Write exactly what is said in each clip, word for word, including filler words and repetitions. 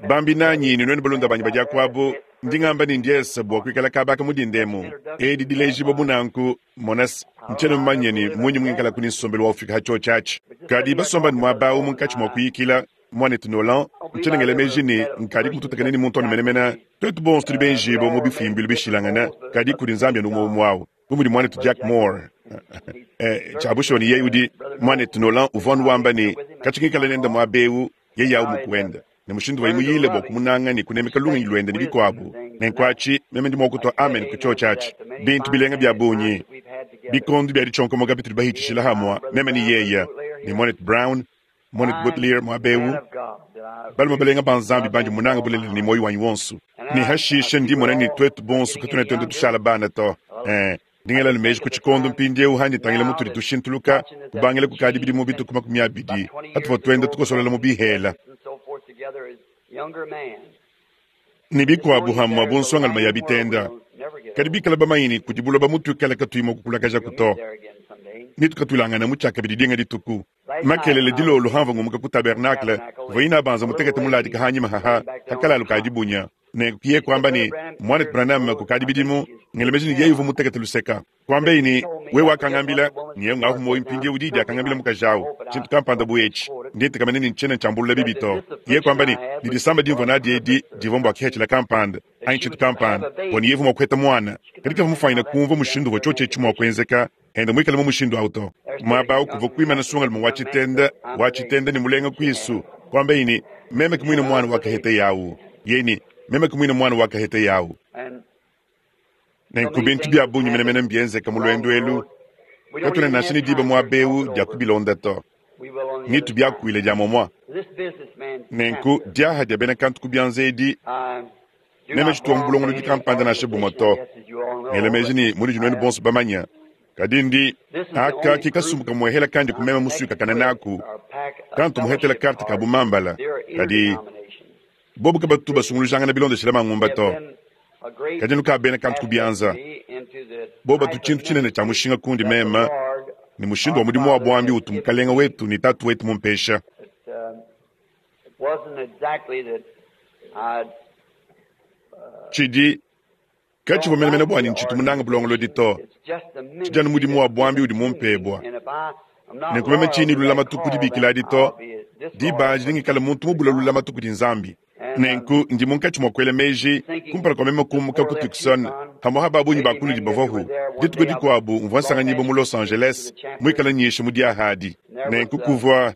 Bambi nanyi ne nuenu balunda banyi ba diakuabu, ndi ngamba ne ndiesa bua kuikala kaba aka mu dinda emu. Edi dilejibua bu nanku, monas, ntshiena mumanye ne munyi mungikalaku ne nsombelu wa ufika ha tshiotshi atshi. Kadi basomba ne muaba awu munkatshi mua kuyikila, muanetu Nolan, ntshiena ngela meji ne nkadi mututakane ne muntu anu menemene. Tuetu bonso tudi benjibue mu bifimbilu bishilangane, kadi kudi Nzambi anu umue umue awu. Bu mudi muanetu Jack Moore, eh, tshia bushuwa ne yeye udi muanetu Nolan uvua anu wamba ne katshi ngikala nende muaba eu, yeye awu mukuenda ne mushindu wayi muyile bua kumunanga ne kunemeka lungenyi luende ne bikuabu. Nenku atshi meme ndi mua kutua amen ku tshiotshi atshi. Bintu bilenga bia bungi, bikondo bia ditshionkomoka bitudi bahitshishila hamua, meme ne yeye ne muanetu Brown, muanetu Butler muaba eu, balume balenga ba Nzambi bandi munanga bulelela ne muoyo wanyi wonso. Ne hashishe ndi mona ne tuetu bonso katuena tuenda tushala bana to. Eh, ndi ngela meji ku tshikondo mpindieu handi tangila mutudi tushintuluka kubangila kukadi bidimu bituku makumi abidi hatuvua tuenda tukosolola mu bihela ne bikuabu hamua bu nsongalume ya bitenda. Kadi bikala bamanye ne kudi buloba mutuikala katuyi mua kukulakajaku to, ne tukatulangana mu tshiakabidi dinga dituku. Makelele dilolo hamva ngumuka ku tabernacle, kuvua ina banza mutekete muladika hanyima haha hakalalu ka dibunya. Nenku kiye kuamba ne muanetu Branham kukadi bidimu, ngela meji ne yeye uvua mutekete luseka. Kuambeyi ne wewe wakangambila, ne ngahu moyo mpindieu didi akangambila mukaji awu, tshintu kampanda bu etshi, ndi ntekamene ne ntshiena ntshiambulula bibi to. Yeye kuamba ne didisamba dimvua nadi edi divua mbua kihetshila kampanda anyi tshintu kampanda, bua ne yeye mua kuheta muana. Kadi kavua mufuanyine kumvua mushindu uvua tshiotshi etshi mua kuenzeka, enda muikale mu mushindu awu to. Muaba awu kuvua kuimana nsongalume wa tshitenda, wa tshitenda ne mulenga kuisu, kuambeyi ne meme ke muine muana wa kahete yawu. Yeye ne meme ke muine muana wa kahete yawu. Nenku bintu bia bungi menemene mbienzeka mu luendu elu, katuena nansha ne diba muaba eu dia kubilonda to. Ngitu biakuile dia momua. Nenku diaha dia bena kantu ku bianza edi, meme tshituwa mu bulongolodi kampanda nansha bumue to. Ngela meji ne munudi nuenu bonso bamanya, kadi ndi aka ke kasumbu kamuehela kandi kumema musuikakana naku, kantu muhetela karte ka bumambala, kadi bobu kabatu basungulujangana bilondeshela mangumba to. Kadi anu ka bena kantu ku bianza, bobu batu tshintu tshinene tshia mushinga kundi meme ne mushindu wa mudimu wa buambi utu mukalenga wetu ne tatu wetu mumpesha. Tshidi katshivua menemene bua ne ntshitu munanga bulongolodi to, tshidi anu mudimu wa buambi udi mumpebua. Nenku meme tshiyi ne lulamatu ku dibikila adi to, diba adi nengikale muntu mubula lulamatu kudi Nzambi. Nenku ndi munkatshi mua kuela meji kumpala kua meme kumuka ku Tucson, hamua ba bungi ba kunudi bavuahu. Dituku dikuabu mvua nsanganyibua mu Los Angeles, muikale nyisha mu diaha adi. Nenku kuvua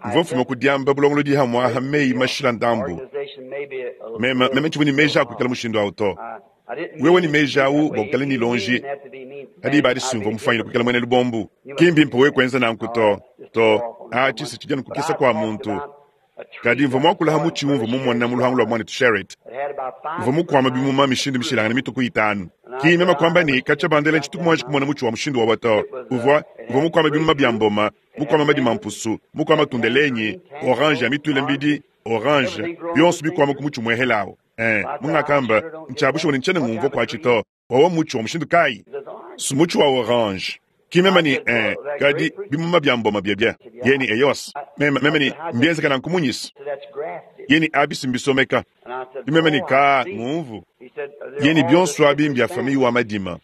mvua mfuma ku diamba bulongolodi hamua ha meyi mashila ndambu. Meme meme tshivua ne meji a kuikala mushindu awu to. Wewe ne meji awu bua kuikala ne lonji, kadi diba adi simvua mufuanyine kuikala muena lubombu. Ki mbimpe wewe kuenza nanku to to, atshi si tshidi anu kukisa kua muntu. Kadi mvua muakula ha mutshi umvua mumona mu luhangu lua muanetu Sherritt. Mvua mukuama bimuma mishindu mishilangane mituku itanu. Ki meme kuamba ne katshia bandela ntshituku muanji kumona mutshi wa mushindu wawa to. Uvua uvua mukuama bimuma bia mboma, mukuama madima mpusu, mukuama tundelenyi, orange ya mituile mbidi, orange, bionso bikuama ku mutshi muehelawu. Eh, mungakamba ntshiabushuwa ne ntshiena ngumvua kuatshi to. Wawa mutshi wa mushindu kayi? Sumutshi wa orange. Ki meme ne eh, kadi bimuma bia mboma biebia. Yeye ne eyos. Meme meme ne mbienzeka nanku munyisi. Yeye ne abisi mbisomeka. Meme ne ka ngumvu. Yeye ne bionso abi mbia famille wa madima.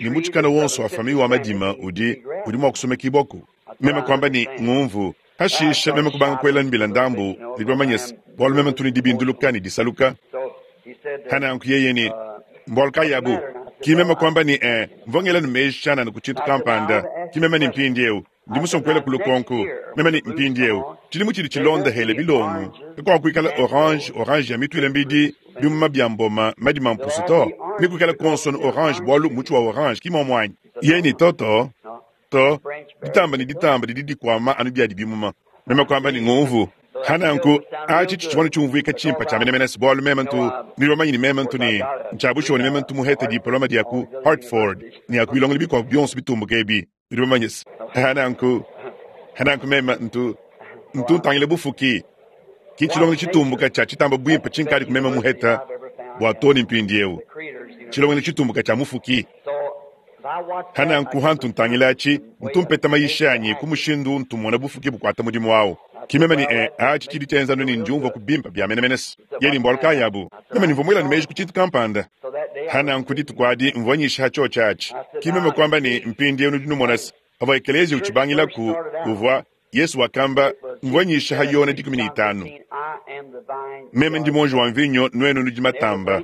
Ne mutshikana wonso wa famille wa madima udi udi mua kusomekibwaku. Meme kuamba ne ngumvu. Hashisha meme kubanga kuela mbila ndambu, nudi bamanye se, bualu meme ntu ne dibinduluka ne disaluka. Hananku yeye ne mbualu kayi abu? Ki meme kuamba ne eh, mvua ngela ne meji tshianana ku tshintu kampanda. Ki meme ne mpindieu ndi musue kuela ku lukonko. Meme ne mpindieu tshidimu tshidi tshilonda hele bilongo, kakuakuikala orange, orange ya mituile mbidi, bimuma bia mboma, madima mpusu to. Ne kuikala kuonso ne orange bualu mutshi wa orange ki muomuanyi. Yeye ne toto to, ditamba ne ditamba didi dikuama anu biadi bimuma. Meme kuamba ne ngumvu. Hananku atshi tshitshivua tshiumvuika tshimpe tshia menemene se bualu meme ntu nudi bamanye ne meme ntu ne ntshiabushuwa ne meme ntu muhete diploma dia ku Hartford ne ya ku bilongelo bikuabu bionso bitumbuka ebi nudi bamanye se hananku hananku meme ntu ntu ntangila bufuki ki tshilongelo tshitumbuka tshia tshitamba buimpe tshinkadi ku meme muheta bua to ne mpindieu tshilongelo tshitumbuka tshia mufuki. Hananku hantu ntangila atshi ntu mpeta mayisha anyi ku mushindu ntu mona bufuki bukuata mudimu awu. Ki meme ne eh, atshi tshidi tshienza anu ne ndiumvua ku bimpe bia menemene se. Yeye ne mbualu kayi abu? Meme ne mvua muela ne meji ku tshintu kampanda. Ha nanku dituku adi mvua nyisha ha tshiotshi atshi. Ki meme kuamba ne mpindieu nudi numona se, pavua ekeleziya utshibangilaku, uvua Yesu wakamba, mvua nyisha ha Yona dikumi ne itanu. Meme ndi muonji wa mvinyo, nuenu nudi matamba.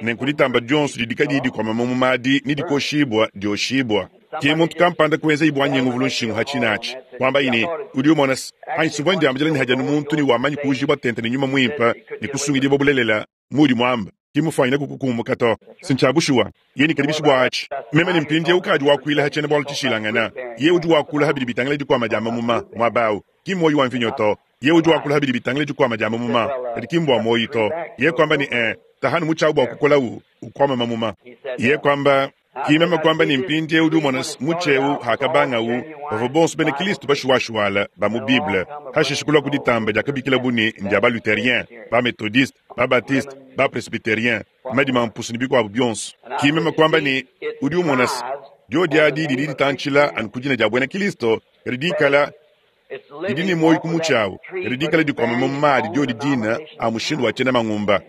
Nenku ditamba dionso didi kadiyi dikuama mamuma adi ne dikoshibua dioshibua. Ke muntu kampanda kuenza bua nyengu vulu nshingu ha tshinatshi. Kuambaye ne, udi umona se, anyi suvua ndiambila ne hadi anu muntu ne wamanyi kuujibua tente ne nyuma muimpe ne kusungidibua bulelela mudi muamba. Ki mufwanyine kukukumbuka to. Sintshia bushuwa. Ye ne kadi bua atshi. Meme ne mpindieu ukadi wakuila ha tshiena bualu tshishilangana. Ye udi wakula ha bidi bitangila dikuama dia mamuma muaba awu. Ki muoyo wa mvinyo to. Ye udi wakula ha bidi bitangila dikuama dia mamuma. Kadi ki mbua muoyo to. Ye kuamba ne eh, tahanu mutshiawu bua kukolawu ukuama mamuma. Ye kuamba ki meme kuamba ne mpindieu udi umona mutsheu hakabangawu bavua bonso bena Kristo bashuwashuwala ba mu Bible. Hashishe kulua ku ditamba diakabikilabu ne ndia ba Lutherien, ba Methodiste, ba Baptiste, ba Presbyterien, madima mpusu ne bikuabu bionso. Ki meme kuamba ne udi umona diodi adi didi ditantshila anu ku dina dia buena Kristo, kadi dikala didi ne muoyo ku mutshi awu, kadi dikala dikuama mamuma adi diodi dina a mushindu wa tshiena mangumba.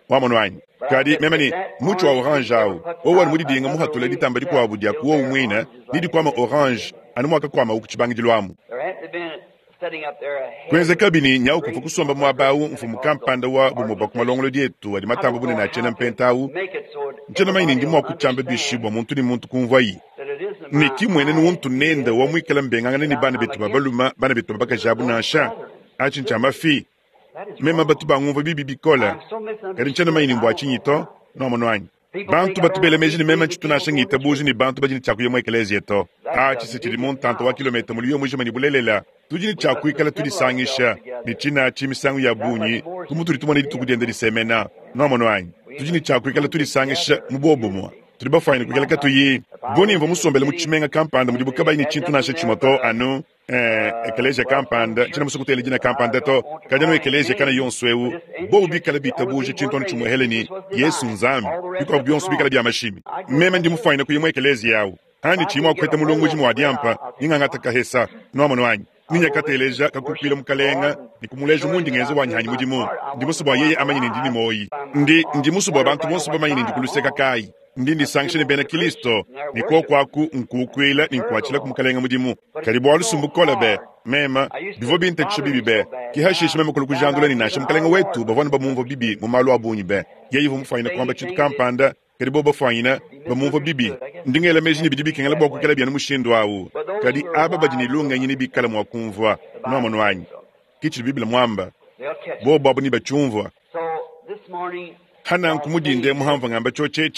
Wamonu anyi? Kadi meme ne mutshi wa orange awu, wowu anu mudidinga muhatula ditamba dikuabu dia ku wowu muine, ne dikuama orange anu muakakuamawu ku tshibangidilu amu. Kuenzekabi ne nyawu kuvua kusomba muaba awu mfumu kampanda wa bumue bua ku malongolodi etu adi matamba bunene a tshiena mpenta awu. Ntshiena manya ne ndi mua kutshiamba bishi bua muntu ne muntu kumvuayi. Ne ki muenenu untu nende wa muikala mbengangana ne bana betu ba balume, bana betu ba bakaji abu nansha. Atshi ntshia mafi. Meme batu bangumvua bibi bikole. Kadi ntshiena manya ne mbua tshinyi to, nuamonu anyi? Bantu batu bela meji ne meme ntshitu nansha ngitabuja ne bantu badi ne tshia kuya mu ekeleziya to. Atshi se tshidi mu ntanta wa kilometa muliyo mujima ne bulelela. Tudi ne tshia kuikala tudisangisha ne tshinatshi misangu ya bungi ku mutudi tumona dituku dienda disemena. Nuamonu anyi? Tudi ne tshia kuikala tudisangisha mu bobumue. Tudi bafwanyine kuikala katuyi bu ne mvua musombele mu tshimenga kampanda mudibu kabayi ne tshintu nansha tshimue to anu eh, ekeleziya kampanda, tshiena musue kutela dina kampanda to, kadi anu ekeleziya kana yonso eu, bobu bikala bitabuja tshintu anu tshimuehele ne Yesu Nzambi, bikuabu bionso bikala bia mashimi. Meme ndi mufwanyine kuya mu ekeleziya awu, anyi tshiyi mua kupeta mulongoji mua diampa, ningangata kahesa. Nuamonu anyi? Ninya kateleja kakukuila mukalenga ne kumuleja mundi ngenza wanyi hanyi mudimu. Ndi musue bua yeye amanye ne ndi ne muoyi. Ndi ndi musue bua bantu bonso bamanye ne ndi kuluseka kayi. Ndi ndisangisha ne bena Kristo ne koku aku nkukuila ne nkuatshila ku mukalenga mudimu. Kadi bualu sumbukola be mema bivua bintatshisha bibi be. Ki hashishe meme kulu kujandula ne nansha mukalenga wetu bavua ne bamumvua bibi mu malu a bungi be. Yeye uvua mufwanyine kuamba tshintu kampanda, kadi bo bafwanyine bamumvua bibi. Ndi ngela meji ne bidi bikengela bua kuikala bia mushindu awu. Kadi aba badi ne lungenyi ne bikala mua kumvua. Nuamonu anyi? Ki tshidi Bible muamba. Bobo abu ne batshiumvua. Ha nanku mudinde muhamvua ngamba tshiotshi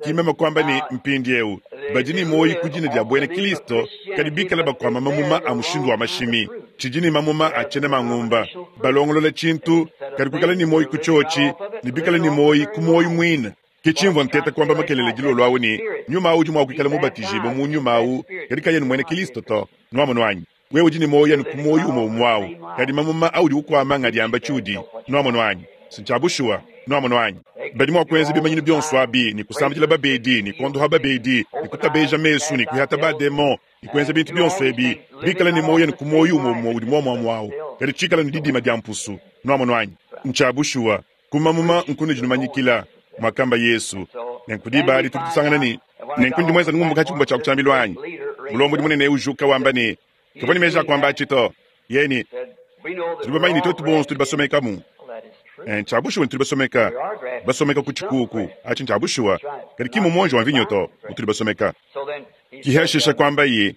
ki meme kuamba ne mpindieu badi ne muoyo ku dina dia buena Kristo, kadi bikala bakuama mamuma a mushindu wa mashimi. Tshidi ne mamuma a tshiena mangumba. Balongolola tshintu, kadi kuikala ne muoyo ku tshiotshi, ne bikala ne muoyo ku muoyo muine. Ke tshimvua nteta kuamba makelele dilolo awu ne nyuma awu udi mua kuikala mubatijibue mu nyuma awu, kadi kayena muena Kristo to. Nuamonu anyi? Wewe udi ne muoyo anu ku muoyo umue umue awu, kadi mamuma audi ukuama ngadiamba tshiudi. Nuamonu anyi? Sintshia bushuwa. Nuamonu anyi? Badi mua kuenza bimanyinu bionso abi ne kusambidila babedi ne kuondoha babedi ne kutabeja mesu ne kuihata bademon ne kuenza bintu bionso ebi, bikala ne muoyo anu ku muoyo umue umue udi muomuamue awu, kadi tshikala ne didima dia mpusu. Nuamonu anyi? Ntshia bushuwa. Ku mamuma nkunudi numanyikila, muakamba Yesu. Nenku diba adi tudi tusangana ne nenku ndi muenza ngumbuka tshikumba tshia kutshiambilu anyi. Mulombodi munene ujuka wamba ne kavua ne meji a kuamba atshi to. Yeye tudi bamanye ne tuetu bonso tudi basomekamu. Ntshia bushuwa ne tudi basomeka, basomeka ku tshikuku atshi ntshia bushuwa, kadi ki mu muonji wa mvinyo to utudi basomeka. Ki hashisha kuamba ye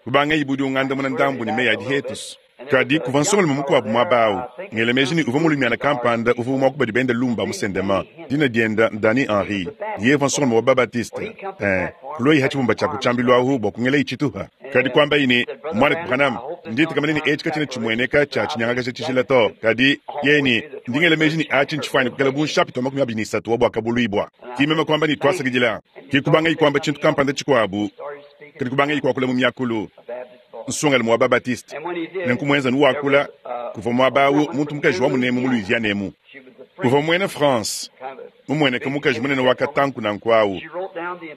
kubanga ibudi ungandamuna ndambu ne meyi adi hetusu. Kadi kuvua nsongalume mukuabu muaba awu, ngela meji ne uvua mulumiana kampanda uvua mua kubadi benda lumba musendema, dina dienda Danny Henry. Yeye uvua nsongalume wa Babatiste. Eh, kulua ha tshibumba tshia kutshiambilu ahu bua kungela itshituha. Kadi kuambaye ne, mwana Branham, nditekemena ne etshi katshiena tshimueneka tshia tshinyangakaja tshijila to. Kadi yeye ne, ndi ngela meji ne atshi ntshifwanyine kuikala bu nshapita wa makumi abidi ne isatu wa buakabuluibua. Ki meme kuamba ne twasakidila. Ki kubanga kuamba tshintu kampanda tshikuabu, kadi kubanga kuakula mu miakulu. Nsongalume wa Babatiste. Nenku muenza nuwakula kuvua muaba awu muntu mukaji wa munemu mu Louisiane emu. Uvua muena France, mumueneka mukaji munene wa katanku nanku awu.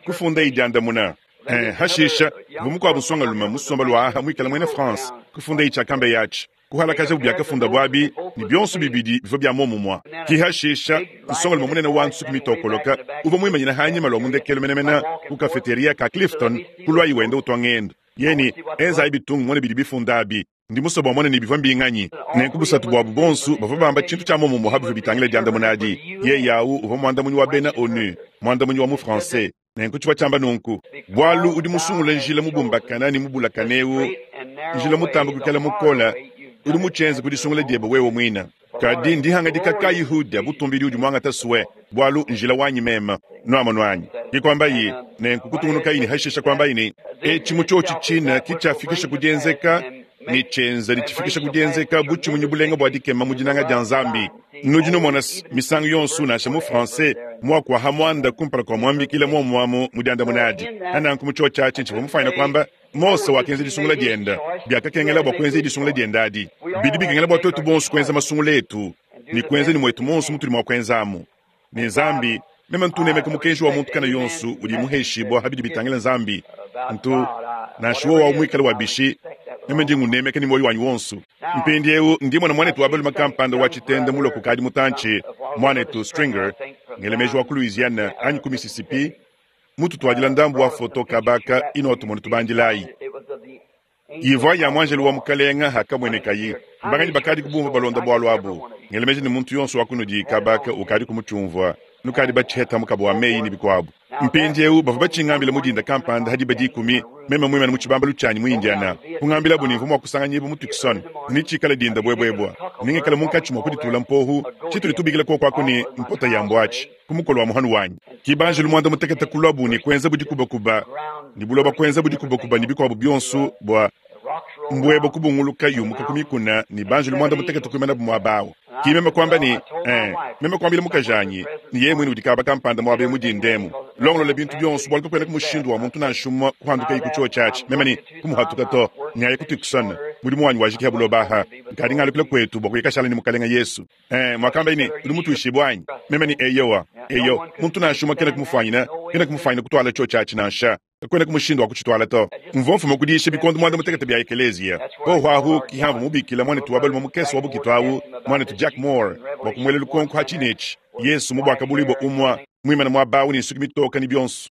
Kufunda idiandamuna. Eh, hashisha, kuvua mukuabu nsongalume musomba lua aha muikala muena France, kufunda itshia kambe yatshi. Kuhalakajabu biakafunda abi ne bionso bibidi bivua bia muomumue. Kihashisha nsongalume munene wa nsuki mitokoloka uvua muimanyina hanyima lua mundekelo menemene ku kafeteria ka Clifton kulwayi wenda utua ngendo. Yeni enzayi bitungu mone bidi bifunda abi. Ndi musue bua mone ne bivua mbinganyi. Nenku busatu buabu bonso bavua bamba tshintu tshia muomumue ha bivua bitangila diandamuna adi. Yeye awu uvua muandamunyi wa bena ONU, muandamunyi wa mu français. Nenku tshivua tshiamba nunku: bualu udi musungule njila mubumbakana ne mubulakane eu, njila mutamba kuikala mukola, udi mutshienze ku disungula diebe wewe muine. Kadi ndihangadika kayi hudia butumbidi udi muangata sue, bualu njila wanyi meme nuamonu anyi. Kikwambayi nenku kutungunukayi ne hashisha kwambayi ne etshi mutshiotshi tshina kitshiafikisha ku dienzeka ne tshienza ne tshifikisha ku dienzeka butshimunyi bulenga bua dikema mu dinanga dia Nzambi. Nudi numona misangu yonso nansha mu français muaku ha muanda kumpala kua muambikila muomuamu mu diandamuna adi. Ananku mu tshiotshi atshi tshivua mufanyina kwamba Mose wakenza disungula dienda, biakakengela bua kuenza disungula dienda adi. Bidi bikengela bua tuetu bonso kuenza masungula etu ne kuenza ne mwetu monso mutudi mua kuenzamu. Ne Nzambi, meme ntunemeka mukenji wa muntu kana yonso udi muheshibua habidi bitangila Nzambi. Ntu nansha wowa muikale wa bishi, meme ndi ngunemeka ne moyo wanyi wonso. Mpindieu ndi mwana mwanetu wa balume kampanda wa tshitende mulua kukadi mutantshi, mwanetu Stringer, ngelemeji wa ku Louisiana anyi ku Mississippi, mututuadila ndambu wa foto kabaka ino tumone tubandilayi. Ivua ya mwanjelu wa mukalenga hakamwenekayi. Mbanganyi bakadi kubumva balonda bwalu abu. Ngelemeji ne muntu yonso wa kunudi kabaka ukadi kumutshiumvua. Nukadi batshiheta mukabo wa meyi ne bikuabu. Mpindieu bavua batshingambila mudinda kampanda hadi badikumi, meme muimane mu tshibambalu tshianyi mu Indiana. Kungambila bu nimvua mua kusanganyibwa mu Tucson, ni tshikala dinda bwebwebwa. Ningikala munkatshi mua kuditula mpohu, tshitudi tubikila kokwako ne mpota ya mbwatshi, ku mukolo wa muhanu wanyi. Kibanjelu muanda mutekete kulwabu ne kuenza budikubakuba, ne buloba kuenza budikubakuba ne bikuabu bionso bua mbweba kubunguluka yumuka ku mikuna ne banjelu muanda mutekete kuimana bu muaba awu. Ki meme kwamba ne, eh, meme kwambila mukajanyi, ne yeye mwene udi kaba kampanda muaba mudindemu. Longolola bintu bionso bualu kakuena ku mushindu wa muntu nansha umue kuhanduka ku tshiotshi atshi. Meme ne kumuhatuka to, nyaye ku Tucson, mudimu wanyi wajiki buloba aha. Nkadi ngalukila kwetu bua kuyikashala ne mukalenga Yesu. Eh, mwakamba ne udi mutuishibwa anyi? Meme ne eyowa, eyo, muntu nansha umue kena kumufanyina, kena kumufanyina kutwala tshiotshi atshi nansha. Kakuena ku mushindu wa kutshitwala to. Mvua mfuma kudisha bikondo muanda mutekete bia ekelezia. Poho ahu kihamvu mubikila mwanetu wa balume mukese wa bukitu awu, mwanetu Jack Moore, bua kumuela lukonko ha tshinetshi. Yesu mubwaka bulibwa umwa, muimana muaba awu ne nsuki mitoka ne bionso.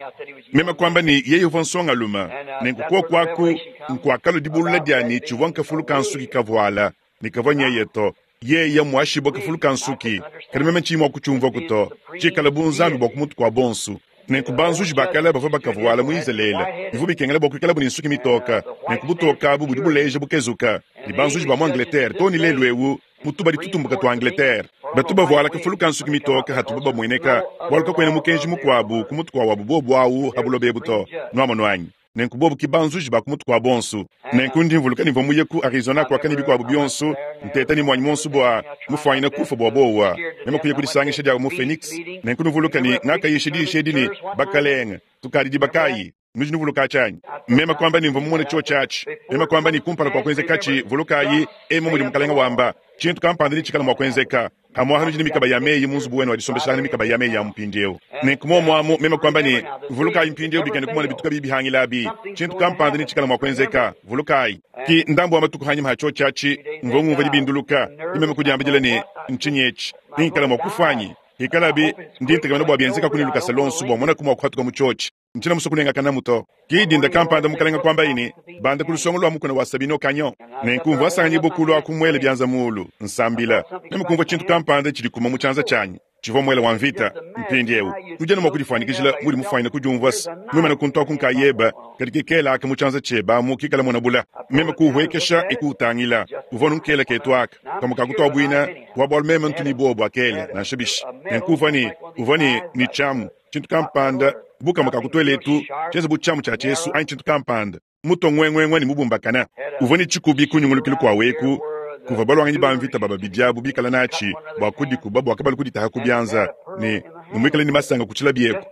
Meme kwamba ne yeye uvua nsongalume, nenku kokwaku nkuakalo dibulula dianyi tshivua nkafulu ka nsuki kavuala, ne kavua nyeye to. Yeye mwashibwa kafulu ka nsuki, kadi meme ntshiyi mua kutshiumvua to. Tshikala bu Nzambi bua kumutu kua bonso. Nenku banzuji bakala bavua bakavuala mu Izalele, bivua bikengela bua kuikala bu ne nsuki mitoka. Nenku butoka abu budi buleja bukezuka. Ne banzuji ba mu Angleterre too ne lelu ewu mutubadi tutumbuka tua Angleterre, batu bavuala kafulu ka nsuki mitoka hatubu bamueneka, bualu kakuena mukenji mukuabu ku mutu kua wabu bobu awu ha buloba ebu to. Nuamonu anyi? Nenku bobu ki banzuji ba ku mutu kua bonso. Nenku ndi mvuluka nivua muye ku Arizona kuakani bikuabu bionso, nteta ne mwanyi monso bua mufuanyina kufa bua bowa. Meme kuya kudisangisha dia mu Phoenix. Nenku nuvuluka ne ngakayisha diyisha edi ne bakalenga, tukadi dibakayi. Nudi nuvuluka tshianyi? Meme kwamba ne mvua mumone tshiotshi atshi. Meme kwamba ne kumpala kua kuenzeka tshi, vulukayi, emu mudi mukalenga wamba, tshintu kampanda ne tshikala mua kuenzeka. Hamwaha nudi ne mikaba ya meyi mu nzubu wenu wa disombeshangana mikaba ya meyi ya mpindieu. Nenku muomuamu meme kwamba ne vulukayi mpindieu bikene kumona bituka bibi bihangila abi. Tshintu kampanda ne tshikala mua kuenzeka, vulukayi. Ki ndambu wa matuku hanyima ha tshiotshi atshi, mvua ngumvua dibinduluka. Ni meme kudiambidila ne ntshinyi etshi, ningikala mua kufa anyi? Hikalabi ndi ntekemena bua bienzeka kuni lukasa lonso bua mona kumua kuhatuka mu tshiotshi. Ntsina muso kunengakana muto. Ki dinda kampanda mukalenga kwamba ini, banda ku lusongo lwa mukuna wa Sabino Canyon. Nenku mvua sanganyi bukulu akumwele byanza mulu, nsambila. Meme kumvua tshintu kampanda tshidi kuma mu tshianza tshianyi. Tshivua mwele wa mvita, mpindieu. Nudi anu mua kudifuanyikijila mudi mufuanyina kudiumvua se, mwimana kuntu aku nkayeba, kadi kikela aka mu tshianza tshieba amu kikala muona bula. Meme kuuhuekesha ikuutangila. Uvua nunkela ketu aka. Kamue kakutua buina, wa bualu meme ntu ni bobu akele, nansha bishi. Nenku uvua ne, uvua ne, ne tshiamu, tshintu kampanda, bu kamue kakutuela etu, tshienza bu tshiamu tshia tshiesu anyi tshintu kampanda. Muto ngwengwengwe ne mubumbakana. Uvua ne tshikubi kunyungulukilu kua weku, kuvua balwanganyi ba mvita ba babidi abu bikala natshi bua kudikuba bua kabalu kuditaha ku bianza, ne ne muikale ne masanga ku tshilabi eku.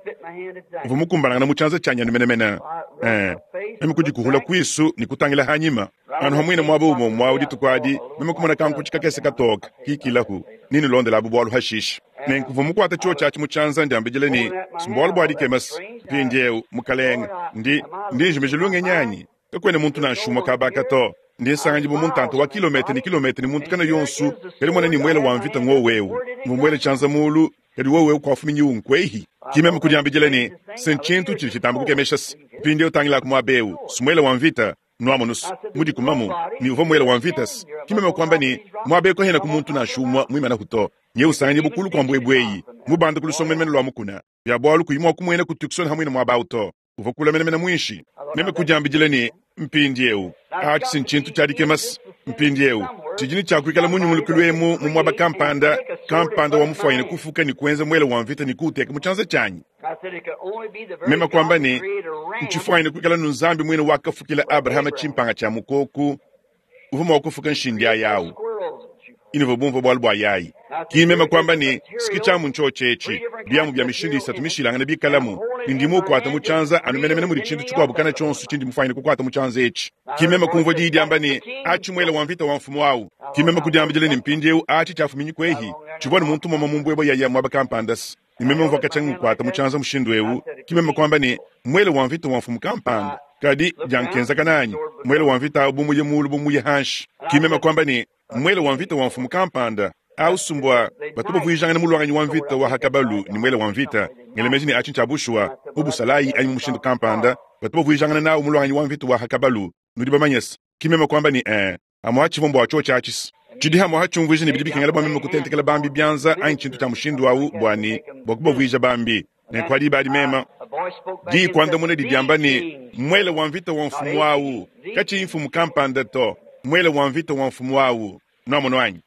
Uvua mukumbanangana mu tshianza tshianyi anu menemene. Eh, meme kudikuhula kuisu ne kutangila hanyima. Anu hamwina muaba umue mwawu dituku adi, meme kumona kankutshi kakese katoka, kikilahu, ninulondela abu bualu hashisha. Nenku mvua mukuata tshiotshi atshi mu tshianza ndiambidila ne, simbualu bua dikemesa, mpindieu, mukalenga, ndi, ndi njimija lungenyi anyi? Kakuena muntu nansha umue kabaka to. Ndi nsanganyibwa mu ntanta wa kilometa ne kilometa ne muntu kana yonso, kadi mona ne mwele wa mvita ngwowu ewu. Mvwa mwele tshianza muulu, kadi wowu ewu kwafuminyi unkwehi. Ki meme kudiambidila ne, se ntshintu tshidi tshitamba kukemesha se, mpindieu tangilaku muaba ewu, si mwele wa mvita, nwamonu's, mudikumamu, ne uvwa mwele wa mvita-se. Ki meme kwamba ne, muaba ewu kahenaku muntu nansha umwe mwimanaku to. Nyewu usanganyibwa kulu kwa mbwebwe eyi, mubanda ku lusongo menemene lwa mukuna. Bya bwalu kuyi mwa kumwena ku Tucson hamwine mwaba awu to. Uvwa kula menemene mwinshi. Meme kudiambidila ne, mpindiewu, aci si ntshintu tshia dikema-se. Mpindiewu, tshidi ne tshia kuikala mu nyungulukilu emu mu mwaba kampanda, kampanda wa mufwanyine kufuka ne kuenza mwele wa mvita ne kuwuteka mu tshianza tshianyi. Meme kwamba ne, ntshifwanyine kuikala nu Nzambi mwine wakafukila Abrahama tshimpanga tshia mukoku, uvwa mwa kufuka nshindi ayi awu. Inuvwa bumvwa bwalu bwa yayi. Ki meme kwamba ne, siki tshiamu ntshiotshi etshi, biamu bya mishindu isatu mishilangane bikalamu, ne ndi muukwata mu tshianza anu menemene mudi tshintu tshikuabu kana tshionso tshindi mufwanyine kukwata mu tshianza etshi. Ki meme kumvwa diyi diamba ne, Atshi mwele wa mvita wa mfumu awu. Ki meme kudiambidila ne, mpindiewu atshi tshiafuminyi kwehi? Tshivwa ne muntu moma mu mbwebwe yaya mwaba kampanda-se, ne meme mvwa katshia ngukwata mu tshianza mushindu ewu. Ki meme kwamba ne, Mwele wa mvita wa mfumu kampanda. Kadi diankenzakana anyi? Mwele wa mvita awu bu muye muulu bu muye hanshi. Ki meme kwamba ne, Mwele wa mvita wa mfumu kampanda. Awu sumbwa batu bavuijangana mulwanganyi wa mvita wa ha kabalu ne mwele wa mvita. Ngela meji ne atshi ntshia bushuwa, mu busalayi anyi mu mushindu kampanda, batu bavuijangana nawu mulwanganyi wa mvita wa ha kabalu. Nudi bamanye-se. Ki meme kwamba ne, Ee, amu atshivua mbua tshiotshi atshi-se. Tshidi amu atshiumvuija ne bidi bikengela bua meme kutentekela bambi bianza anyi tshintu tshia mushindu awu bua ne, bua kubavuija bambi. Nenku pa diba adi meme, diyi kuandamuna didi diamba ne, Muele wa mvita wa mfumu awu, katshiyi mfumu kampanda to, muele wa mvita wa mfumu awu. Nwamonu anyi?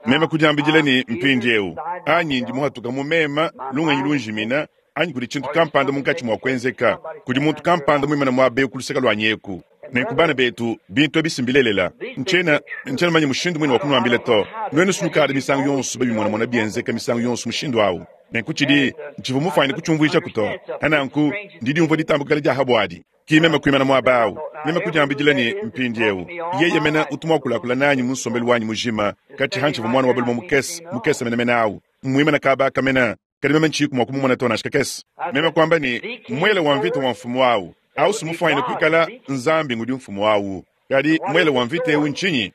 Meme kudiambidila ne, Mpindiewu, anyi ndi muhatuka mu mema, lungenyi lunjimina, anyi kudi tshintu kampanda munkatshi mua kuenzeka, kudi muntu kampanda muimane muaba ewu ku luseke luanyi eku. Nenku bana betu, bintu ebi si mbilelela. Ntshiena, ntshiena mumanye mushindu muine wa kunuambila to. Nuenu sunukadi misangu yonso babimonamona bienzeka misangu yonso mushindu awu. Nenku tshidi, ntshivua mufwanyine kutshiumvuijaku to. Pa nanku, ndi diumvua ditambukila dia pa buadi. Ki meme kuimana muaba awu, meme kudiambidila ne, Mpindiewu, yeye mene utu muakulakula nanyi mu nsombelu wanyi mujima, katshi hantshivua muana wa balume mukese, mukese menemene awu, mmuimane kaba aka mene, kadi meme ntshiyiku mua kumumona to nansha kakese. Meme kuamba ne, Muele wa mvita wa mfumu awu, awu si mufwanyine kuikala Nzambi ngudi mfumu awu. Kadi muele wa mvita ewu ntshinyi?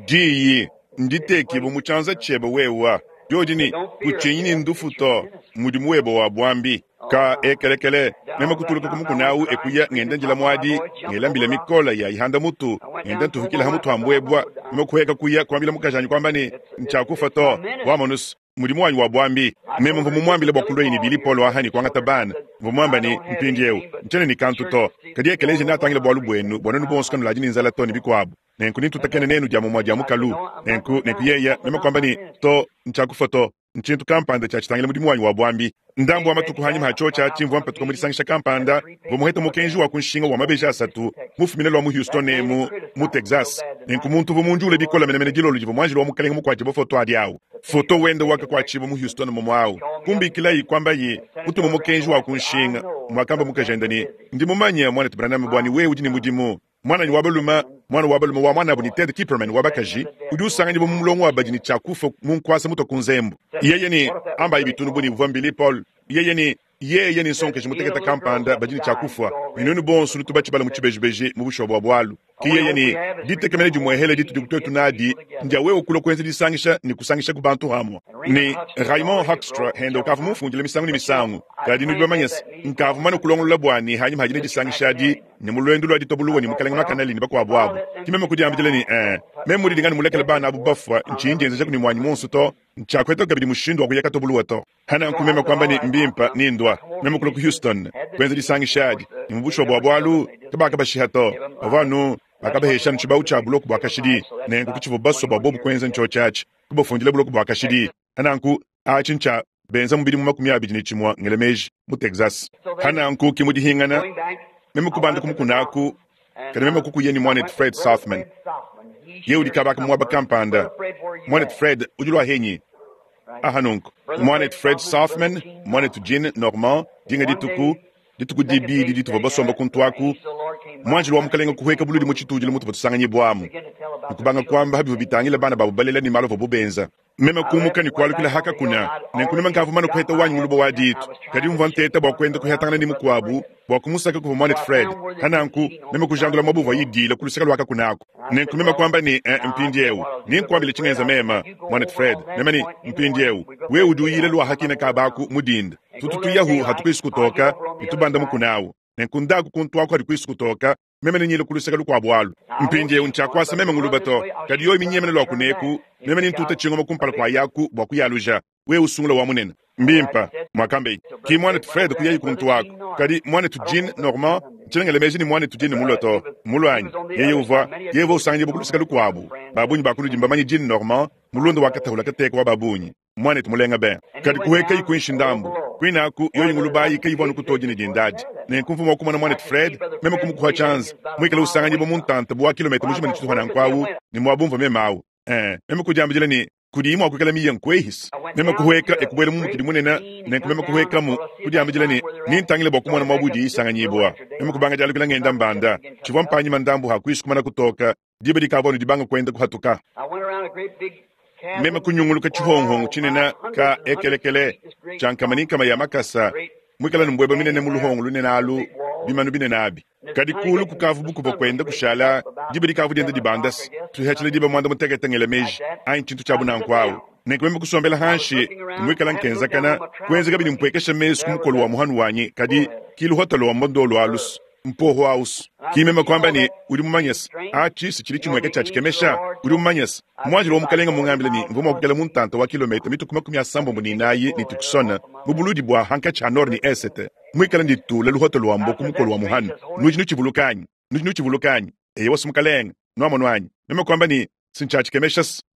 Diyi nditekibue mu tshianza tshiebe wewa. Diodi ne, Kutshinyi ne ndufu to, mmudimu webe wa buambi. Ka ekelekele, meme kutuluka ku mukuna awu e kuya ngenda njila muadi, ngela mbila mikole ya ihanda mutu, ngenda ntuhukila ha mutu ha mbuebua. Meme kuheka kuya kuambila mukajanyi kuamba ne, Ntshiakufua to, wamonus, mudimu wanyi wa buambi. Meme mvua mumuambile bua kuluaye ne Billy Paul aha ne kuangata bana. Mvua muamba ne, Mpindiewu, ntshiena ne kantu to, kadi ekeleziya neatangile bualu buenu, bua nuenu bonso kanuladi ne nzala to ne bikuabu. Nenku nentutakene nenu dia mumue dia mukalu. Nenku, nenku yeye, meme kuamba ne, To, ntshiakufua to. Ntshintu kampanda tshia tshitangila mudimu wanyi wa buambi. Ndambu wa matuku hanyima ha tshiotshi atshi, mvua mpatuka mu disangisha kampanda, mvua muhete mukenji wa ku nshinga wa mabeji asatu mufumine lua mu Houston emu mu Texas. Nenku muntu uvua mundiule bikole menemene dilolo divua muanjelu wa Mukalenge mukuatshibue foto adi awu. Foto wende wakakuatshibua mu Houston mumue awu. Kumbikilayi, kuambaye, Kutuma mukenji wa ku nshinga, muakamba mukajende ne, Ndi mumanye, Muanetu Branham, bua ne wewe udi ne mudimu. Muananyi wa balume, muana wa balume wa muanabu ne Ted Kipperman wa bakaji, udi usanganyibua mu mulongo wa badi ne tshia kufua mu nkuasa mutua ku nzembu. Yeye ne, Ambayi bitunu bu ne uvua Billy Paul. Yeye ne, Yeye ne nsongakaji mutekete kampanda badi ne tshia kufua, ne nuenu bonso nutu batshibala mu tshibejibeji mu bushuwa bua bualu. Ke yeye ne, Ditekemena dimuehele ditudi tuetu nadi ndia wewe kulua kuenza disangisha ne kusangishaku bantu hamue. Ne Raymond Hoekstra hende ukavua mumfundile misangu ne misangu, kadi nudi bamanye se, nkavua mumane kulongolola bua ne hanyima hadi ne disangisha adi, ne mu luendu lua ditabuluwa ne Mukalenge Makanali ne bakuabu abu. Ke meme kudiambidila ne, Ee, meme mudidinga ne mulekele bana abu bafua, ntshiyi ndienzejaku ne muanyi muonso to, ntshiakuetaku kabidi mushindu wa kuya katobuluwa to. Pananku meme kuamba ne, Mbimpe, nindua. Meme kulua ku Houston, kuenza disangisha adi, ne mu bushuwa bua bualu, kabakabashiha to. Bavua anu bakabahesha anu tshibawu tshia buloko bua kashidi. Nenku ke tshivua basue bua bobu kuenza ntshiotshi atshi, kubafundila buloko bua kashidi. Pananku, atshi ntshia benza mu bidimu makumi abidi ne tshimue, ngela meji, mu Texas. Pananku ki mu dihingana, meme kubanda ku mukuna aku, kadi meme kukuya ne muanetu Fred Sothmann. Yeye udi kaba aka mu muaba kampanda. Muanetu Fred, udi lua henyi? Aha nunku, muanetu Fred Sothmann, muanetu Gene Norman, dinga dituku, dituku dibidi dituvua basomba kuntu aku, muanjelu wa Mukalenge kuhueka buludi mu tshitudilu mutuvua tusanganyibuamu, ne kubanga kuamba ha bivua bitangila bana babu balela ne malu avuabu benza. Meme kumuka ne kualukila hakakuna, nenku meme nkavua mane kuheta wanyi nguluba wa ditu. Kadi mvua nteta bua kuenda kuhetangana ne mukuabu bua kumusaka kuvua muanetu Fred. Hananku meme kujandula muaba uvua idila ku luseke lua kakuna aku. Nenku meme kuamba ne, eh, mpindiewu ninkuambile tshingenza meme muanetu Fred. Meme ne, mpindiewu wewe udi uyila lua hakina kabaku mu dinda. Tutu tuyahu hatukuisu kutoka ne tubanda mukunawu. Nenku ndaku kuntu aku hadi kutoka meme nenyile ku luseke lukuabu alu. Mpindiewu ntshiakuasa meme nguluba to, kadi yoyi minyemene lua kuneku, meme nintuta tshingoma kumpala kua yaku bua kuyaluja. Wewe usungula wa munene. Mbimpa mwakambe ki muanetu Fred kuyayi kuntu aku, kadi muanetu Jean Normand ntshinengele meji ni muanetu Jean mulo to mulwanyi yeye uvua yeye uvua usanganyibwa ku luseke lukuabu. Babunyi bakunudi mbamanye Jean Normand mulunda wakatahula kateka wa babunyi muanetu mulenga ben. Kadi kuheka ikuinshi ndambu kwinaku yoyi ngulubayi kayivua kutodi ne dindadi. Nenku mvua mua kumona muanetu Fred meme kumukuha tshianza muikale usanganyibwa mu ntanta bu wa kilometa mujima ne tshituha nanku ne muabumvua meme awu. Eh, meme kudiambila ne kudi imwe akuikala miye nkwehisa. Meme kuheka ekubwela mu mukidi munene, nenku meme kuhekamu kudiambila ne nintangile bua kumona muabudi isanganyibwa. Meme kubanga dialukila ngenda mbanda tshivua mpanyima ndambu hakuishi kumana kutoka diba dikavua dibanga kwenda kuhatuka. Meme kunyunguluka tshihonghongo tshinene ka ekelekele tshiankama ni nkama ya makasa mwikala ni mbwebwe minene mu luhongo lunene alu bimanu binene abi. Kadi kulu kukavu bukuva kwenda kushala diba dikavu dienda dibandasi tuhatshile diba mwanda mutekete ngela meji anyi tshintu tshiabu nanku awu. Nenku meme kusombela hanshi mwikala nkenzakana kuenza kabidi mpwekesha mesu ku mukolo wa muhanu wanyi kadi kiluhotolo wa mbondolo alusu mpoho ausu. Ki meme kwamba ne udi mumanyesa atshi si tshili tshimweka tshia tshikemesha udi mumanyesa mwanjilo wa mukalenga mungambile ni mvua mua kukela mu ntanta wa kilomita mituku makumi asambombo ni inayi ni tukusona mu buludi bua hankatshi ha nord ni esete mwikala nditula luhotolo wa mboku mukolo wa muhanu. Nudi nutshivulukanyi nudi nutshivulukanyi eye wasu mukalenga nuamono anyi. Meme kwamba ni sintshia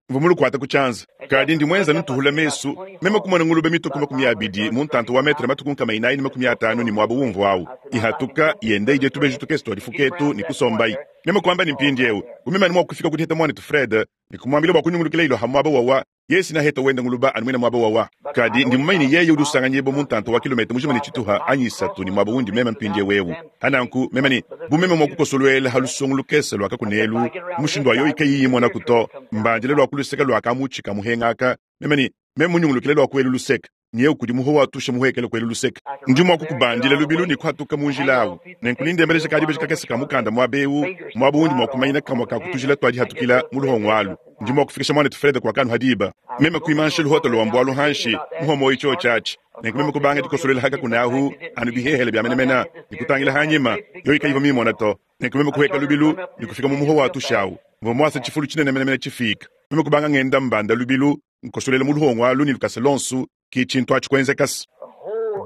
mvua mulukuata ku tshianza kadi ndi mwenza ntuhula mesu meme kumona ngulube mituku makumi abidi mu ntanta wa metre matuku nkama inayi ni makumi atanu ni muaba wumvu awu ihatuka yende idie tubeji tukese tua difuketu ni kusombayi. Meme kwamba ni mpindiewu umemani mua kufika kuteta muanetu Fred ni kumwambila bua kunyungulukila ilo ha muaba wawa yesi na heta wenda nguluba anu mwina muaba wawa. Kadi ndi mumanyi ni yeye udi usanganyibwa mu ntanta wa kilomita mujima ni tshituha anyi isatu ni muaba wundi meme mpindiewu ewu. Hananku meme ni bumeme mua kukosolwela ha lusongo lukese lua kakunelu mushindu wa yoyi kayiyi mona kuto mbandile lua kuluseka lua kamutshi kamuhengaka meme ni meme munyungulukile lua kuelu luseka niye kudi muho watusha muhekele kuelu luseka ndi mua kukubandila lubilu ni kuhatuka mu njila awu. Nenku nindembelesha kadi beji kakese ka mukanda muaba ewu muaba wundi mua kumanyina kamua ka kutujila tuadihatukila mu luhongo alu. Ndi mua kufikisha muanetu Fred kwa kanu hadiba meme kuimansha luhotolo wa mbwalu hanshi muhomoyi tsho tshatshi. Nenku meme kubanga dikosolela haka kunahu anu bihehele bya menemena nikutangila hanyima yoyi kayiva mimona to. Nenku meme kuheka lubilu nikufika mu muho watushawu mvua mwasa tshifulu tshinene menemene tshifika. Meme kubanga ngenda mbanda lubilu nkosolela mu luhongo alu ni lukasa lonsu ki tshintu atshi kuenzekasa.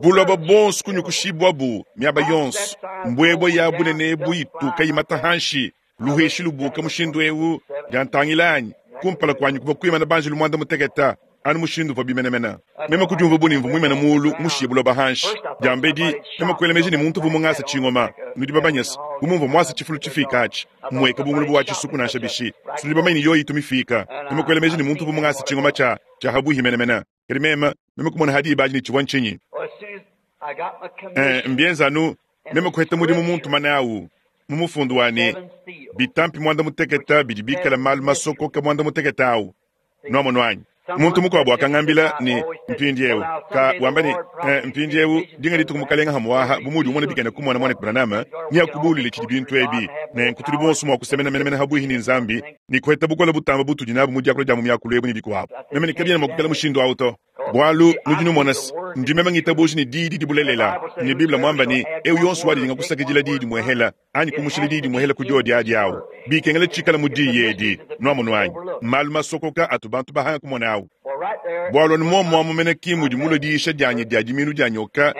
Buloba bonso kunyukushibwa bu miaba yonso mbwebwe ya bunene buituka imata hanshi luheshi lubuka mushindu ewu diantangilanyi kumpala kwanyi kuva kuimana banji lumwanda muteketa anu mushindu uvua bimenemena. Meme kudiumva bunimvu muimana mulu mushiye buloba hanshi diambedi meme kuela meji ni muntu uvua mungasa tshingoma nudi babanyesa bumumvua mwasa tshifulu tshifika atshi mweka bungulubu wa tshisuku nansha bishi sudi bamanyi yoyi itumifika. Meme kuela meji ni muntu uvua mungasa tshingoma tsha tsha habuhi menemena. Kadi meme meme kumona hadi ibaji ni tshivua ntshinyi. Eh, mbienzanu meme kuheta mudimu muntu manawu mu mufundu wane bitampi mwanda muteketa bidi bikala malu masokoka mwanda muteketa awu nuamono anyi. Muntu mukuabu akangambila ni mpindiewu ka wamba ni eh, mpindiewu dinga dituku mukalenga hamuaha bumudi umona bikene kumona mwana Branham ni akubulile tshidi bintu ebi nenku tudi bonso mua kusemena menemene habuhi ni nzambi ni kuheta bukola butamba butudi nabu mu diakula dia mu miakulu ebu ni bikuabu. Meme ni kabiena mua kukela mushindu awu to bwalu nudi numona ndi meme ngitabuji ni didi dibulelela ni Biblia mwamba ni eu yonso wadi kusakidila didi mwehela anyi kumushila didi mwehela kudiodi adi awu bikengela tshikala mu diyi edi nuamono anyi malu masokoka atu bantu bahanga kumona awu. Bwalu anu momo mene kimudi mulo diisha dianyi dia diminu dia nyoka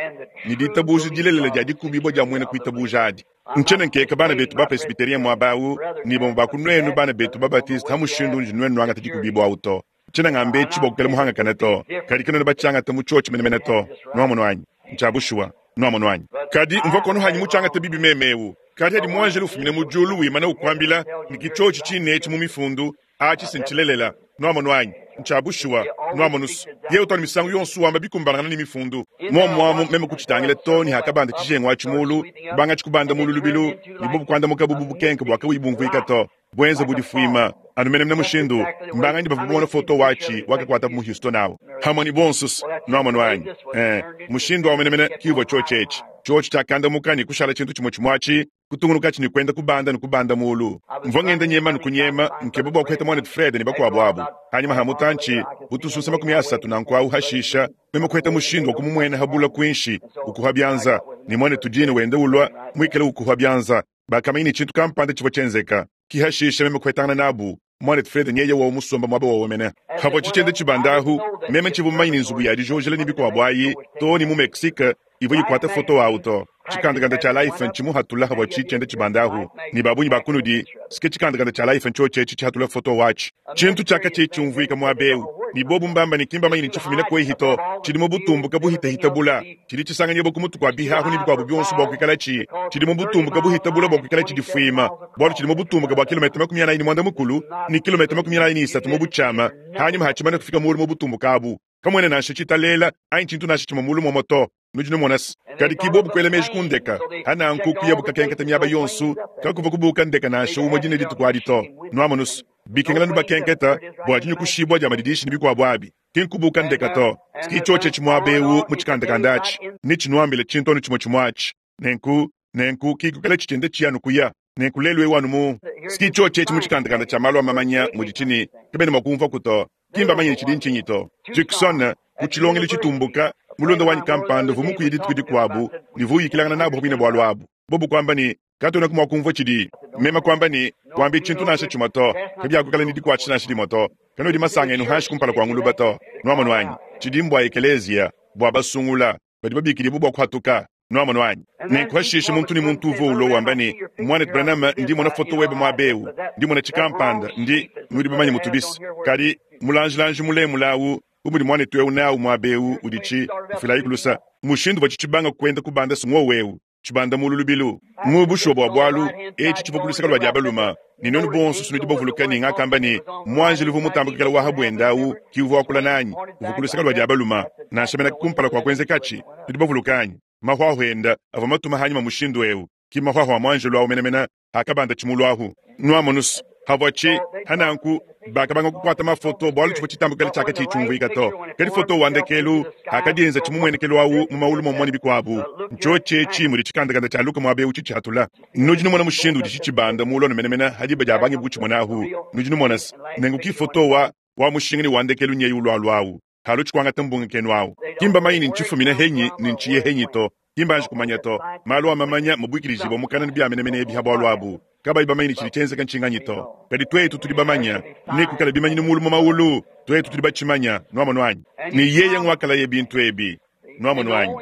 ni ditabuji dilelela dia dikubibwa dia mwene kuitabuja adi. Nchene nkeka bana betu ba presbyterien mwabawu ni bomo bakunwenu bana betu ba baptiste hamushindu nji nwenu nwangata dikubibwa awu to. Nchene ngambe tshibwa kukela muhanga kana to kadi kanene batshangata mu tshotshi menemene to nuamono anyi ntshabushuwa nuamono anyi. Kadi mvua kono hanyi mutshangata bibi memewu kadi hadi mwanjelo ufumine mu julu wimana ukwambila ni kitshotshi tshinetshi mu mifundu atshi sintshilelela nuamono anyi ntshabushuwa nuamonusu ye utwala misangu yonso wamba bikumbanangana ni mifundu momwamu meme kutshitangila to ni hakabanda tshijengo atshi mulu banga tshikubanda mulu lubilu ni bobu kuandamuka bubu bukenke bua kabuyi bumvuika to. Bwenza bu difwima, anu menemene mushindu, mbanganyi bavwa bamona foto waci wakakwatabu mu Houston awu, hamwe ne bonso's, nwamonu anyi? Ee, mushindu awu menemene ki uvwa cyoci eci. Cyoci cyakandamuka ne kushala cintu cimwe cimwe aci, kutungunukaci ne kwenda kubanda ne kubanda muulu. Mvwa ngenda nyema ne kunyema, nkeba bwa kuheta mwanetu Fred ne bakwabo abu. Hanyima ha mutanci, bu tususa makumi asatu nanku awu hashisha, meme kuheta mushindu wa kumumwena ha bula kwinshi, ukuha byanza, ne mwanetu Gene wenda ulwa, mwikale ukuha byanza. Bakamanya ne cintu kampanda civwa cyenzeka. Ki hashisha meme kuhetangana nabu, mwanetu Fred nyeye wowo musomba mwaba wowo mene. Havwa cicenda cibanda ahu, meme ncivwa mumanye ne nzubu ya dijojela ne bikwabo ayi, too ne mu Mexique, ivwa yikwata foto awu to. Cikandakanda cya Life ncimuhatula havwa cicenda cibanda ahu, ne babunyi ba kunudi, sike cikandakanda cya Life ncyoci eci cihatula foto waci. Cintu cyakaciyi cyumvwika mwaba ewu, ne bobu mbamba ne ki mbamanye ne cifumina kwehi to, cidi mu butumbuka buhitahita bula, cidi cisanganyibwa ku mutu kwa bihahu ne bikwabo byonso bwa kwikalaci, cidi mu butumbuka buhita bula bwa kwikalaci difwima, bwalu cidi mu butumbuka bwa kilometa makumi anayi ne mwanda mukulu ne kilometa makumi anayi ne isatu mu bucyama, hanyima ha cimane kufika muulu mu butumbuka abu. Kamwena nansha citalela, anyi cintu nansha cimwe muulu momo to. Nudi numona se, kadi ki bobu kwela meji ku ndeka, hananku kuyabu kakenketa myaba yonso, kakuvwa kubuka ndeka nansha umwe dine dituku adi to. Nwamonu se, bikengela nubakenketa bwa dinyukushibwa dya madidishi ne bikwabo abi, ki nkubuka ndeka to. Ki cyoci eci mwaba ewu mu cikandakanda aci, ne cinwambila cintu anu cimwe cimwe aci. Nenku, nenku ki kukala cicenda ciya kuya. Nenku lelu ewu anu mu, ki cyoci eci mu cikandakanda cya malu a mamanya mudi cine, kabena mwa kumvwaku to. Ki mbamanye ne cidi ncinyi to. Tucson, ku cilongelo citumbuka, mulonda wanyi kampanda uvwa mukuye dituku dikwabu, ne vuyikilangana nabo bwine bwalu abu. Bobu kwamba ne, katwenaku mwa kumvwa cidi. Meme kwamba ne, kwambi cintu nansha cimwe to, kabyakukala ne dikwacisha nansha dimwe to. Kanudi masanga enu hanshi kumpala kwa nguluba to. Nwamonu anyi? Cidi mbwa ekeleziya, bwa basungula, badi babikidibwa bwa kuhatuka. Nwamonu anyi? Nenku hashisha muntu ne muntu uvwa ulwa wamba ne, Mwanetu Branham, ndi mona foto webe mwaba ewu, ndi mona cikampanda, ndi, nudi bamanye mutubisi. Kadi, mulanjilanji mulemula awu, bu mudi mwanetu ewu nawu mwaba ewu, udi ci, mfilayi ku lusa. Mushindu uvwa cicibanga kwenda kubanda se ngwowu ewu, cibanda muulu lubilu. Mu bushuwa bwa bwalu, eci civwa ku luseka lwa dya baluma, ne nwenu bonso sunudi bavuluka ne ngakamba ne, mwanjelu uvwa mutamba kwikala wa ha bwenda awu, ki uvwa wakula nanyi, uvwa ku luseka lwa dya baluma, nansha mena kumpala kwa kwenzekaci, nudi bavuluka anyi? Mahwahwa enda avwa matuma hanyima mushindu ewu, ki mahwahwa a mwanjelu awu menemene akabanda cimulu ahu. Nwamonu se, havwa ci, hananku, bakabanga kukwata mafoto bwalu civwa citambukila cyakaciyi cyumvwika to. Kadi foto wa ndekelu, akadyenza cimumwenekelu awu mu maulu momwe ne bikwabu. Ncyoci eci mudi cikandakanda cya Luka mwaba ewu cicyatula. Nudi numona mushindu udi cicibanda muulu anu menemene ha diba dya bangi kucimona ahu. Nudi numona se, nenku ki foto wa, wa mushinga ne wa ndekelu nyeyi ulwalwa awu. Halu cikwangata mbunga kenu awu. Ki mbamanye ne ncifumina henyi ne nciye henyi to. Ki mbanji kumanya to. Malu a mamanya mabwikilijibwa mukana ne bya menemene ebi ha bwalu abu. Kabayi bamanye ne cidi cyenzeka ncinganyi to. Kadi twetu tudi bamanya, ne kwikala bimanyinu muulu mu maulu, twetu tudi bacimanya, nwamonu anyi. Ne yeye ngwakalaye bintu ebi, nwamonu anyi.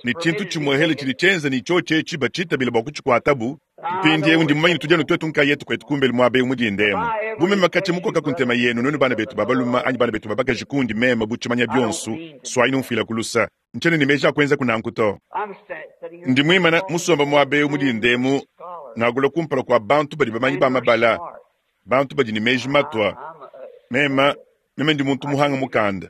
Ne cintu cimwehele cidi cyenza ne cyoci eci bacitabila bwa kucikwatabu. Mpindyewu ndi mumanye ne tudi anu twetu nkayetu kwetu kumbelu mwaba ewu mudinda emu. Bu meme kaci mukoka ku ntema yenu, nwenu bana betu ba baluma anyi bana betu ba bakaji kundi meme bu cimanya byonso, swayi numfwila ku lusa. Ncyena ne meji a kwenzaku nanku to. Ndi mwimana musomba mwaba ewu mudinda emu, ngakula kumpala kwa bantu badi bamanyi ba mabala, bantu badi ne meji matwa. Meme, meme ndi muntu muhanga mukanda.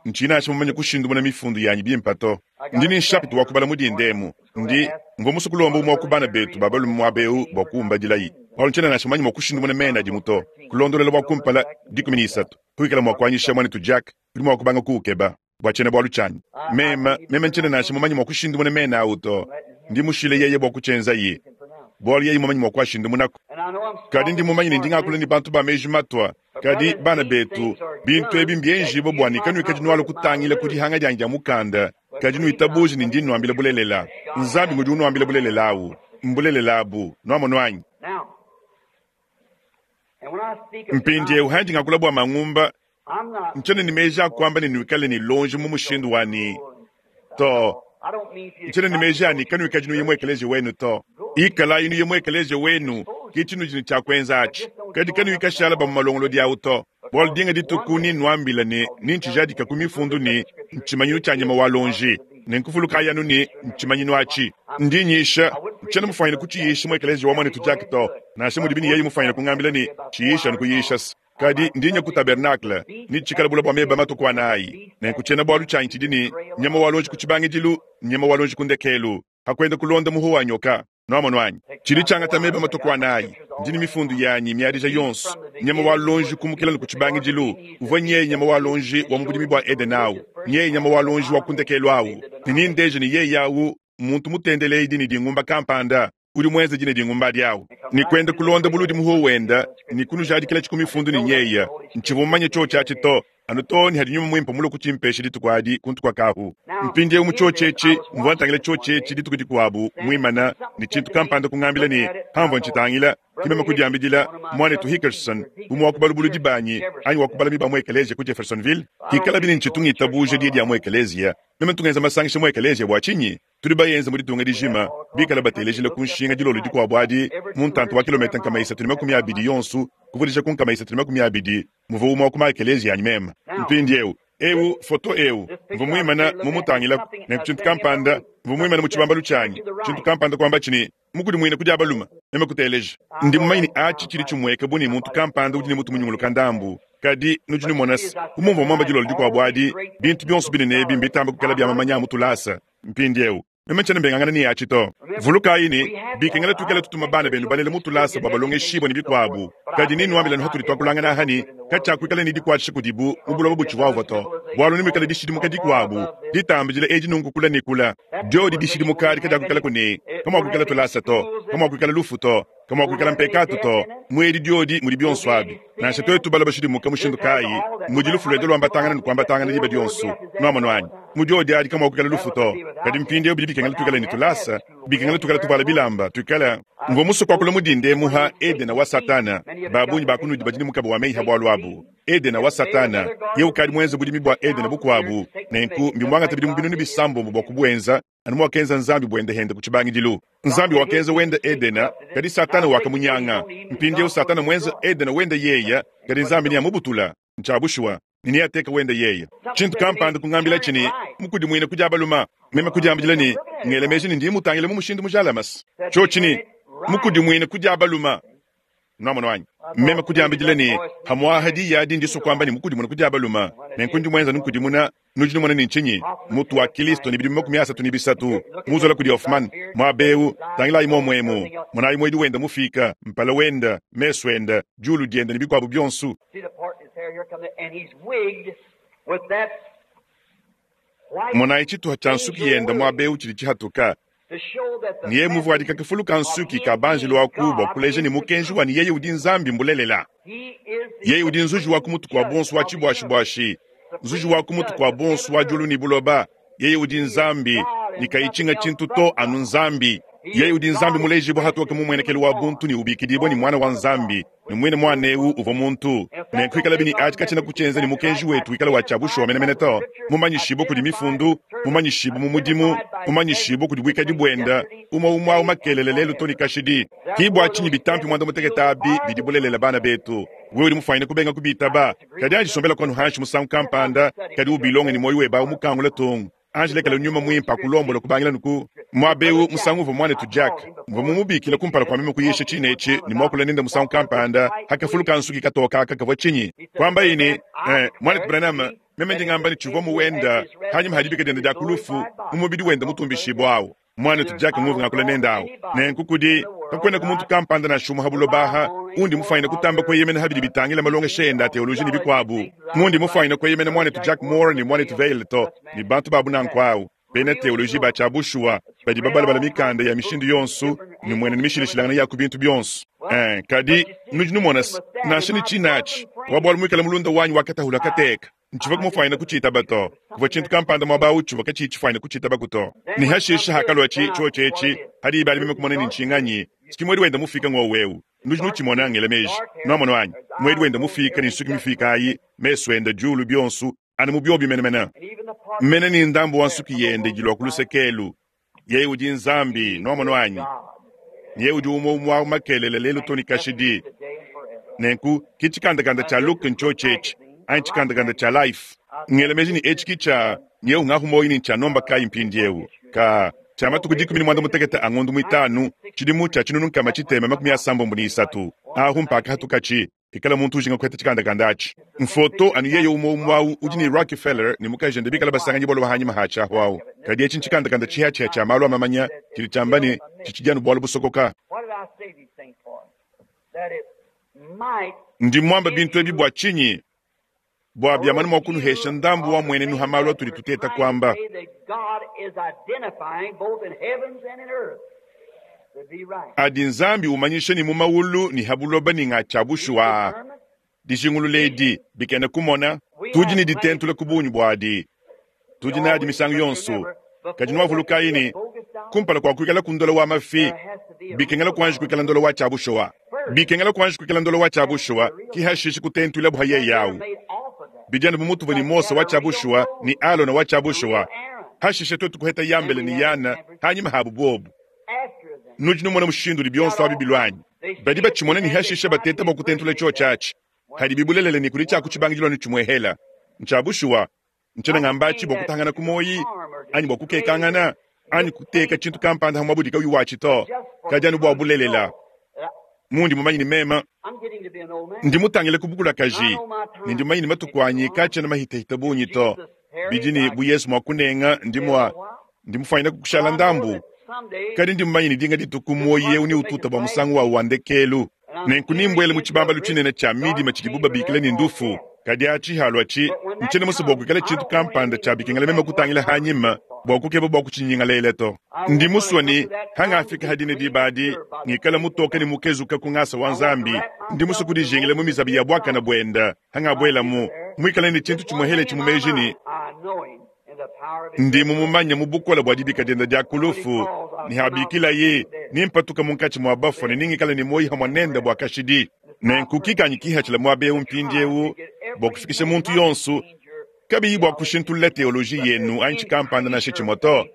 Nci nansha mumanye kushindumuna mifundu yanyi bimpe to. Ndi ne nshapita wa kubala mudinda emu. Ndi, mvwa musue kulomba umwe wa ku bana betu ba balume mwaba ewu bwa kumbadilayi. Bwalu ncyena nansha mumanye mwa kushindumuna mena adimu to. Kulondolola bwa kumpala dikumi ne isatu. Kuikala mwa kwanyisha mwanetu Jack, udi mwa kubanga kuukeba bwa cyena bwalu cyanyi. Meme, meme ncyena nansha mumanye mwa kushindumuna mena awu to. Ndi mushile yeye bwa kucyenzaye, bwalu yeye mumanye mwa kuashindumunako. Kadi ndi mumanye ne ndi ngakula ne bantu ba meji matwa. Kadi, bana betu, bintu ebi mbyenjibwe bwa ne kanwikadi nwalua kutangila ku dihanga dyanyi dya mukanda, kadi nwitabuje ne ndi nwambila bulelela. Nzambi ngudi unwambila bulelela awu. Mbulelela abu. Nwamonu anyi? Mpindyewu handi ngakula bwa mangumba, ncyena ne meji a kwamba ne nwikale ne lonji mu mushindu wa ne to. Ncyena ne meji a ne kanwikadi nuye mu ekeleziya wenu to. Ikalayi nuye mu ekeleziya wenu, ki cinudi ne cya kwenza aci. Kadi kanwikashala ba mu malongolodi awu to. Bwalu dinga dituku ninwambila ne nincijadika ku mifundu ne ncimanyinu cya nyama wa lonji. Nenkuvulukayi anu ne ncimanyinu aci. Ndi nyisha, ncyena mufwanyine kuciyisha mu ekeleziya wa mwanetu Jack to, nansha mudibi ne yeye mufwanyine kungambila ne ciyisha anu kuyisha se. Kadi ndi nya ku tabernacle, ne cikala bula bwa meba matuku anayi. Nenku cyena bwalu cyanyi cidi ne nyama wa lonji ku cibangidilu, nyama wa lonji ku ndekelu. Pa kwenda kulonda muho wa nyoka. Nwamonu anyi? Tshidi tshiangata meba matue ku anayi. Ndi ne mifundu yanyi miadija yonso. Nyama wa luonji kumukila ne ku tshibangidilu uvua nyeye nyama wa luonji wa mu budimi bua Edene awu, nyeye nyama wa luonji wa ku ndekelu awu. Ne nindeje ne yeye awu mmuntu mutendeleedi ne dingumba kampanda udi muenze dine dingumba adi awu. Ne kwenda kulonda buludi muho wenda ne kunujadikilatshi ku mifundu ne nyeya. Ntshivua mumanye tshiotshi atshi to, anu too ne hadi Nyuma Mwimpe mulue kutshimpesha dituku adi kuntu kua kahu. Mpindiewu mu tshiotshi etshi, mvua ntangila tshiotshi etshi dituku dikuabu, muimana, ne tshintu kampanda kungambila ne, pamvua ntshitangila, ke meme kudiambidila, Muanetu Hickerson, umue wa ku balubuludi banyi, anyi wa ku balami ba mu ekeleziya ku Jeffersonville, pikalabi ne ntshitu ngitabuja diyi dia mu ekeleziya, meme ntu ngenza masangisha mu ekeleziya bua tshinyi? Tudi bayenze mu ditunga dijima, bikale batelejila ku nshinga dilolo dikuabu adi, mu ntanta wa kilometa nkama isatu ne makumi abidi yonso, kuvudija ku nkama isatu ne makumi abidi, muvua umue wa ku ma-ekeleziya anyi meme. Mpindieu, eu, foto eu, mvua muimane mumutangilaku, nenku tshintu kampanda, mvua muimane mu tshibambalu tshianyi, tshintu kampanda kuambatshi ne, Mukudimuine ku dia balume, meme kuteleja. Ndi mumanye ne atshi tshidi tshimueka bu ne muntu kampanda udi ne mutu munyunguluka ndambu, kadi nudi numona se, bu mumvua muambe dilolo dikuabu adi, bintu bionso binene ebi mbitamba kuikala bia mamanya a mu tulasa. Mpindieu, meme ntshiena mbengangana ne atshi to. Vulukayi ne, bikengela tuikale tutuma bana benu balela mu tulasa bua balongeshibue ne bikuabu. Kadi nennuambile anu hatudi tuakulangana aha ne, katshiakuikala ne dikuatshisha kudibu mu buloba butshivuavua to, bualu nemuikale dishidimuka dikuabu ditambidila edi nunku kula ne kula. Diodi dishidimuka adi kadiakuikalaku ne kamuakuikala tulasa to, kamuakuikala lufu to, kamuakuikala mpekatu to. Mu edi diodi mudi bionso abi. Nansha tuetu balua bashidimuka mushindu kayi, mudi lufu luenda luambatangana ne kuambatangana diba dionso. Nuamonu anyi? Mu diodi adi kamuakuikala lufu to. Kadi mpindieu bidi bikengela tuikale ne tulasa, bikengela tuikale tuvuala bilamba, tuikale. Mvua musue kuakula mu dinda emu ha Edena wa Satana. Ba bungi ba kunudi badi ne mukaba wa meyi ha bualu abu. Edena wa Satana, yeye ukadi muenze budimi bua Edena bukuabu, nenku mbimuangate bidimu binunu bisambombo bua kubuenza, anu muakenza Nzambi buende hende ku tshibangidilu. Nzambi wakenza wende Edena, kadi Satana wakamunyanga. Mpindieu Satana muenze Edena wende yeye, kadi Nzambi neamubutula. Ntshia bushuwa, ne neateke wende yeye. Tshintu kampanda kungambilatshi ne, Mukudimuine ku dia balume. Meme kudiambidila ne, Ngela meji ne ndi mutangile mu mushindu mujalame. Tshiotshi ne, Mukudimuine ku dia balume. Nwamonu anyi? Meme kudiambidila ne, Pamu'aha diyi adi ndisua kuamba ne mukudimuna ku dia balume, nenku ndi muenza nukudimuna. Nudi numona ne ntshinyi? Mutu wa Kilisto ne bidimu makumi asatu ne bisatu, muzola kudi Hofmann, muaba eu, tangilayi muomu emu, monayi muedi wenda mufiika, mpala wenda, mesu enda, diulu dienda ne bikuabu bionso. Monayi tshituha tshia nsuki yenda muaba eu tshidi tshihatuka. Ne yeye muvuadika kafulu ka nsuki ka banjelu aku bua kuleja ne mukenji wa ne yeye udi Nzambi mbulelela. Yeye udi nzuji wa ku mutu kua bonso wa tshibuashibuashi, nzuji wa ku mutu kua bonso wa diulu ne buloba. Yeye udi Nzambi, ne kayi tshinga tshintu to anu Nzambi. Yeye udi Nzambi mulejibue hatoke mu muenekelu wa buntu ne ubikidibue ne Muana wa Nzambi, ne muine Muana eu uvua muntu. Nenku ikalabi ne atshi katshiena kutshienza ne mukenji wetu wikale wa tshia bushuwa menemene to, mumanyishibue kudi Mifundu, mumanyishibue mu mudimu, mumanyishibue kudi buikadi buende, umue umue au makelela lelu to ne kashidi. Ki bua tshinyi bitampi muanda-mutekete abi bidi bulelela, bana betu. Wewe udi mufuanyine kubenga kubitaba, kadi anji sombela kuanu hanshi musangu kampanda, kadi ubilonge ne muoyo webe au mukangula tung. Anji lekela Nyuma Muimpe akulombola kubangila nuku muaba eu. Musangu uvua muanetu Jack, mvua mumubikile kumpala kua meme kuyisha tshine etshi ne muakula nende musangu kampanda, hakafuluka nsuki katoka aka kavua tshinyi? Kuambaye ne, Eh, muanetu Branham, meme ndi ngamba ne tshivua muwenda hanyima ha dibika diende dia ku lufu mu mubidi wende mutumbishibua au. Muanetu Jack nguvua ngakula nende au. Nenku kudi, kakuenaku muntu kampanda nansha umue ha buloba aha undi mufuanyine kutamba kueyemena ha bidi bitangila malongesha ende a teoloji ne bikuabu, mundi mufuanyine kueyemena muanetu Jack Moore ne muanetu Vayle to, ne bantu ba bu nanku au, bena teoloji ba tshia bushuwa badi babalabala mikanda ya mishindu yonso ne mmuenenu mishilashilangane ya ku bintu bionso. Ee, kadi nudi numona se, nansha ne tshine atshi, wa bualu muikale mulunda wanyi wa katahula kateka, Ntshivua mufuanyine kutshitaba to. Kuvua tshintu kampanda muaba au tshivua katshiyi tshifuanyine kutshitabaku to. Ne hashishe hakaluatshi tshiotshi etshi, ha diba adi meme kumona ne ntshinganyi, tshiki muedi wenda mufika ngowu eu. Nudi nutshimona, ngela meji. Nuamonu anyi? Muedi wenda mufika ne nsuki mifika ayi, mesu enda, diulu, bionso, anu mu biobi menemene. Mene ne ndambu wa nsuki yende idi lua ku luseke elu. Yeye udi Nzambi, nuamonu anyi? Ne yeye udi umue umue au makelela, lelu to ne kashidi. Nenku ki tshikandakanda tshia Look ntshiotshi etshi, anyi tshikandakanda tshia Life. Ngela meji ne etshi ki tshia nyewu ngahu muoyo ne ntshia nomba kayi mpindiewu? Kaa, tshia matuku dikumi ne muanda mutekete a ngondu muitanu, tshidimu tshia tshinunu nkama tshitema makumi asambombo ne isatu, ahu mpakahatukatshi. Ikala muntu ujinga kuheta tshikandakanda atshi. Mfoto anu yeye umwe umwe awu udi ne Rockefeller ne mukajende bikala basanganyi bwalo hanyima ha tshiahu awu. Kadi etshi ntshikandakanda tshihatshia tshia malu a mamanya tshidi tshiamba ne tshitshidi anu bwalo busokoka. What did I say these things for? That it might Ndi mwamba bintu ebi bwa tshinyi? Bwa byamani mwa kunuhesha ndambu wa mwenenu ha malu atudi tuteta kwamba. That God is identifying both in heavens and in earth to be right. Adi Nzambi umanyisha ni mu maulu ni habuloba ni ng'atsha bushuwa. Dijingulula edi bikena kumona tudi ne ditentula ku bungi bwadi. Tudi nadi misangu yonso. Kadi nwavulukayi ne kumpala kwa kuikala ku ndola wa mafi bikengela kuanji kuikala ndola wa tshia bushuwa. Bikengela kuanji kuikala ndola wa tshia bushuwa ki hashishi kutentula buha yeye awu. Bijana bumutuvu ni Mose wa tshia bushuwa ni Alona wa tshia bushuwa. Hashishe twetu kuheta yambele ni yana hanyima habu bobu. Nudi numona mushindu udi bionso abi bilwanyi. Badi batshimona ni hashishe bateta bwa kutentula tsho tshatshi. Hadi bibulelele ni kuli tshaku tshibangilwa ni tshimwehela. Ntsha bushuwa ntshena ngambatshi bwa kutangana ku moyi anyi bwa kukekangana anyi kuteka tshintu kampanda hamwa budi kauyi watshi to. Kadi anu bwa bulelela. Mundi mumanyi ni mema I'm getting to be an old man. ndi mutangile ku bukulakaji ne ndi mumanyi ni matuku anyi katshena mahitahita bungi to. Bidi ni bu Yesu mwa kunenga ndi mwa ndi mufanyina kukushala ndambu. Kadi ndi mumanyi ni dinga dituku moyi eu ni ututa bwa musangu wawu wa ndekelu. Nenku nimbwele mu tshibambalu tshinene tshia midima tshidibu babikila ni ndufu. Kadi atshi halua tshi ntshena musa bwa kuikala tshintu kampanda tshia bikengela meme kutangila hanyima bwa kukeba bwa kutshinyingalele to. Ndi musua ni hangafika hadine dibadi ngikala mutoka ni mukezuka ku ngasa wa Nzambi. Ndi musua kudijingila mu mizabi ya bwakana bwenda hangabwelamu mwikala ni tshintu tshimwehele tshimumeji ni I know him in the power of his ndi mumumanya mu bukola bwa dibika dienda dia kulufu ni habikila ye nimpatuka munkatshi mwa bafua ne ningikala ni moyi hamwa nenda bwa kashidi. Nenku kikanyi kihatshila muaba eu mpindiewu bwa kufikisha muntu yonso kabiyi bwa kushintulula teoloji yenu anyi tshikampanda nansha tshimwe to.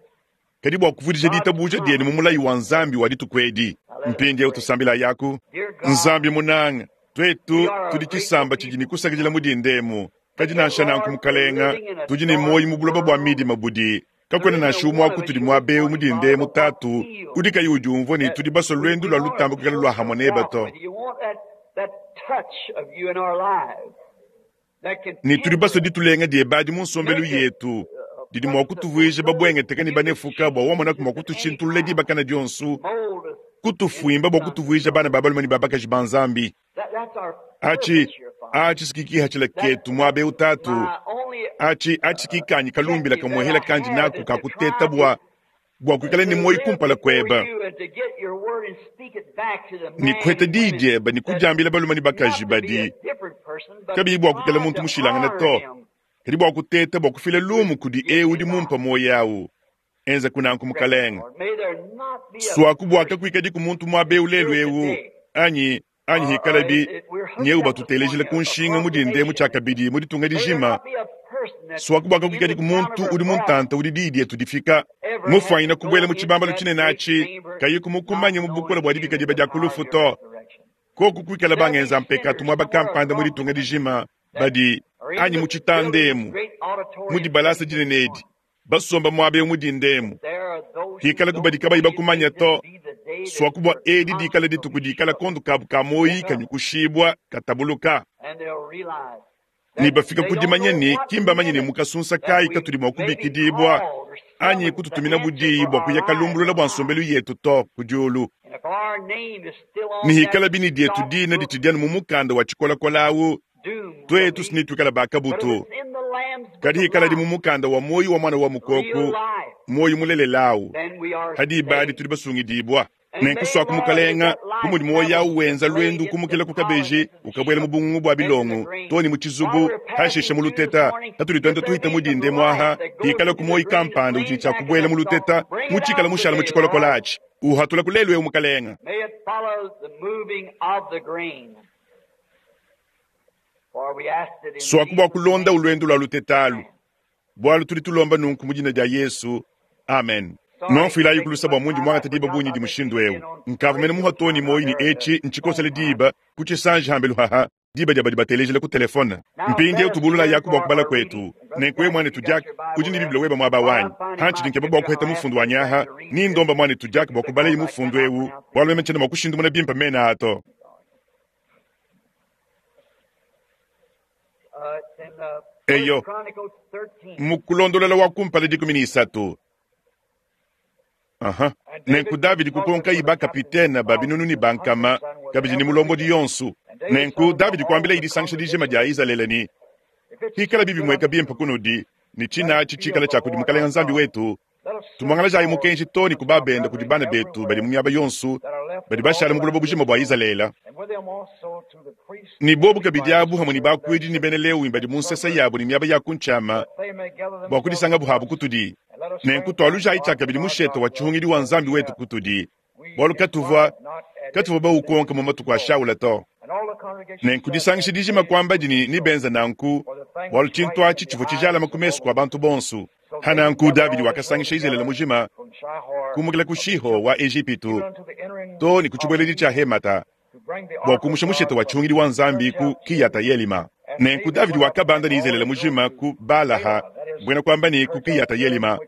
Kadi bwa kuvudija ditabuja dienu mu mulayi wa Nzambi wa dituku edi. Mpindiewu tusambila yaku. Nzambi munanga twetu tudi tshisamba tshidi ni kusakidila mu dindemu. Kadi nansha nanku mukalenga tudi ne moyi mu buloba bwa midima budi. Kakwena nansha umwe wa kutudi muaba eu mu dindemu tatu udi kayi udiumvua ne tudi basua lwendu lwa lutamba kuikala lwa hamwe neba to. You want that, that touch of you in our lives that can Ne tudi basua ditulenga dieba mu nsombelu yetu didi mua kutuvuija babwengeteka ne banefuka bwa wamonaku mua kutushintulula dibakana dionso mold us. kutufuimba bwa kutuvuija bana ba balume ne ba bakaji ba Nzambi. That, that's our Atshi purpose here, Father. atshi sikikihatshila ketu muaba eu tatu. My only Atshi atshi kikanyi kalumbila kamuhela kandi naku kakuteta bwa bwa kuikala ni moyi kumpala kweba. Ni kuheta diyi dieba ni kudiambila balume ne bakaji badi kabiyi bwa kuikala muntu mushilangane to. Kadi bwa kuteta bwa kufila lumu kudi eu udi mumpa moyi awu. Enza kunanku mukalenga. Swaku bwaka kuikadi ku muntu muaba eu lelu eu anyi anyi hikalabi nyeu batutelejela ku nshinga mu dindemu tshiakabidi mu ditunga dijima. Swaku bwaka kuikadi ku muntu udi muntanta udi diyi dietu difika. Mufwanyina kubwela mu tshibambalu tshinene atshi kayi kumukumanya mu bukola bwa dibika diba dia kulufu to. Koku kuikala bangenza mpekatu muaba kampanda mu ditunga dijima badi anyi mu tshitandemu mu dibalasa dinene edi basomba muaba eu mu dindemu. Hikala kubadi kabayi bakumanya to. Swaku bwa edi dikala dituku dikala kondu kabu ka moyi kanyukushibwa katabuluka. Ni bafika kudimanya ni kimbamanye ne mukasunsa kayi katudi mua kubikidibwa anyi kututumina budiyi bwa kuya kalumbulula bwa nsombelu yetu to ku diulu. Ni hikala bini dietu dina ditshidianu mu mukanda wa tshikolakola awu twetu sini tuikala bakabutu. Kadi hikala di mu mukanda wa moyi wa mwana wa mukoku moyi mulelelawu hadi ibadi tudi basungidibwa. Nenku swaku mukalenga bu mudi moyi awu wenza lwendu kumukila ku kabeji ukabwela mu bungungu bwa bilongo to ni mu tshizubu hashishe mu luteta tatudi twenda tuhita mu dinde mwaha hikala ku moyi kampanda udi tshia kubwela mu luteta mutshikala mushala mu tshikolokola atshi uhatula ku lelu eu mukalenga. May it follow the moving of the grain. For we asked it in Swaku bwa Jesus' kulonda name. ulwendo lwa lutetalu bwalu tudi tulomba nunku mu dina dia Yesu. Amen. Nonfuilayi kulusa bwa mundi mwangata diba bunyi di mushindu eu. Nkavumene muhatoni moyi ni etshi ntshikosele diba kutshisanji hambelu haha diba dia badi batelejela ku telefone. Mpindiewu tubulula yaku bwa kubala kwetu. Nenku we mwanetu Jack udi ni Biblia weba muaba wanyi. Hantshidi nkeba bwa kuheta mufundu wa nyaha ni ndomba mwanetu Jack bwa kubala yi mufundu eu bwalu meme tshena mua kushindumuna bimpa mena ato. Eyo, mu Kulondolola wa kumpala dikumi ne isatu. Aha. Nenku Davidi kukonkayi bakapitene ba binunu ne ba nkama, kabidi ne mulombodi yonso. Nenku Davidi kuambila disangisha dijima dia Izalele ne, hikala bibi mweka bimpe kunudi, ne tshina tshikala tshia kudi Mukalenga Nzambi wetu, tumuangalajayi mukenji to ne kubabenda kudi bana betu badi mu miaba yonso, badi bashala mu buloba bujima bua Izalele. Ne bobu kabidi abu hamwe ne bakuidi ne bena Lewi badi mu nsesa yabo ne miaba ya kuntshiama bua kudisangabu habu kutudi. Nenku tualujayi tshiakabidi mushete wa tshihungidi wa Nzambi wetu kutudi, bualu katuvua katuvua baukonka mu matuku a Shaula to. Nenku disangisha dijima kuamba dini ni benza nanku, bualu tshintu atshi tshivua tshijalama ku mesu kua bantu bonso. Hananku Davidi wakasangisha Izalele mujima kumukila ku Shiho wa Ejipitu to ne ku tshibueledi tshia Hemata bua kumusha mushete wa tshihungidi wa Nzambi ku Kiyata Yelima. Nenku Davidi wakabanda ne Izalele mujima ku Balaha, mbwena kuamba ne ku Kiyata Yelima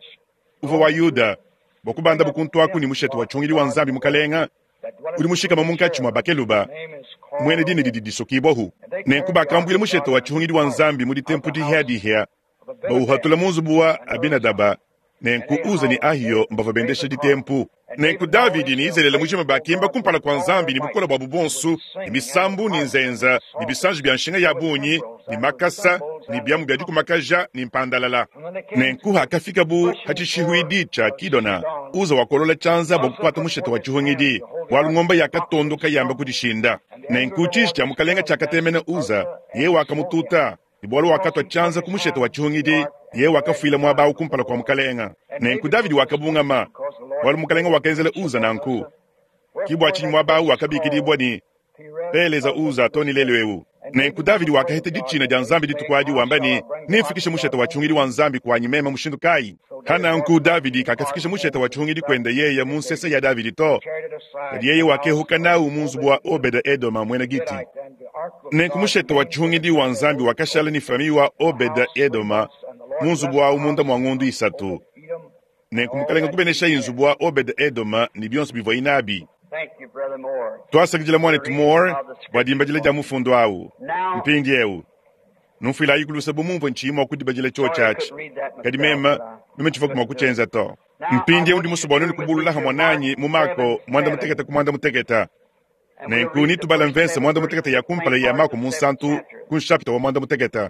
uvua wa Yuda, bua kubanda bukuntu aku ne mushete wa tshihungidi wa Nzambi mukalenga udi mushikama munkatshi mua bakeluba, mwene dina didi disokibwahu. Nenku bakambuila mushete wa tshihungidi wa Nzambi mu ditempu dihia-dihia, bauhatula mu nzubu wa Abinadaba. Nenku Uza ne Ahiyo mbavua bendesha ditempu. Nenku Davidi ne Izalele mujima bakimba kumpala kua Nzambi ne bukole buabu bonso, ne misambu ne nzenza ne bisanji bia nshinga ya bungi ne makasa ne biamu bia dikumakaja ne mpandalala. Nenku hakafikabu ha tshishihuidi tshia Kidona, Uza wakolola tshianza bua kukuata mushete wa tshihungidi, bualu ngombe yakatondoka yamba kudishinda. Nenku tshiji tshia mukalenga tshiakatemena Uza, yeye wakamututa, ne bualu wakatwa tshianza ku mushete wa tshihungidi, yeye wakafuila muaba awu kumpala kua mukalenga. Nenku Davidi wakabungama, bualu mukalenga wakenzela Uza nanku. Kibwa tshinyi muaba awu wakabikidibwa ne Peleza Uza to ne lelu ewu. Nenku Davidi wakaheta ditshina dia Nzambi dituku adi wamba ne, nimfikishe mushete wa tshihungidi wa Nzambi kuanyi mema mushindu kayi? Hananku Davidi kakafikisha mushete wa tshihungidi kwenda yeye mu nsesa ya Davidi to, kadi yeye wakehuka nawu mu nzubu wa Obeda Edoma mwena Giti. Nenku mushete wa tshihungidi wa Nzambi wakashala ni famiyi wa Obeda Edoma mu nzubu wawu munda mua ngondu isatu. Nenku mukalenga kubenesha inzubu wa Obeda Edoma ne bionso bivua inabi. Twasakidila mwanetu Moore bua dimbadila dia mufundu awu. Mpindi ewu numfuilayi kulusa bu mumvue ntshiyi mua kudibadila tshiotshi atshi, kadi mema meme tshivua mua kutshienza to. Mpindi ewu ndi musue bua kubulula hamwe nanyi mu Mako mwanda mutekete ku mwanda mutekete. Nenku nitubala mvense mwanda mutekete ya kumpala ya Mako munsantu ku nshapita wa mwanda mutekete.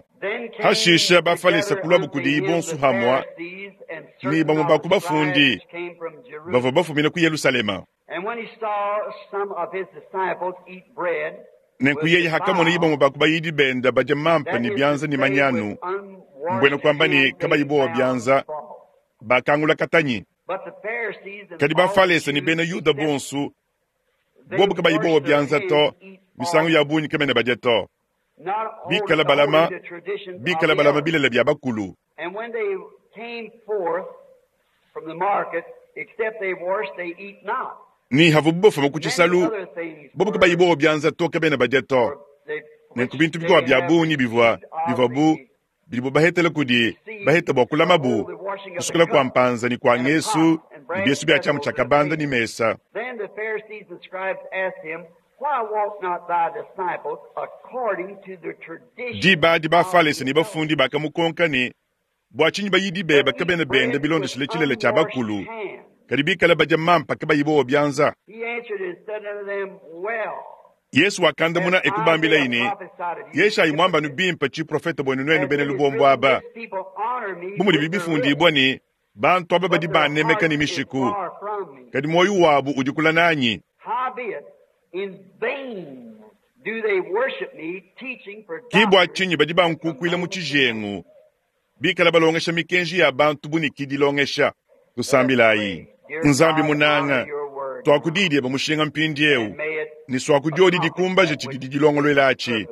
Hashisha bafalesa kulwabu kudi bonso hamwa ni bamwe ba ku bafundi bavua bafumina ku Yerusalema. Nenku yeye hakamona ibamwe ba ku bayidi benda badia mampa ne bianza ne manyanu, mbwena kuamba ne kabayi bowa bianza, bakangula katanyi. Kadi bafalesa ne bena Yuda bonso bobu kabayi bowa bianza to, misangu ya bungi kamene badia to. Bikala balama, bikala balama bilele bia bakulu. Ni havu bofuma ku tshisalu, bobu kabayi bowa bianza to kabena badia to. Nenku bintu bikwa bia bungi bivua bivua bu bidibo bahetela kudi baheta bua kulamabu kusukula kua mpanza ne kua ngesu ne biesu bia tshiamu tshia kabanda ne mesa. Diba adi bafalesa ne bafundi bakamukonka ne, bua tshinyi bayidi beba kabena benda bilondeshile tshilele tshia bakulu, kadi bikala badia mampa kabayi bowa bianza? Yesu wakandamuna ekubambila ine, Yeshayi mwambanu bimpe tshiprofeta bwenu nwenu bena lubombo aba. Bu mudi bifundibwa ne bantu aba badi banemeka ne mishiku, kadi moyo wabu udi kula nanyi. Kibwa tshinyi badi bankukuila mu tshijengu, bikala balongesha mikenji ya bantu bu ne kidilongesha. Tusambilayi. Nzambi munanga, twakudidie bamushinga mpindi ewu, ne swakudiodi dikumbaje tshidi dilongolwela atshi.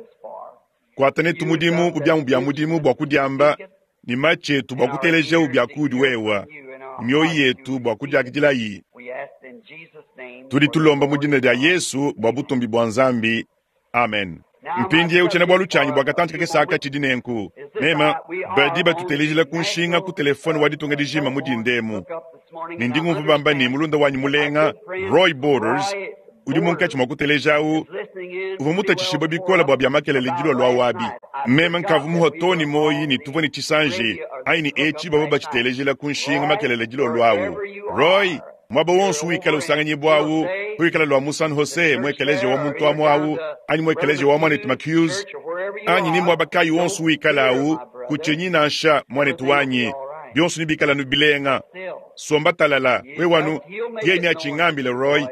Kuatane tumudimu ku biamu bia mudimu bua kudiamba, ne matshi etu bua kuteleja bia kudi wewa, mioyo yetu bua kudiakidilayi. Tudi tulomba mu dina dia Yesu bua butumbi bua Nzambi. Amen. Mpindi ewu tshiena bualu tshianyi bua katanti kakese tshidi nenku. Mema badi batutelejila ku nshinga ku telefone wa ditunga dijima mu dindemu. Ne ndi ngumva bamba ne mulunda wanyi mulenga Roy Borders udi munkatshi mua kutelejawu Uvwa mutatshishibwe bikole bwa bya makelele dilolo awu abi. Meme nkavwa muhwa too ne muoyi ne tuvwa ne tshisanji anyi ne etshi bavwa batshitelejila ku nshinga makelele dilolo awu. Roy, mwaba wonso wikala usanganyibwa awu, kuikala lwa mu San Jose mu ekeleziya wa muntu amu awu, anyi mu ekeleziya wa mwanetu McHughes, anyi ni mwaba kayi wonso wikala awu, kutshinyi nansha, mwanetu wanyi, byonso nebikale anu bilenga. Somba talala, wewe anu, yeye neatshingambile Roy,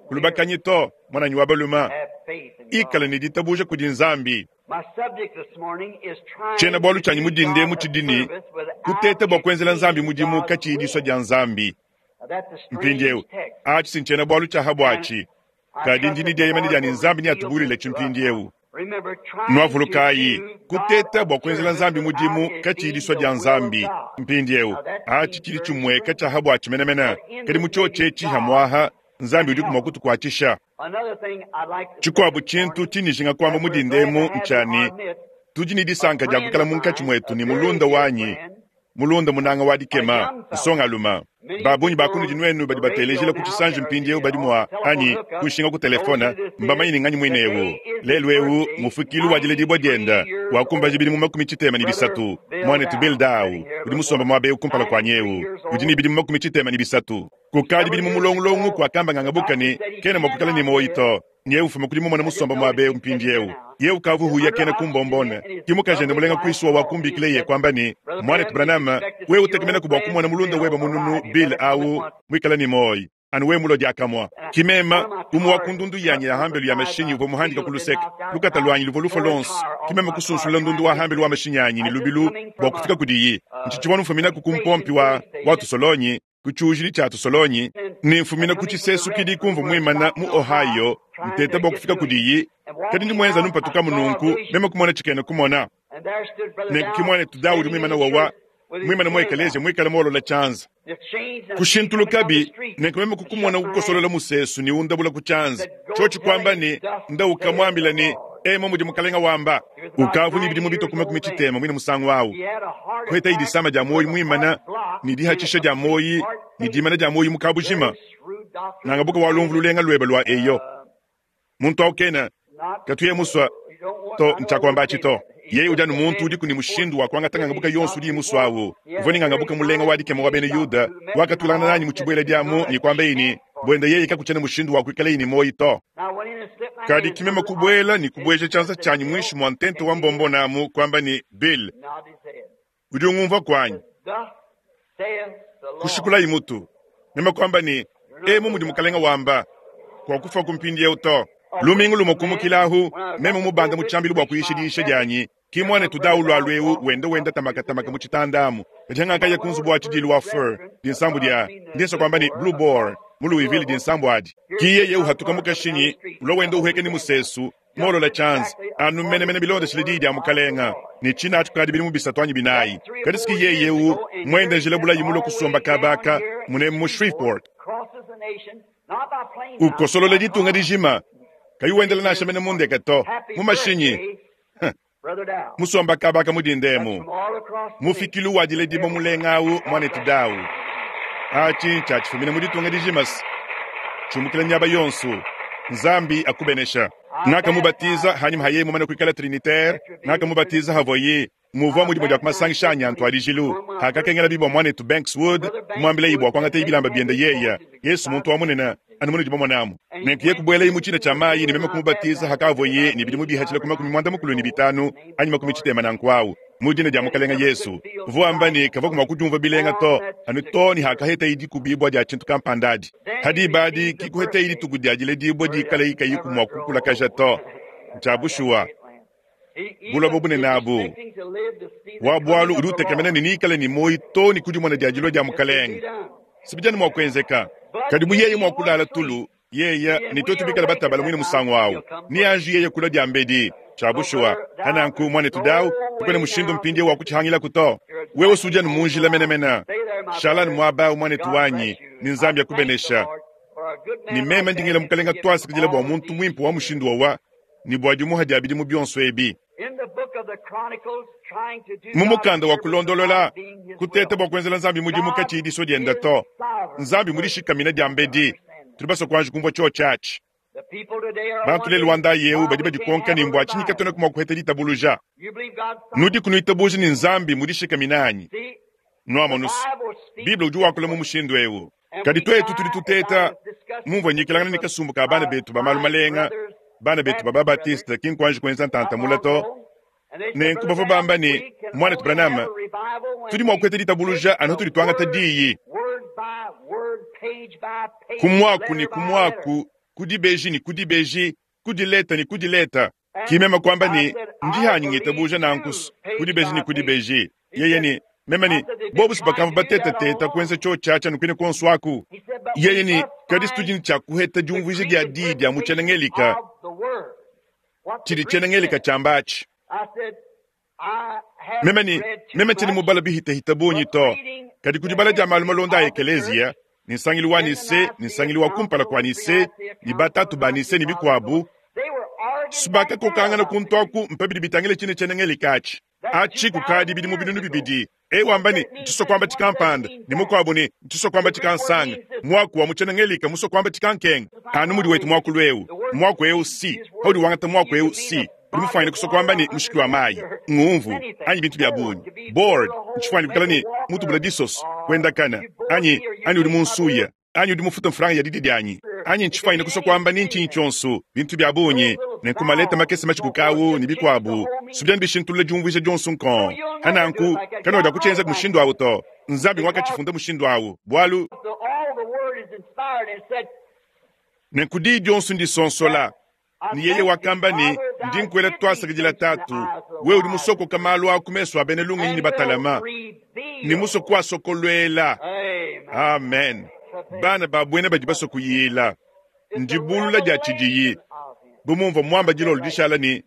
kulubakanyi to, mwananyi wa balume, ikala ne ditabuja kudi Nzambi. Tshiena-bualu tshianyi mu dinde mu tshidi ne, kuteta bua kuenzela Nzambi mudimu katshiyi disua dia Nzambi. Mpindieu, atshi si ntshiena-bualu tshia ha buatshi, kadi ndi ne dieyemena dia ne Nzambi neatubulule tshimpindieu. Nwavulukayi, kuteta bua kuenzela Nzambi mudimu katshiyi disua dia Nzambi. Mpindieu, atshi tshidi tshimueka tshia ha buatshi menemene, kadi mu tshiotshi etshi hamwaha Nzambi udiku mua kutukuatshisha. Tshikuabu tshintu tshindi kuamba mu dinde emu ntshia ne, tudi ne disanka dia kuikala munkatshi muetu ne mulunda wanyi, mulunda munanga wa dikema, nsongalume. Babunyi ba kunudi nwenu badi batelejila ku tshisanji mpindieu badi mua anyi kushinga ku telefone, mbamanye ne nganyi muine eu. Lelu eu mufukilu wa diledibwa dienda wakumbaja bidimu makumi tshitema ne bisatu. Mwanetu Bill Dow udi musombe muaba eu kumpala kuanyi eu udi ne bidimu makumi tshitema ne bisatu. Kukadi bidimu mulongulongo kuakamba ngangabuka ne kena mua kuikala ne muoyi to. Nye ufuma kudi mumona musombe muaba eu mpindieu. Ye ukavu huya kena kumbombone. Ki mukajende mulenga kuisuwa wakumbikile ye kwamba ne mwanetu Branham, wewe utekemena kubwa kumona mulunda weba mununu Bill awu mwikala ni moyi. Anu we mulo diakamwa. Kimema umwe wa kundundu yanyi ya hambelu ya mashinyi uvwa muhandika ku luseke. Lukata lwanyi luvwa lufwa lonso. Kimema kusunsula ndundu wa hambelu wa mashinyi anyi ni lubilu bwa kufika kudiyi. Ntshichibwa mfumina ku kumpompi wa wa tusolonyi, ku tshiujili tshia tusolonyi, ne mfumina ku tshisesu kidi kumva muimana mu Ohio, nteta bwa kufika kudiyi. Kadi ndi mwenza numpatuka mununku, meme kumona tshikena kumona. Nenku mwanetu Daudi muimana wawa, muimana mu ekeleziya muikale muolola tshianza. Kushintulukabi, nenku meme kukumona kukosolola musesu ne undabula ku tshianza. Tshiotshi kuamba ne, ndauka muambila ne, emo mudi mukalenga wamba. Ukavu ni bidimu bitwa kuma makumi tshitema mwine musangu awu. Kuheta idisama dia moyi muimana, ni dihatshisha dia moyi, ni dimana dia moyi mu kabujima. Nangabuka walumvu lulenga lweba lwa eyo. Muntu awu kena, katuye muswa, to ntshiakuamba atshi to. Yeye udi anu muntu udiku ne mushindu wa kuangata ngangabuka yonso udi muswa awu. Uvua ne ngangabuka mulenga wa dikema wa bena Yuda, wakatulangana nanyi mu tshibuela diamu ne kuamba yeye ne, buenda yeye kakutshiena mushindu wa kuikala yeye ne moyi to. Kadi kimema kubuela ne kubueja tshianza tshianyi muinshi mua ntente wa mbombo namu kuamba ne, Bill, udi ungumvua kuanyi? Kushikulayi mutu. Meme kuamba ne, emu mudi mukalenga wamba, kwa kufa kumpindieu to. Lumingu lumwe kumukilahu, meme mubanda mu tshiambilu bua kuyisha diyisha dianyi, ki mwanetu Dawu lwa lweu wenda wenda tamakatamaka mu tshitandamu. Kadi ngakaya ku nzubu wa tshidilu wa Fur, dinsambu dia, ndinsa kuamba ne Blue Boar, mu Louisville dinsambu adi. Ki yeye uhatuka mu kashinyi, ulwa wenda uheka ni musesu, molola tshianza, anu menemene bilondeshile diyi dia mukalenga, ne tshina atshi kukadi bidimu bisatu anyi binayi. Kadi siki yeye eu, mwenda njila bulayi mulwe kusomba kabaka, mune mu Shreveport. Ukosolola ditunga dijima, kayi wendela nansha mene mundeke to, mu mashinyi. Musomba kabaka mudindemu. Mufikilu wa diledibwa mulenga awu mwanetu Dawu. Atshi ntshiatshifumina mu ditunga dijima se. Tshumukila miaba yonso. Nzambi akubenesha. Ngakamubatiza hanyuma haye mumane kuikala trinitaire, ngakamubatiza havoye muvua mudimu dia kumasangisha anyi antuadijilu. Hakakengela bibwa mwanetu Banks Wood, kumwambila ibwa kuangata ibilamba biende yeya. Yesu muntu wa munene, anu munudi bamonamu. Nenku ye kubuela mu tshina tshia mayi ne meme kumubatiza hakavoye ne bidimu bihatshila ku makumi muanda mukulu ne bitanu anyi makumi tshitema nanku awu. Mu dina dia mukalenga Yesu. Uvua wamba ne kavua mua kudiumva bilenga to, anu to ne hakaheta idi kubibwa dia tshintu kampanda adi. Hadi badi kikuheta idi tuku dia diledibwa dikala ikayi kumua kukulakaja to. Ntshia bushuwa. Buloba bunene abu. Wa bualu udi utekemena ne nikale ne moyi to ne kudimona dia dilua dia mukalenga. Sibijana mua kuenzeka. Kadi bu yeye mua kulala tulu, yeye ne twetu bikala batabala mwine musangu awu. Ni anji yeye kula dia mbedi. Tshia bushuwa. Hananku mwanetu Dawu, tukone mushindu mpindie wa kutshihangila kuto. Wewe usujana munjila menemene. Shalani mwaba mwanetu wanyi, ni Nzambi akubenesha. Ni meme ndingela mukalenga twasikidila bwa muntu mwimpe wa mushindu wawa, ni bwa dimuha dia bidimu bionso ebi. Mu mukanda wa kulondolola, kuteta bwa kuenzela Nzambi mudimu katshiyi diso dienda to. Nzambi mudishikamina dia mbedi. Tudi basue kuanji kumvua tshiotshi atshi. Bantu lelu wa ndayi eu badi badikonka ne mbua tshinyi katuenaku mua kuheta ditabuluja. Nudiku nuitabuja ne Nzambi mudishikamina anyi? Nuamonusu, Bible udi wakula mu mushindu eu. Kadi tuetu tudi tuteta mumvua nyikilangana ne kasumbu ka bana betu ba malu malenga, bana betu ba Babatiste ki nkwanji kuenza ntantamula to. Nenku bavua bamba ne, Mwanetu Branham, tudi mua kuheta ditabuluja anu tudi tuangata diyi. Ku mwaku ne ku mwaku, ku dibeji ne ku dibeji, ku dileta ne ku dileta. Ki meme kwamba ne, ndi hanyi ngitabuja nankusu, ku dibeji ne ku dibeji. Yeye ne, meme ne, bobu sibakamva batetateta kuenza cho chacha nukwine konso aku. Yeye ne, kadi situdi ne tshia kuheta diumvuija dia diyi dia mu tshiena-ngelika, tshidi tshiena-ngelika tshiamba atshi. Meme ne, meme tshiena mubala bihitahita bungi to, kadi ku dibala dia malu malonda a ekeleziya, ne nsangilu wa Nise, ne nsangilu wa kumpala kua Nise, ne batatu ba Nise ne bikuabu, subakakokangana kuntu aku mpabidi bitangile tshine tshiena-ngelika atshi. Atshi kukadi bidimu binunu bibidi. E wamba ne, ntshiso kwamba tshikampanda, ne mukuabu ne, ntshiso kwamba tshikansanga. Mwaku wa mu tshiena-ngelika muso kwamba tshikankenga. Anu mudi wetu mwakulu eu. Mwaku eu si. Haudi wangata mwaku eu si. Udi mufanyine kuso kwamba ne mushiki wa mayi, ngumvu, anyi bintu bia bungi. Board, ntshifanyine kukala ne mutubula disoso, kuendakana, anyi, anyi udi munsuya, anyi udi mufuta mfranga ya didi dianyi, anyi ntshifanyine kuso kwamba ne ntshinyi tshionso, bintu bia bungi, ne nkumaleta makese machikukawu ne bikuabu, subiani bishintulula diumvuija dionso nkon. Hananku, kanoda kutshienza mushindu awu to. Nzambi wakatshifunda mushindu awu, bualu nenku diyi dionso ndisonsola. Ni yeye wakamba ne, ndi nkuela twasakidila tatu, wewe udi musokoka malu aku mesu a bena lungenyi ne batalama, ne musoko asokolwela. Amen. Bana ba buena badi basokuyila. Ndibulula dia tshidiyi. Bu mumvua muamba dilolo dishala ne,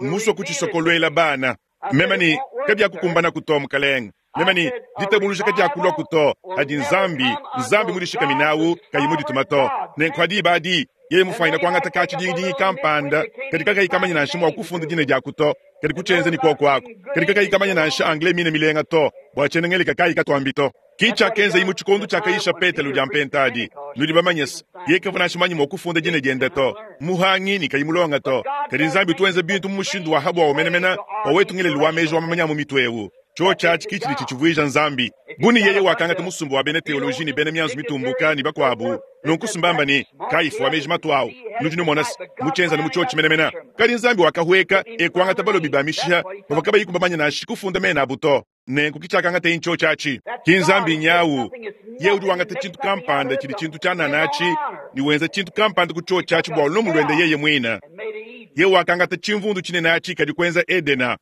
musoko tshisokolwela bana. Meme ne, kabyakukumbana kuto mukalenge. Meme ne, ditabuluja kadiakulua kuto, adi Nzambi, Nzambi mudishikaminawu, kayi mudituma to. Nenku adi badi, yeye mufanyine kuangata ka tshidingidingi kampanda, kadi kakayi kamanya nansha mua kufunda dina dia kuto, kadi kutshienza ne kuoku aku. Kadi kakayi kamanya nansha anglais mine milenga to, bua tshiena-ngelika kayi katuambi to. Ki tshiakenza imu tshikondo tshiakayisha Petelo dia mpentadi. Nudi bamanye se, yeye kavua nansha manya mua kufunda dina diende to, muhangi ne kayi mulonga to. Kadi Nzambi tuenza bintu mu mushindu wa habwa wa menemena, wa wetu ngelelu wa meji wa mamanya mu mitu eu. Cho tshiatshi ki tshidi tshitshivuija Nzambi. Buni yeye wakangata musumbu wa bena teoloji ne bena mianzu mitumbuka ne bakuabu. Nunku sumbamba ne, kayifu wa meji matuawu. Nudi numona se, mutshienza ne mutshiotshi menemena. Kadi Nzambi wakahweka e kuangata balobi ba mishiha, bavua kabayi kubamanya nansha kufunda mena abu to. Nenku kitshiakangata incho tshiatshi. Ki Nzambi nyawu. Ye udi wangata tshintu kampanda tshidi tshintu tshia nanatshi, ne wenza tshintu kampanda ku tsho tshiatshi bua lumu luende yeye muina. Ye wakangata tshimvundu tshinene atshi kadi kuenza Edena.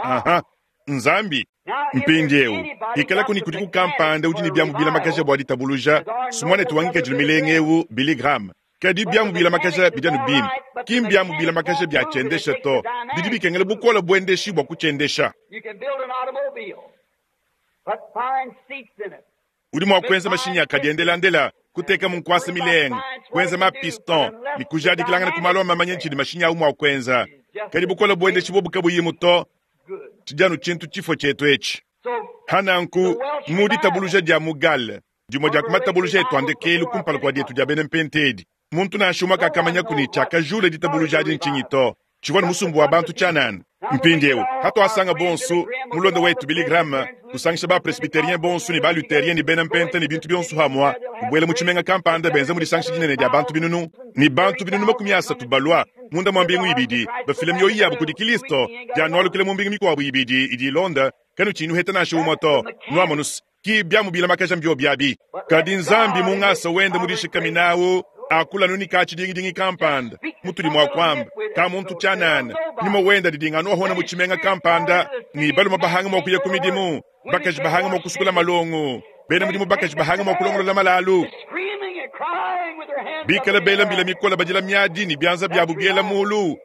Aha, Nzambi. Mpindi eu, ikala kuni kudi kukampanda udi ne biamu bilamakaja bua ditabuluja, sumwane tuwangika milenge eu Billy Graham. Kadi biamu bilamakaja bidi anu bimpe. Ki mbiamu bilamakaja bia tshiendesha to. Bidi bikengela bukola buendeshi bua kutshiendesha. You can build an automobile, put fine seats in it. Udi mua kuenza mashinyi akadiendelandela, kuteka mu nkwasa milenga, kuenza ma piston, ne kujadikilangana ku malu a mamanya tshidi mashinyi awu mua kuenza. Kadi bukola buendeshi bobu kabuyimu to, Good. tshidi anu tshintu tshifo tshietu etshi. So Hananku, mu ditabuluja dia mu Gale, dimue dia ku matabuluja etu andekelu kumpala kua dietu dia bena mpentedi. Muntu nansha umwe kakamanya kuni tshiakajula ditabuluja adi ntshinyi to. Tshivua ne musumbu wa bantu tshianana. Mpindiewu, hatuasanga bonso, mulonda wetu Billy Graham, kusangisha ba presbyterien bonso ne ba lutherien ne bena mpenta ne bintu bionso hamwa, kubuela mu tshimenga kampanda benza mu disangisha dinene dia bantu binunu, ne bantu binunu makumi asatu balua, munda mua mbingu ibidi, bafila mioyo yabo kudi Kristo, dianualukila mu mbingu mikuabu ibidi idi ilonda, kanu tshinyi nuheta nansha umwe to. Nuamonus, ki biamu bilamakaja mbio biabi. Kadi Nzambi mungasa wende mudishikaminawu, akula nuni ka tshidingidingi kampanda, mutudi mua kwamba, ka muntu tshianana, nyuma wenda didinga nuahona mu tshimenga kampanda, ni baluma bahanga mua kuya ku midimu, bakaji bahanga mua kusukula malongo, bena mudimu bakaji bahanga mua kulongolola malalu. screaming and crying with their hands up Bikala in the bela air. mbila mikola badila miadi ni bianza biabu biela mulu.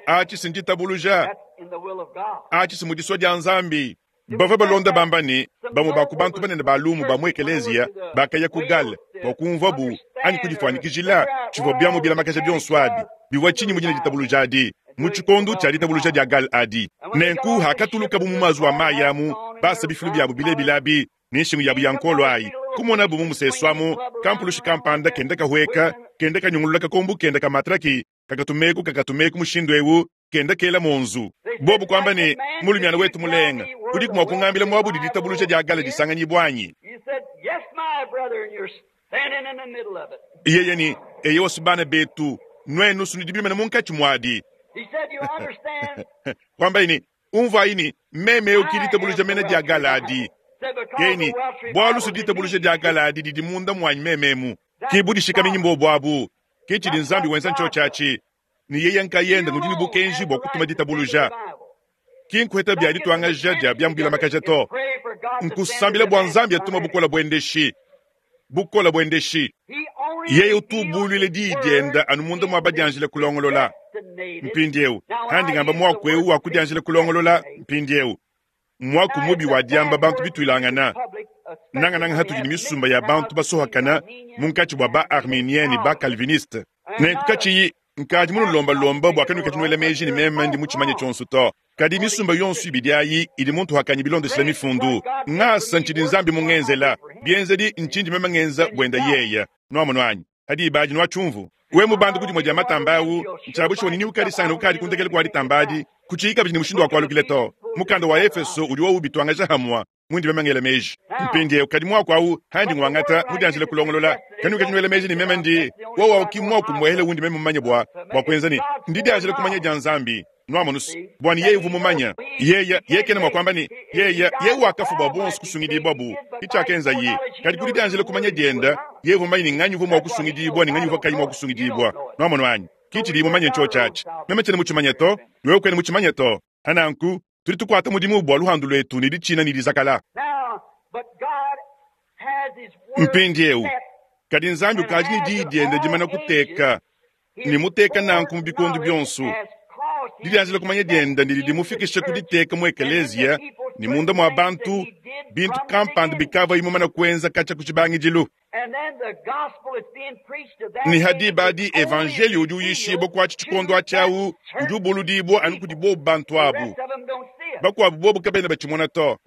Atshi sinditabuluja, That's in the will of God. atshi simudiswa dia Nzambi. Bavua balonda bamba ne, bamue ba ku bantu banene ba lumu ba mu ekeleziya bakaya ku Gale bua kumvua bu anyi kudifuanyikijila tshivua biamu bilamakaja bionso abi bivua tshinyi mu dina ditabuluja adi mu tshikondo tshia ditabuluja dia Gale adi. Nenku hakatulukabu mu mazuwa a mayi amu, basa bifilu biabu bilebilabi ne nshingu yabu ya nkolo ayi, Kumonabu mu musesu amu, kampulushi kampanda kenda kahueka, kenda kanyungulula kakombu kenda ka matraki, kakatumeku kakatumeku mushindu ewu, kenda kela monzu. Bobu kwamba ne, mulumiana wetu mulenga, udiku mua kungambila muabu diditabuluja dia gala disanganyibwa anyi? You said, Yes, my brother, and you're standing in the middle of it. Yeye ni, eyo bana betu, nwenu sunidibimene munkatshi mwadi. He said, You understand? Kwamba ini, umva ini, meme ukilitabuluja mene dia gala adi. Said, because Yeni, the Welsh bwalu revival suditabuluja dia gala adi didi munda mwanyi mememu. Kibudishika mbo bwabu, kichidi nzambi wenza ncho chachi. Ni yeye nkayenda ngudi ni bukenji bwa kutuma ditabuluja. Kinkweta bya ditwangaja dia byambila makaja to. Nkusambila bwa nzambi atuma bukola bwendeshi. Bukola bwendeshi. Yeye utubulwile didienda anu munda mwa badianjile kulongolola. Mpindiewu handi ngamba mwaku ewu wakudianjile kulongolola mpindiewu mwaku mubi wa diamba bantu bitwilangana nangananga hatudi ni misumba ya bantu basohakana munkatshi bua ba arménien ne ba calviniste nenku katshiyi nkadi munulombalomba bua kanuka tshinuela meji ne meme ndi mutshimanye tshionso to kadi misumba yonso ibidi ayi idi muntu hakanyi bilondeshela mifundu ngasa ntshidi nzambi mungenzela bienzedi ntshindi meme ngenza bwenda yeya nwamonu anyi hadi ibadi nwatshumvu we mubandu kudimwe dia matamba awu ntshiabu nini ukalisangana ukadi kundekele kwa ditambadi kuchiyika bidi ni mushindu wa kwalukile to mukanda wa efeso udi wowu bitwangaja hamwa mwindi memengele meji mpindiewu kadi mwaku awu handi ngwangata mudianjile kulongolola kanu kachinuela meji ni meme ndi wowa ukimwaku mwehele wundi meme mumanye bwa bwa kwenza ni ndidianjile kumanya dia nzambi nwamonusu bwani yeye uvu mumanya yeya yekene mwakwamba ni yeya ye wakafu bwa bonso kusungidibwa bu ichakenza ye kadi kudidianjile kumanya dienda ye uvu mumanye ni nganyi uvu mwakusungidibwa ni nganyi uvu kayi mwakusungidibwa nwamono anyi kichidi mumanye ncho chachi meme chene muchimanye to niwe kwene muchimanye to hananku tuli tukwata mudimu bwa luhandu lwetu ni dichina ni dizakala Now, but God has His word mpindiewu set kadi nzambi ukaji ni didienda dimana kuteka ni muteka nanku mu bikondu byonso didianjile kumanya dienda ndidi dimufikisha kuditeka mu ekeleziya ni munda mwa bantu bintu kampanda bikava imumana kuenza kacha kuchibangidilu ni hadi badi evanjeli udi uyishibwa kwatshi tshikondo atshi udi ubuludibwa anu kudi bobu bantu abu bakuabu bobu kabena batshimona to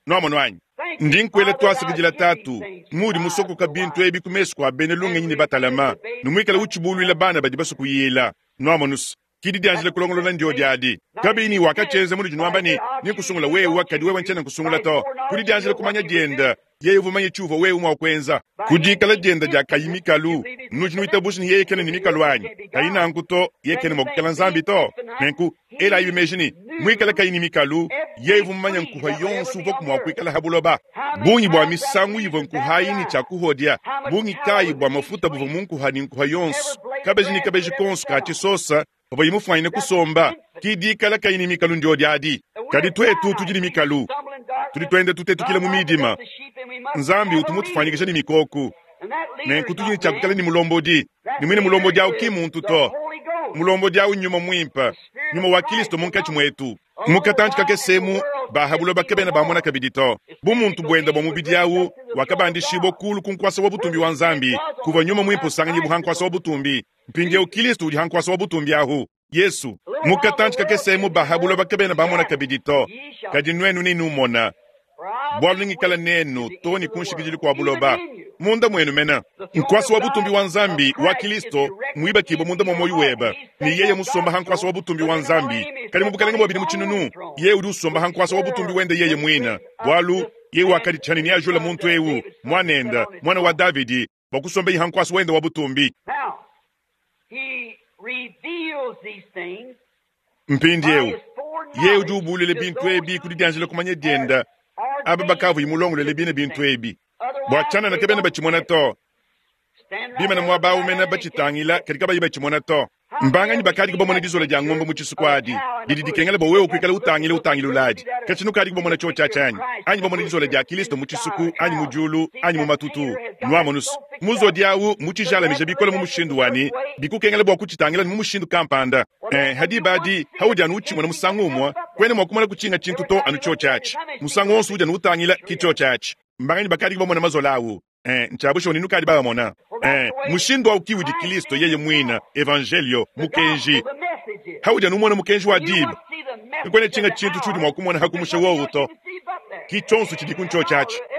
nwamonu anyi ndi nkuela twasikidila tatu mudi musokoka bintu ebi ku mesu kua bena lungenyi ne batalama numuikala utshibuluila bana badi basukuyila nwamonusu kidi dianjile kulongolola ndio diadi kabini wakachenza mudi junwamba ni nikusungula wewe kadi wewe nchena nkusungula to kudi dianjile kumanya dienda yeye uvumanye tshuva wewe mwa kwenza kudikala dienda dia kayi mikalu nuji nuitabushi ni yeye kene ni mikalu anyi kayi nanku to yeye kene mwa kukela nzambi to nenku ela ibi meji ni mwikala kayi ni mikalu yeye uvumanya nkuha yonso uva kumwa kuikala habuloba bungi bwa misangu ivo nkuhayi ni tshakuhodia bungi kayi bwa mafuta buva munkuha ni nkuha yonso kabeji ni kabeji konso ka tshisosa pavua imufwanyine kusomba kidikala kayi ni mikalu ndio diadi kadi twetu tudi ni mikalu tudi twende tutetukile mu midima nzambi utumutufanyikisha ni mikoku nenku tudi ni tshiakukala ni mulombodi ni mwine mulombodi awu ki muntu to mulombodi awu nyuma mwimpa nyuma wa kristo munkatshi mwetu mukatantshi kakesemu bahabulo bakebena bamona kabidi to bumuntu bwenda bwa mubidi awu wakabandishibwa kulu ku nkwasa wa butumbi wa nzambi kuva nyuma mwimpa usanganyi buhankwasa wa butumbi mpindiewu kristo udi hankwasa wa butumbi ahu yesu mukatantshi kakesemu bahabulo bakebena bamona kabidi to kadi nwenu ninumona bwalu ningikala nenu to ni kunshikidili kwa buloba munda mwenu mena nkwasa wa butumbi wa nzambi wa kristo mwibakibwa munda mwa moyo weba ni yeye musomba hankwasa wa butumbi wa nzambi kali mu bukalenge bwabili mutshinunu yeye udi usomba hankwasa wa butumbi wende yeye mwina bwalu yeye wakadi tshani ni ajula muntu ewu mwanenda mwana wa davidi bwakusomba hankwasa wende wa butumbi Now, He reveals these things mpindiewu yeye udi ubulule bintu ebi kudi dianjila kumanya dienda aba bakavu imulongolele bine bintu ebi bua tshianana kebena batshimona to bimana muaba awu mena batshitangila kadi kabayi batshimona to mbanganyi bakadi kubamona dizola dia ngombe mu tshisuku adi didi dikengela bua wewe kuikala utangila utangila uladi katshinu kadi kubamona tshio tshiatshi anyi anyi bamona dizola dia kristo mu tshisuku anyi mu diulu anyi mu matutu nwamonusu muzodi awu mutshijalamija bikola mu mushindu wani bikukengela bua kutshitangila ni mu mushindu kampanda eh, hadi badi haudi anu utshimona musangu umwe kwene mwa kumona kutshinga tshintu to anu tshio tshiatshi musangu wonso udi anu utangila ki tshio tshiatshi mbanganyi bakadi kubamona mazola awu eh, ntshiabusha oninu kadi babamona eh, mushindu awu kiwudi kristo yeye mwina evangelio mukenji haudi anu umona mukenji wa diba nkwene tshinga tshintu tshiudi mwa kumona hakumusha wowu to ki tshonso tshidi ku ntshio tshiatshi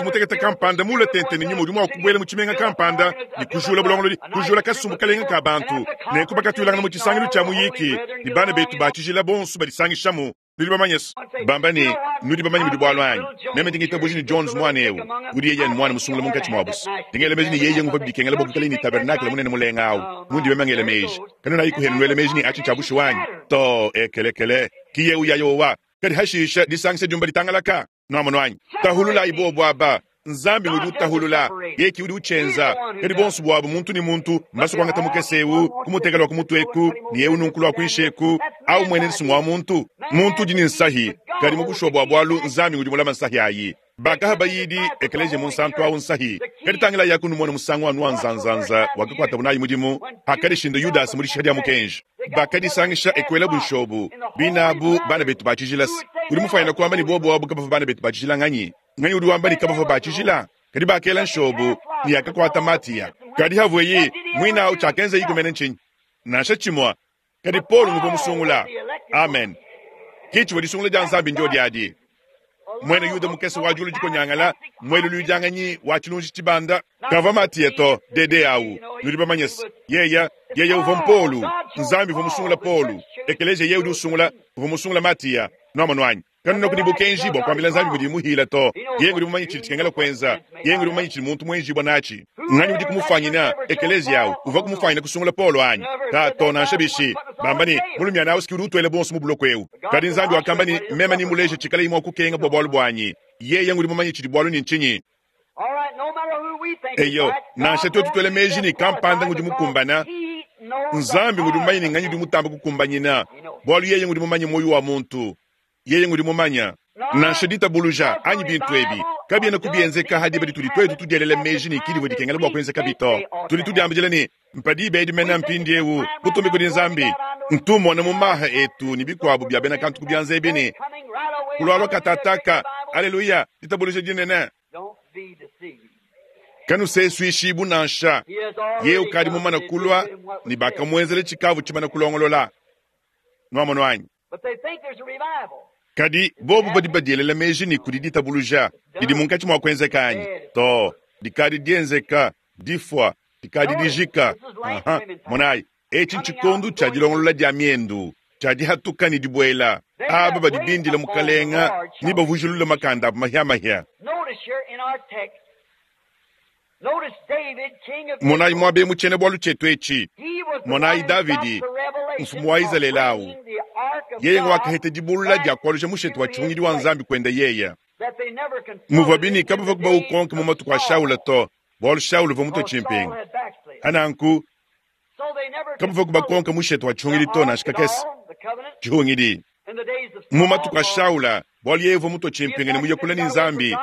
Mwaneetu mutekete kampanda muule tente ne Nyuma udi mwa kubwela mu cimenga kampanda ne kujuula bulongolodi, kujuula kasumbu kalenga kaa bantu, nenku bakatwilangana mu cisangilu cya muyiiki, ne bana beetu baa cijila bonso badisangishamu, Nudi bamanye bamba ne nudi bamanye mudi bwalu anyi. Meme ndingitabuja ni Jones mwana ewu. Udi yeye ni mwana musungula munkatshi mwabu. Ndingela meji ni yeye nguva bidikengela bwa kuikala ni tabernacle munene mulenga awu. Mundi meme ngela meji. Kanu nayi kuhenu nwele meji ni achi chabushu wanyi. To ekelekele. Kiye uya yowa. Kadi hashisha disangisa jumba litangalaka. Nwamonu anyi. Tahulula ibo bwaba. Nzambi udi utahulula yeki udi uchenza kadi bonso bwabo muntu ni muntu mbaso kwangata mukesewu kumutekela kumutweku ni yewu nunkulwa kwinsheku au mwene nsungu wa muntu muntu udi ni nsahi kadi mubushwa bwa bwalu nzambi udi mulama nsahi ayi bakaha bayidi ekeleje munsantu awu nsahi kadi tangila yakunu mwana musangu anu wa nzanzanza wakakwata bunayi mudimu hakadishinda Yudasi muri shadi ya mukenji bakadisangisha ekwela bunshobu binabu bana betu bachijilasi udi mufanyina kwamba ni bobo wabu kabava bana betu bachijila nganyi nganyi udi wamba ni kabava bachijila kadi bakela nshobu ni yakakwata matiya kadi havweyi mwina awu chakenza yikumene nchinyi nansha chimwa kadi Paulo ngupo musungula amen kichiwa disungula dia nzambi ndio diadi mwene yuda mukese wa julu jikonyangala mwele lujanganyi wa chilunji chibanda kava matiya to dede awu nudi bamanyesi yeya yeya uva mpolu nzambi uva musungula Paulo ekeleje ye udi usungula uva musungula matiya nwamanwanyi kanu nokudi bukenji bwa kwambila nzambi budi muhila to yeye udi mumanyi chili chikengela kwenza yeye udi mumanyi chili muntu mwenji bwa nachi ngani udi kumufanyina ekelezi yawu uva kumufanyina kusungula Paulo anyi ta to nansha bishi bambani mulumya nawe sikiri utwele bonso mu buloko ewu kadi nzambi wakamba ni mema ni muleje chikala imwe kukenga bwa bwalu bwanyi yeye ngudi mumanyi chili bwalu ni nchinyi eyo nansha twetu twele meji ni kampanda ngudi mukumbana nzambi ngudi mumanyi ni nganyi udi mutamba kukumbanyina bwalu yeye ngudi mumanyi moyo wa muntu yeye ngudi mumanya nansha ditabuluja anyi bintu ebi kabiena kubienzeka hadi badi tudi twetu tudielele meji ni kili dikengela bwa kuenzeka bito tudi tudiambijela ni mpadi bedi mena mpindi ewu kutumbi kudi nzambi ntumona mu maha etu ni bikwabu bya bena kantu kubyanza ebini kulwalwa katataka aleluya ditabuluja dinene kanu sesuishibu nansha ye ukadi mumana kulwa ni bakamwenzele chikavu chimana kulongolola nwamono anyi kadi bobu badi badielela meji ni kudi ditabuluja didi munkatshi mwa kuenzeka anyi to dikadi dienzeka difwa dikadi dijika aha monayi etshi ntshikondu tshia dilongolola dia miendu tshia dihatuka ni dibwela aba badi bindila mukalenga ni bavujulula makanda abu mahiamahia monayi mwabe muchene bwalu chetu etshi monayi Davidi mfumu wa Izalele awu yeye ngwakahete dibulula dia kwaluja mushetu wa chihungidi wa nzambi kwenda yeya muvwa bini kabava kuba ukonke mu matuku a Shaula to bwalu Shaula uvua mutwe chimpinga ananku kabava kuba konke mushetu wa chihungidi to nansha kakese chihungidi mu matuku a Shaula bwalu yeye uvua mutwe chimpinga ne muyekula ni nzambi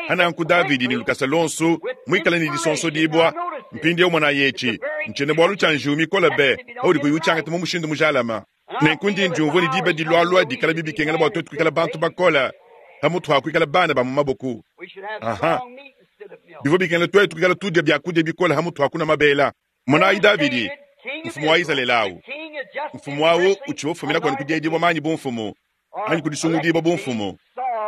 ananku Davidi ni lukasa lonsu mwikala ni disonso dibwa mpindi ewu mwana yechi nchene bwalu cha njiwu mikola be audi kuyuchanga mu mushindu mujalama nenkundi ndiumvua ni diba dilwalwa dikala bibikengela bwa twetu kuikala bantu bakola hamutu hakuikala bana ba mu maboku aha bivua bikengela twetu kuikala tudya byakudia bikola hamutu hakuna mabela monayi Davidi mfumu wa Izalele awu mfumu awu uchiwa ufumina kwenu kudiedibwa manyi bumfumu anyi kudisungudibwa bumfumu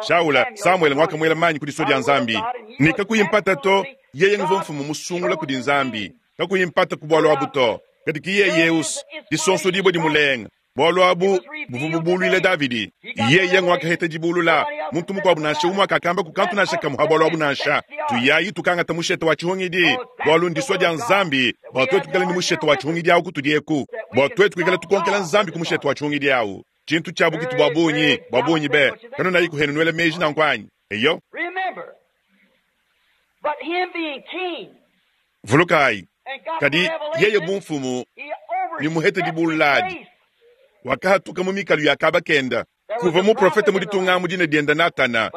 Shaula Samuele ngwakamwela manyi kudiso dia nzambi nikakuyimpata to yeye nguva mfumu musungula kudi nzambi kakuyimpata ku bwalu abu to kadi kiye yeus disonso dibwa dimulenga bwalu abu buvu bubulwile Davidi yeye ngwakaheta dibulula muntu mukwabu nansha umwe akakamba kukantu nansha kamuha bwalu abu nansha tuyayi tukangata mushete wa chihungidi bwalu ndiswa dia nzambi bwa twetu kuikala ni mushete wa chihungidi awu kutudieku bwa twetu kuikala tukonkela nzambi ku mushete wa chihungidi awu chintu chabu kitu bwa bunyi bwa bunyi be kanu nayi kuhenu nwele meji nankwanyi eyo vulukayi kadi yeye bumfumu ni muhete dibululadi wakahatuka mu mikalu ya kabakenda kuva muprofete muditunga mudina dienda Natana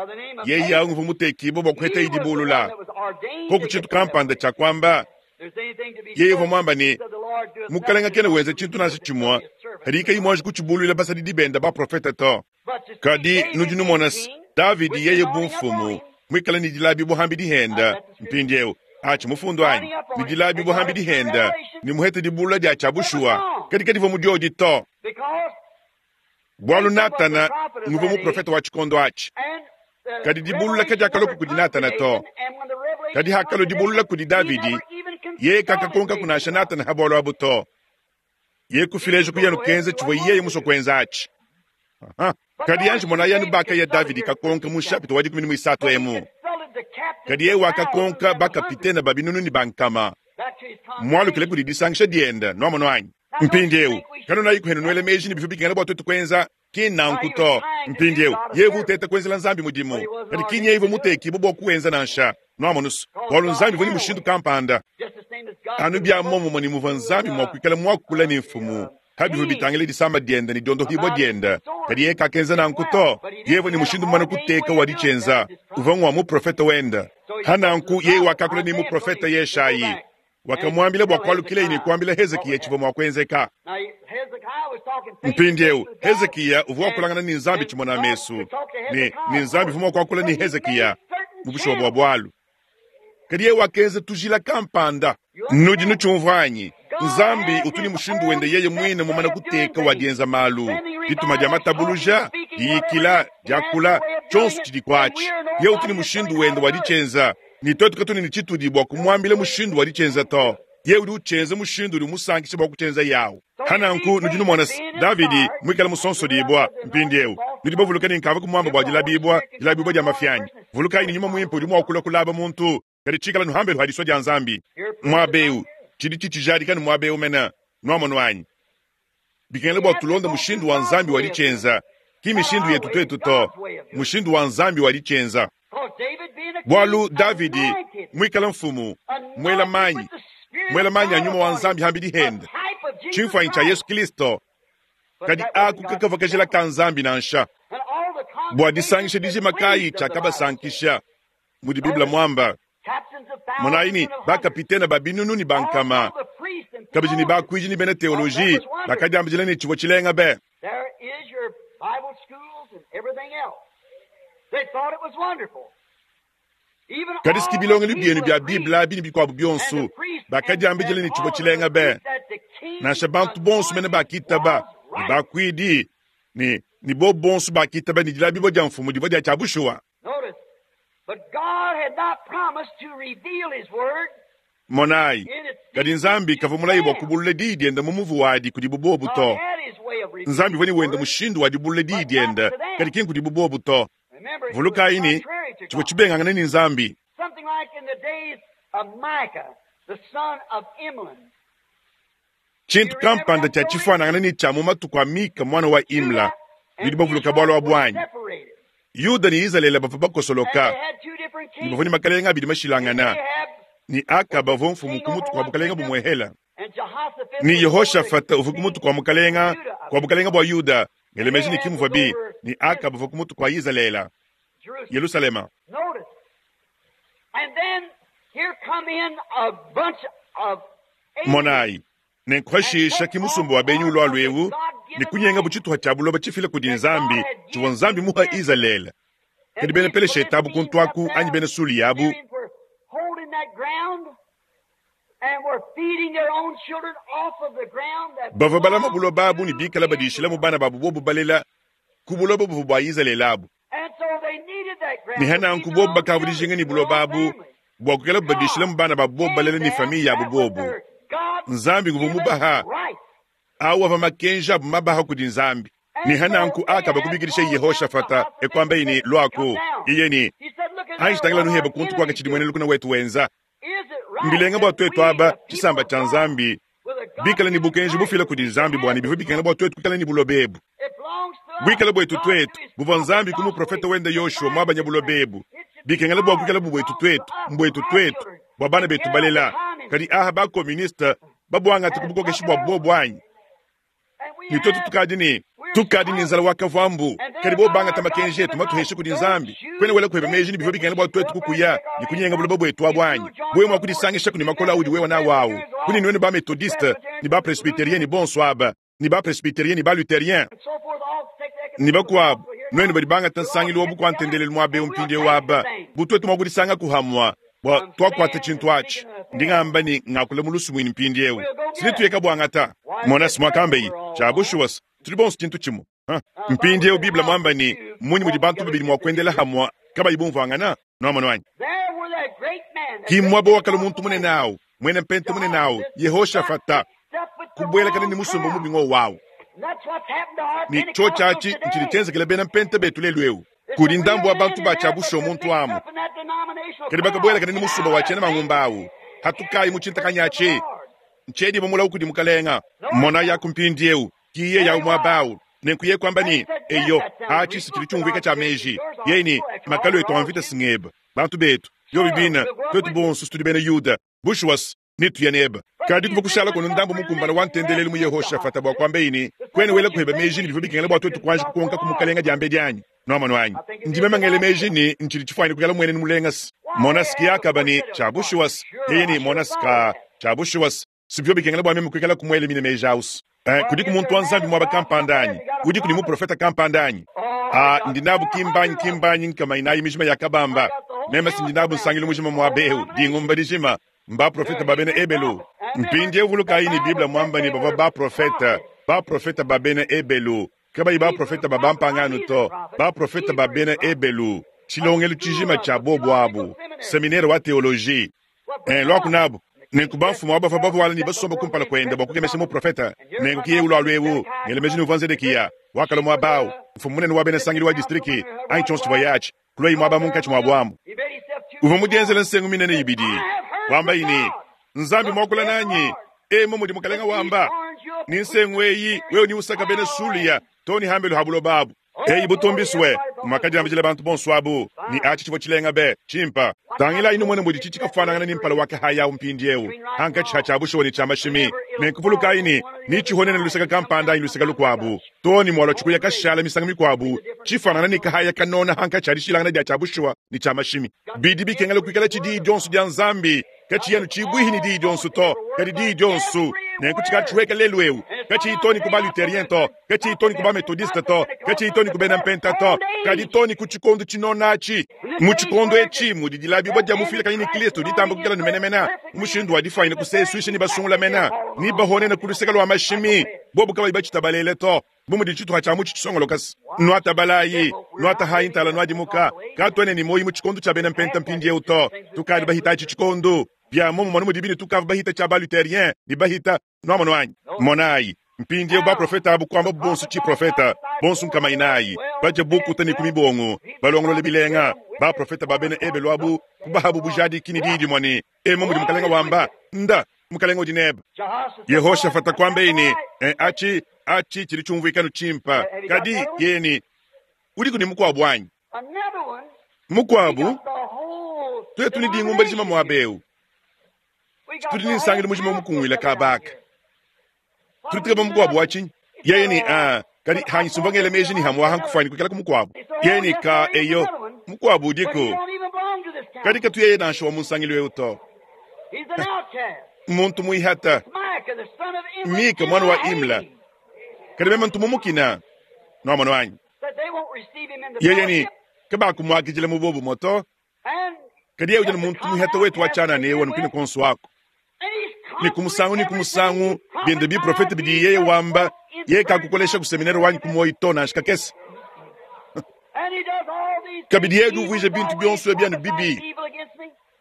yeye awu nguva mutekibo bwa kuheta idibulula koku chintu kampanda cha kwamba yeye uvua mwamba ni mukalenga kena wenza chintu nansha chimwa kadi kayi mwanji kuchibulwila basadi dibenda baprofete to kadi nudi numona Davidi yeye bumfumu mwikala ni dilabi buhambi dihenda mpindi ewu achi mufundu anyi ni dilabi buhambi dihenda ni muhete dibulula dia chabushuwa kadi kadi mudiodi to bwalu Natana nguva muprofete wa chikondo achi kadi dibulula kadi akaloku kudi Natana to kadi hakalo dibulula kudi Davidi ye kakakonka kunasha Natana habwalu abu to ye kufilejo kuyanu kenze chivwa yeye muso kwenza achi. Aha. Kadi anji monayi anu bakaya Davidi kakonka mu nshapita wa dikumi ne muisatu emu. Kadi yeye wakakonka bakapitene ba binunu ne ba nkama. Mwalukile kudi disangisha diende, nwamonu anyi? Mpindieu, kanunayi kuhenu nuele meji ne bivua bikengela bua tuetu kuenza, ki nnanku to. Mpindieu, yeye uvua uteta kuenzela Nzambi mudimu, kadi ki nyeye uvua mutekibue bua kuwenza nansha. Nwamonu se, bualu Nzambi uvua ne mushindu kampanda. Anu bia muomumue ne muvua Nzambi mua kuikala muakula ne mfumu pa bivua bitangila disama diende ne diondohibua diende, kadi yeye kakenza nanku to. Yeye uvua ne mushindu mumane kuteka wa ditshienza, uvua ngua muprofete wende. Pa nanku yeye wakakula ne muprofete Yeshayi, wakamuambila bua kualukileye ne kuambila Hezikiya tshivua mua kuenzeka. Mpindieu Hezikiya uvua wakulangana ne Nzambi tshimona mesu, ne, ne Nzambi uvua mua kuakula ne Hezikiya mu bushuwa bua bualu. Kadi yeye wakenza tujila kampanda. Nudi nutshiumvua anyi? Nzambi utu ne mushindu wende yeye muine mumane kuteka wa dienza malu, dituma dia matabuluja, diyikila, diakula, tshionso tshidi kuatshi. Yeye utu ne mushindu wende wa ditshienza, ne tuetu katuena ne tshitudi bua kumuambila mushindu wa ditshienza to. Yeye udi utshienza mushindu udi umusankisha bua kutshienza yawu. Pa nanku nudi numona se, Davidi muikale musonsodibua mpindieu. Nudi bavuluke ne nkavua kumuamba bua dilabibua, dilabibua dia mafi anyi? Vulukayi ne nyuma muimpe udi mua kulua kulaba muntu, kadi tshikala nuhambelu ha disua dia Nzambi. Muaba eu, tshidi tshitshijadika ne muaba eu mene, nwamonu anyi? Bikengela bua tulonde mushindu wa Nzambi wa ditshienza, ki mishindu yetu tuetu to, mushindu wa Nzambi wa ditshienza. Bualu Davidi muikale mfumu, muela manyi, muela manyi a nyuma wa Nzambi hambidi hende, tshimfuanyi tshia Yesu Kristo, kadi aku kakavua kajila ka Nzambi nansha. Bua disangisha dijima kayi tshiakabasankisha, mudi Bible muamba. Monayi ne bakapitene ba binunu ne ba nkama, kabidi ne bakuidi ne bena teoloji bakadiambidila ne tshivua tshilenga be. There is your Bible schools and everything else. They thought it was wonderful. Even Kadi siki all the bilongelu bienu people bia of Bible Greece abi ne bikuabu and bionso the priests and, bakadiambidila and ne tshivua all of tshilenga the be. priests that the king's Nansha bantu bonso mene anointing bakitaba, was ne right. bakuidi ne ne bo bonso bakitaba ne dilabibua dia mfumu divua dia tshia bushuwa. Notice, but God had not promised to reveal His word Monayi, in its kadi secret Nzambi to kavua mulayi bua them. kubulula diyi diende mu muvu wadi kudibu bobu God to. had His way of revealing Nzambi uvua ne His wende word, mushindu wa dibulula diyi but not diende, to kadi them. ki nkudibu bobu to. Remember, it was Vulukayi ne contrary to tshivua God. tshibengangane ne Nzambi. Something like in the days of Micah, the son of Imlah. Do Tshintu you remember kampanda that tshia story? tshifuanangane ne tshia mu matuku a Mika mwana wa Imla, Judah nudi and bavuluka Israel bualu were abu anyi? separated. Yuda ne Izalele bavua And bakosoloka, they had two different ne bavua ne kings. makalenga abidi And mashilangana, Ahab ne was Akaba uvua mfumu king ku over mutu kua one bukalenga kingdom, bumuehela, and Jehoshaphat ne was over the Yehoshafata uvua ku king mutu kua mukalenga of Judah, I kua believe it bukalenga was. bua Yuda, And ngele meji ne Ahab kimuvua was bi, over ne Akaba Israel, uvua ku mutu kua Izalele, Jerusalem. Yerusalema. Notice. And then here come in a bunch of aliens Monayi, and nenkuhashisha take ki off musumba wa benyi part ulua of the lwewu, ne God-given kunyenga land butshituha tshia buloba tshifila kudi that God Nzambi, had tshivua given Nzambi to muha Israel. Izalele. Kadi And bena these Peleshete abu Philistines kuntu up aku there, anyi bena Sulia abu, Syrians were holding that ground and were feeding their own children off of the ground that bavua balama belonged buloba abu ne to bikala badishilamu Israel. bana babu bobu balela ku buloba buvua bua Izalele abu. And so they needed that Ne ground to feed hananku their bobu own bakavua children, dijinga ne their buloba own abu family. bua kuikala badishilamu God bana babu bobu gave balela ne them, famiye yabu that was bobu. their Nzambi nguvua God-given mubaha right. awu ava makenji abu mabaha kudi Nzambi. Ne And so hananku Akaba Ahab kubikidisha called down Yehoshafata Jehoshaphat and ekwambayi ne said, Come lwaku down. iye ne He said, Look at anji there tangila what nuheba our kuntu kwaka enemies tshidi mwene doing. lukuna wetu wenza. Is it right Mbilenga bua that tuetu we, aba the people tshisamba of tshia God, Nzambi with a bikala ne God-given bukenji right, bufila kudi we should Nzambi bua have ne bivua this bikengela land? bua tuetu kuikala ne buloba ebu. It belongs to us. Buikala buetu God tuetu through his buvua prophet Nzambi ku Joshua muprofeta wende Yoshua divided mwabanya this buloba land. ebu. It should be Bikengela bua ours. kuikala It bu buetu belongs to tuetu, us and mbuetu our tuetu, children bua bana to betu get out the balela. Kadi communists aha bakomuniste babuangata ku has bukokeshi took bua it over. bobu anyi. And we Ne tuetu have, tukadi ne we're tukadi ne nzala starving. wa kavwambu And kadi they're bo got bangata our makenji etu God-given matuheshe right. kudi Don't Nzambi you kwene wela kuheba think meji ne bivua that we bikengela bua should go tuetu up there and kukuya take our ne land kunyenga back? buloba buetu abu If anyi you'll join wewe your mua forces, kudisangisha kuni the makola audi Methodists, wewe na wawu Presbyterians, kuni all nwenu ba the methodiste Presbyterians ni ba and the presbyterien ni Lutherans bonso aba ni ba presbyterien ni ba lutherien and so forth, all take the ni ecumenical bakuabu council here nwenu now. badi bangata We'll all nsangilu wa get together bukuantendelelu muaba eu and we'll mpindieu take the aba thing. butuetu mua kudisanga kuhamwa bua I'm twakuata saying tshintu and atshi speaking in a ndi ngamba ni ngakula mu lusumuinu mpindieu We'll go sini get it. tuyeka buangata Why, it mona said simwakambeyi we're all tshia one. bushuwa tuli bonso tshintu tshimue Ha? Now, the Bible mpindieu said, biblia how mwamba could ni two munyi mudi walk bantu together babidi mua except they kuendela agree? hamwa kabayi bumvuangana nwamonu anyi There were that great man, that ki great mwaba wakala Pentecostal muntu man, munene awu mwene mpente munene awu Jehoshaphat, got yehoshafata mixed up with the kubwelekana wrong ni musumba crowd. mubi ng'owawu And that's what Ne tshiotshi atshi ntshidi tshienzekele bena mpenta betu lelu eu. Kudi ndambu wa bantu ba tshia muntu amu. Kadi bakabuelakana ne musumba wa tshiena mangumba awu. Hatukayi mu tshintakanyatshi. Ntshiedi bamulawu kudi mukalenga. Mona yaku mpindiewu. Kiye yawu muaba awu. Nenku kwamba ni eyo atshi tshidi tshiumvuika tshia meji. Yeye ni makalu etu a mvita singeba. Bantu betu. Yo bibina twetu bonso tudi bena Yuda. Bushuwas nituya neba. Kadi kuva kushala kono ndambu mukumbana wa ntendelelu mu Yehoshafata bua kwamba ini kwene wela kuheba meji ni bivua bikengela bua twetu kuanji kukonka ku mukalenga diambe dianyi. Nwamano anyi. Ndime mangele meji ni ntshidi tshifuanyine kukala mwene ni mulengasi. Monasiki yakaba ni tshia bushuwas. Yeye ni monasika tshia bushuwas. Sibyo bikengela bua meme kuikala kumwele mine meji ausi. Eh, kudi ku muntu wa Nzambi mwaba kampanda anyi. Udi kudi muprofeta kampanda anyi. Ah, ndinabu kimbanyi kimbanyi nkama inayi mijima ya kabamba. Meme sindinabu nsangilu mujima mwabehu dingumba dijima mba profeta babene ebelu. Mpindie vulukayi ni Biblia mwamba ni bava ba profeta, ba profeta babene ebelu. Kabayi ba profeta babampangano to, ba profeta babene ebelu. Tshilongelu tshijima tshia bobo abu, seminaire wa theologie. Eh, lwaku nabu. Nenku bamfumu abo bava wala ni basomba kumpala kwenda bua kukemesha muprofeta. Nenku kiye ulwalu ewu, ngele meji ni uvua Zedekiya, wakala mwabau, mfumu munene wa bena sangili wa distriki, anyi tshionso tshivua yatshi, kuloyi mwaba munkatshi mwa bwamu. Uvua mudienzela nsengu minene ibidi. Wamba ini, Nzambi mwakula nanyi, emo mudi mukalenga wamba. Ni nsengu eyi, wewe ni usaka bena Sulia, toni hambelu habulo babu. Eyi butumbiswe, mwakadiambijila bantu bonso abu, ni achi tshivua tshilenga be, tshimpa. Tangila inu mwene mudi tshitshikafanangana ni mpala wake haya umpindiewu. Hanka tshiha tshia bushuwa ni tshia mashimi. Nenkuvuluka ini, ni tshihonene luseka kampanda anyi luseka lukuabu. Toni mwalwa tshikuya kashala misanga mikuabu, tshifanana ni kahaya kanona hanka tshia dishilangana dia tshia bushuwa ni tshia mashimi. Bidi bikengela kuikala tshidi dionso dia Nzambi, kachi yanu tshibwihi ni dii dionso to, kadi dii dionso. Nenku tshika lelu ewu, kachi itoni kuba luthérien to, kachi itoni kuba methodiste to, kachi itoni kubena mpenta to, kadi toni ku tshikondo tshinonachi. Mu tshikondo etshi mudi dilabibwa dia mufila kanyini Kristo ditamba kukala numenemena, mushindu wa difaina kusesuisha ni basungula mena, ni bahonena ku luseka lwa mashimi, bobu kabayi batshitabalele to. Bumudi tshituha tshia mutshi tshisongolokasi. Nwata balayi, nwata hayi ntala nwadimuka, katwene ni moyi mu tshikondo tshia bena mpenta mpindiewu to, tukadi bahita tshikondo. Bia momo mwana mudi bini tukava bahita tshia ba luthérien, ni bahita nwamano anyi. Monayi, mpindiewu ba profeta abu kwamba bonso tshi profeta, bonso nkama inayi, baje bukuta ni kumibongo, balongolole bilenga, ba profeta ba bena ebelu abu, kubahabu bujadi kini didi mwani, emo mudi mukalenga wamba, nda, mukalenga udi neba. Yehoshafata kwamba ini, eh, achi, achi chili chumvuikano chimpa, kadi yeni, udi kuni mukwabu anyi. Mukwabu, twetu ni dingumba dijima mwabeu. Tudi ni nsangile mujima mukungwila kabaka. Tudi tukeba mukwabu wachinyi. Yeye ni, ah, kadi hanyi sumbangele meji ni hamwa hankufani kukela kumukwabu. Yeye ni ka eyo, mukwabu udiko. Kadi katu yeye nansha wa munsangile wewe to. Muntu muihata. Mika mwana wa Imla. Kadi meme ntu mumukina. Nwamano wanyi. Yeye ni, kaba kumwakijila mubobu moto. Kadi yeye ujana muntu muihata wetu wachana ne wanu kine konso wako. Ni kumusangu ni kumusangu biende bi profeta bidi yeye wamba yeye kakukolesha ku seminari wanyi kumoyi to na shikakese. Kabidi yeye duvuije bintu byonso byanu bibi.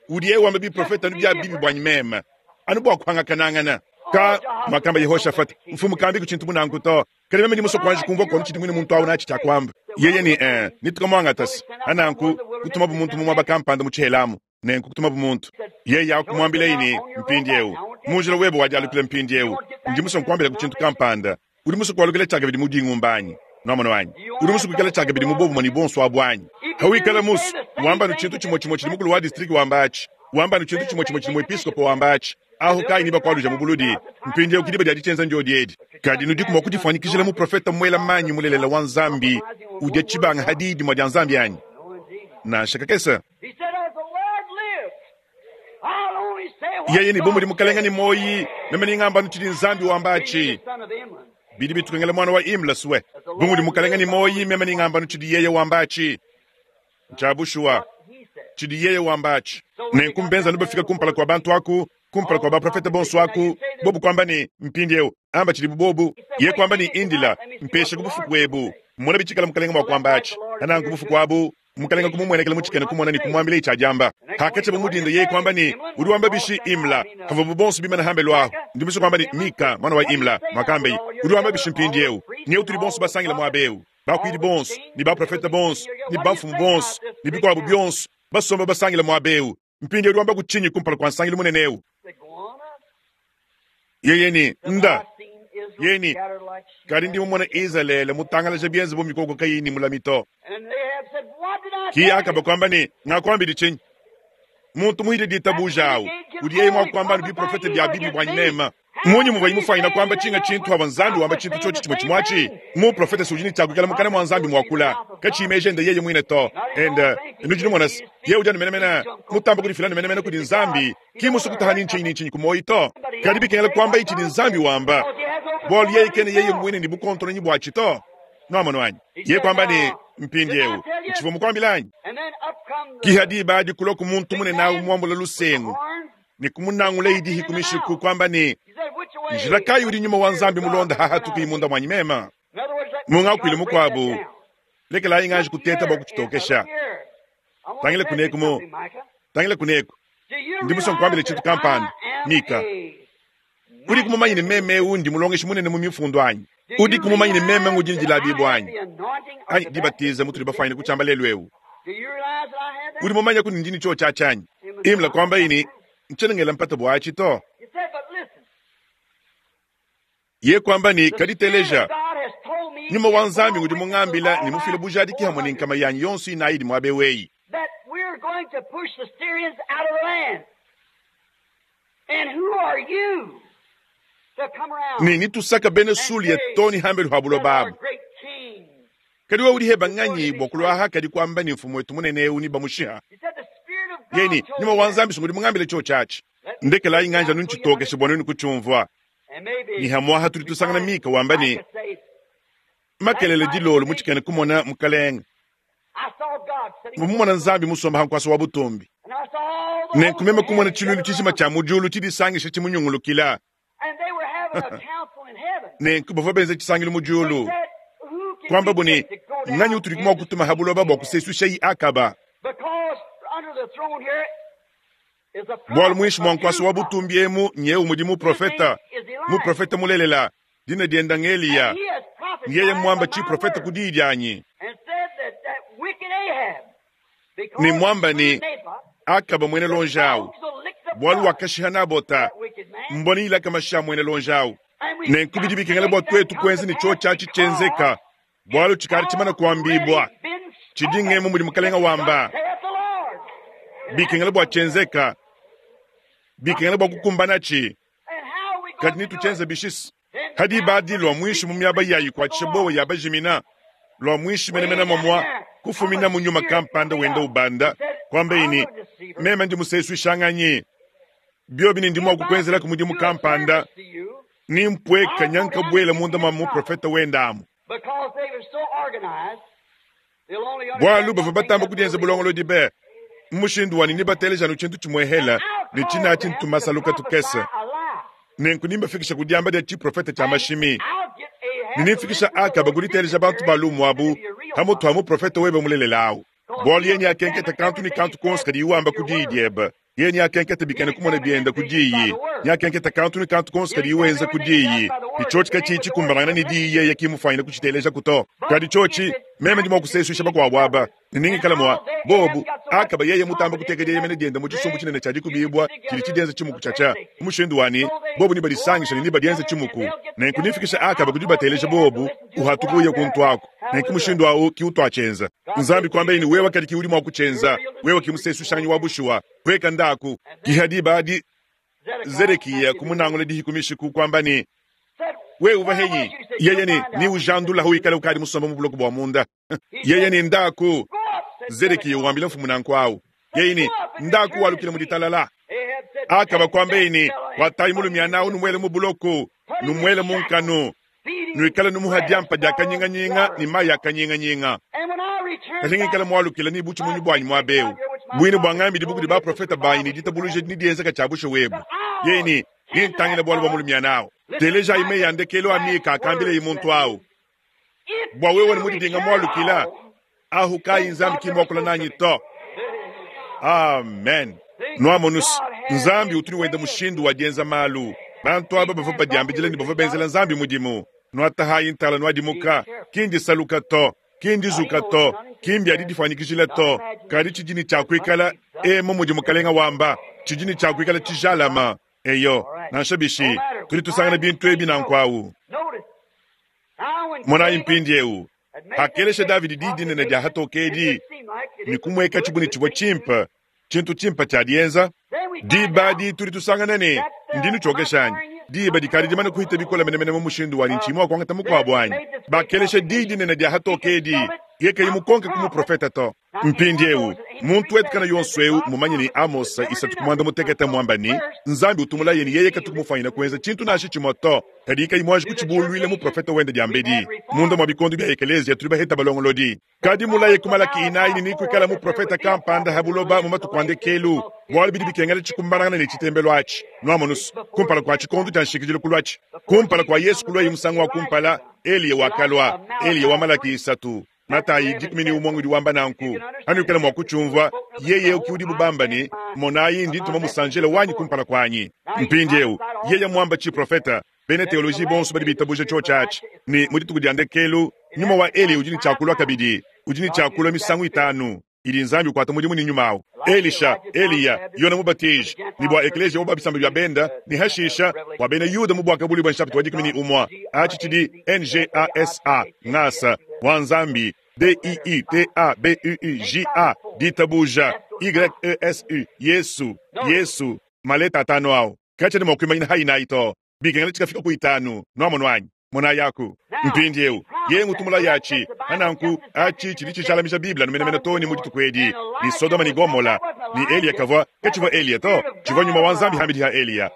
Udi yeye wamba bi profeta nu bya bibi bwanyi mema. Anu bwa kuhanga kanangana. Ka makamba Yehoshafat mfumu kambi kuchintu munangu to. Kadi meme ndi muso kwanji kumva kono chiti mwine muntu awu nachi chakwamba. Yeye ni eh nitukamwangatasi. Ananku kutuma bumuntu mu mwaba kampanda mu chihelamu. Nenku kutuma bumuntu. Yeye yakumwambila ini mpindiewu. Munjila webo wajalukile mpindiewu. Ndi muso nkwambila kuchintu kampanda. Udi muso kwalukile chaka bidi mudingumbanyi. Nwamano wanyi. Udi muso kwikala chaka bidi mubobu mwani bonso abwanyi. Hawikala muso wamba nuchintu chimwe chimwe chili mukulu wa district wambachi. Wamba nuchintu chimwe chimwe chili muepiskopo wambachi. Aho kai niba kwaluja mubuludi. Mpindiewu kidiba dia dichenza ndio diedi. Kadi nudi kumwa kudifanyikishila mu profeta mwela manyi mulelela wa Nzambi. Udia chibanga hadidi mwa dia Nzambi anyi. Na shakakesa. Yeye ni bomu limukalenga ni moyi. Meme ni ngamba nchidi Nzambi wambachi. Bidi bitukengela mwana wa Imla suwe. Bomu limukalenga ni moyi. Meme ni ngamba nchidi yeye wambachi. Nchabushua. Chidi yeye wambachi. Nenkumbenza nubafika kumpala kwa bantu aku. Kumpala kwa baprofeta bonso aku. Bobu kwamba ni mpindiewu. Amba chidi bubobu. Ye kwamba ni indila. Mpeshe kubufuku webu. Mwana bichikala mukalenga mwa kwambachi. Anangu bufuku wabu. Mukalenga kumumwenekela muchikene kumona ni kumwambila ichajamba. Hakache bumudindo ye kwamba ni uri bishi Imla. Kava bubonso bimana hambe lwaho. Ndimiso kwamba ni Mika mwana wa Imla. Makambe uri wamba bishi mpindiewu. Nyewu tudi bonso basangile muaba eu, bakuidi bonso ne baprofete bonso ne bamfumu bonso ne bikuabu bionso basomba basangile muaba eu. Mpindieu udi wamba kutshinyi kumpala kua nsangilu munene eu? Yeye ni nda yeni kadi ndi mumona Izalele mutangalaja bienze bu mikoko kayi ni mulami to. Ki Akaba kuamba ne ngakuambidi tshinyi? Muntu muhide ditabuja awu udi yeye mua kuamba ne biprofete bia bibi bua mema. Munyi muvua imufanyina kuamba tshinga tshintu ava Nzambi wamba tshintu tshiotshi tshimue tshimue Muprofete udi ne tshiakukela mukana mua Nzambi muakula katshimeje ende yeye muine to. Ende nudi numona se yeye udi anu menemene mutamba kudifila anu menemene kudi Nzambi ki musu kutaha ni ntshinyi ni ntshinyi ku muoyo to. Kadi bikengela kuamba itshi ni Nzambi wamba bualu yeye kene yeye muine ni bukontononyi bwatshi to. Nwamonu anyi ye kuamba ne mpindieu ntshivua mukuambila anyi kiha diba adi kulua ku muntu munene awu muambula lusengu ne kumunangula idihi kumishiku kuamba ne njila kayi udi nyuma wa Nzambi mulonda hahatuka imunda mwanyi mema. Mungakuile mukuabu lekelayi nganji kuteta bua kuchitokesha. Tangile kuneku mu tangile kuneku ndi musongo kuambile tshintu kampanda Mika udi kumumanya ne meme eu ndi mulongeshi munene mu mifundu anyi udi kumumanya ne meme ngudi ndilabibu anyi anyi dibatiza mutuli bafanyine kutshiamba lelu eu udi mumanya kuni ndini tsho tshiatshi imla kuamba ini ntshenengela mpata bwatshi to. Ye kuamba ni kaditeleja nyuma wa Nzambi ngudi mungambila ni mufile bujadiki hamwe ni nkama yanyi yonso inayi mwabe weyi ni nitusaka bene suli ya toni hambelu habulo babu kadi wewe udi nganyi bwa kulwaha kadi kuamba ni mfumu wetu munene eu ni bamushiha yeni nyuma wa Nzambi ngudi mungambile cho chachi ndekelayi nganja nunchitokeshe bwa nunu kuchumvwa ni hamwaha tuli tusangana Mika wamba ni makelele dilolo mutshikene kumona mukalenga mumona Nzambi musomba hankwasa wa butumbi nenkumema kumona tshilulu tshishima tshia mujulu tshidisangisha tshimunyungulukila nenku bavua benza tshisangilu mujulu kuamba buni nganyi utudi kumua kutuma habuloba bua kusesusha yi Akaba bualu muinshi mua nkwasa wa butumbi emu nyeu mudi muprofeta muprofeta mulelela dina dienda ng'Eliya ngeye mwamba tshiprofeta ku diyi dianyi ni mwamba ni Akaba mwene lonjawu bualu wakashiha Nabota mboni ilaka masha mwene lonjawu nenku bidi bikengela bua tuetu kuenza ni cho tshiatshi tshienzeka bualu tshikali tshimana kuambibwa tshidi ngemu mudi mukalenga wamba bikengela bua tshienzeka bikengela bua kukumbanatshi kadi nitutshienza bishisi hadi badi lua mwishi mu miaba yayi kuatshisha bowa ya bajimina lua mwishi menemene mamwa kufumina mu nyuma kampanda wenda ubanda kwamba ini meme ndi musesu ishanganyi biobi ni ndimwa kukwenzela mudimu kampanda ni mpweka nyanka bwela munda mwa muprofeta wenda amu bwalu bava batamba kudienza bulongolo dibe mmushindu wani ni bateleja tshintu tshimwehela ni tshina tshintumasaluka tukese nenku nimbafikisha kudiamba dia tshiprofeta tshia mashimi ninimfikisha Akaba kuditeleja bantu balumu abu hamutu ha muprofeta webe mulelela awu bualu yeni akenketa kantu ni kantu konso kadi iwamba kudiyi diebe yeni akenketa bikene kumona bienda kudiyi nyakenketa kantu ni kantu konso kadi iwenza kudiyi ichotshi katshiyi tshikumbanangana ni diyi yeye kimufanyina kutshiteleja kuto kadi tshotshi meme ndi mua kusesuisha bakuabu aba niningikala mua bobu Akaba yeye mutamba kuteka dieyemene dienda mu tshisumbu tshinene tshia dikubibwa tshidi tshidienza tshimuku tshiatshia mushindu wani bobu nibadisangisha ne nibadienza tshimuku nenku nifikisha Akaba kudi bateleja bobu uhatuka uye kuntu ako nenku mushindu awu kiutwatshienza Nzambi kuamba ini wewe kadi kiudi mua kutshienza wewe kimusesushanyi wa bushuwa kweka ndaku kihadi badi Zedekiya kumunangula dihikumishiku kuamba ni wewe uva henyi yeye ni ni ujandula huikala ukadi musomba mu buloko bwa munda yeye ni ndaku Zedekiya wambila mfumu nanku awu yeye ni ndaku walukile muditalala Akaba kwamba ini watayi mulumya nawu numwele mu buloko numwele munkanu nuikala numuhadiampa dia kanyinganyinga ni mayi ya kanyinganyinga kanyingikala mwalukila ni buchi munyi bwanyi mwabeu bwine bwa ngambi dibuku di baprofeta banyi ni ditabuluja ni dienzeka tshia bushe webu yeye ni nintangila bualu bwa mulumya nawu teleja ime ya ndekelo amika akambile imuntu awu bwa wewe ni mudidinga mwalukila ahu kayi Nzambi kimwakula nanyi to. Amen. Nwamonus Nzambi utuni wenda mushindu wa dienza malu bantu aba bava badiambidila ni bava benzela Nzambi mudimu Nwatahayi ntala nwadimuka, ki ndisaluka to, ki ndizuka to, ki mbyadidifanyikijila to, kadi tshidi tshia kuikala emu mudi mukalenga wamba, tshidi tshia kuikala tshijalama. Eyo, nansha bishi, tudi tusangana bintu ebi nankwawu. Monayi mpindiewu, hakelesha Davidi di dinene dia hatokedi, ni kumweka tshibuni tshivua tshimpe, tshintu tshimpe tshia dienza. Diba di tudi tusangana ne ndinu tshiokeshanyi. Diba dikadi dimane kuhita bikola menemene mu mushindu wa ntshimu wa kuangata mukuabu anyi. Bakelesha di dinene dia hatokedi, yekayi mukonke ku muprofeta to. Mpindiewu, muntu wetu kana yonso eu mumanye ni Amosa isatu kumwanda mutekete mwamba ni Nzambi utumulaye ni yeye katukumufanyina kuenza tshintu nashi tshimue to. Kadi kayi mwaji kutshibuluile muprofeta wende diambedi. Munda mwa bikondo bya ekelezia tuli baheta balongolodi. Kadi mulaye kumalaki inayi ni kuikala muprofeta kampanda habuloba mu matuku andekelu. Bwalu bidi bikengela tshikumbanangana ne tshitembelo atshi. Nwamonusu, kumpala kwa tshikondo tshia nshikidilu kulwatshi. Kumpala kwa Yesu kulwa musangu wa kumpala, Eliya wakalwa, Eliya wa Malaki isatu. Matayi dikumi ni umwe udi wamba nanku. Anukela mwa kuchumva, yeye ukiudi bubamba ni, monayi ndi tuma musanjela wanyi kumpala kwanyi. Mpindiewu, yeye mwamba chi profeta, bene teoloji bonso badi bitabuja cho chachi. Ni mudituku dia ndekelu, nyuma wa Eli udi ni chakulwa kabidi, udi ni chakulwa misangu itanu. Ili nzambi ukwata mudimu ni nyuma awo. Elisha, Eliya, Yona mubatiji, ni bwa eklesia wa bisamba bya benda, ni hashisha, wa bena Yuda mu bwaka buli bwa nshapita wa dikumi ni umwa. Achi chidi N G A S A, ngasa, wa nzambi, D I I T A B U U J A, ditabuja, Y E S U, Yesu, Yesu, maleta atano awo. Kacha ni mwakwimanyina hayi na ito. Bikengela chikafika ku itanu, nwamonwanyi. Mona yaku mpindiewu yengu tumula yachi ananku achi chili chichalamisha biblia numenemene toni muditukwedi ni Sodoma ni Gomola ni Eliya kavwa kachivwa Eliya to chivwa nyuma wa nzambi hamidi ha Eliya.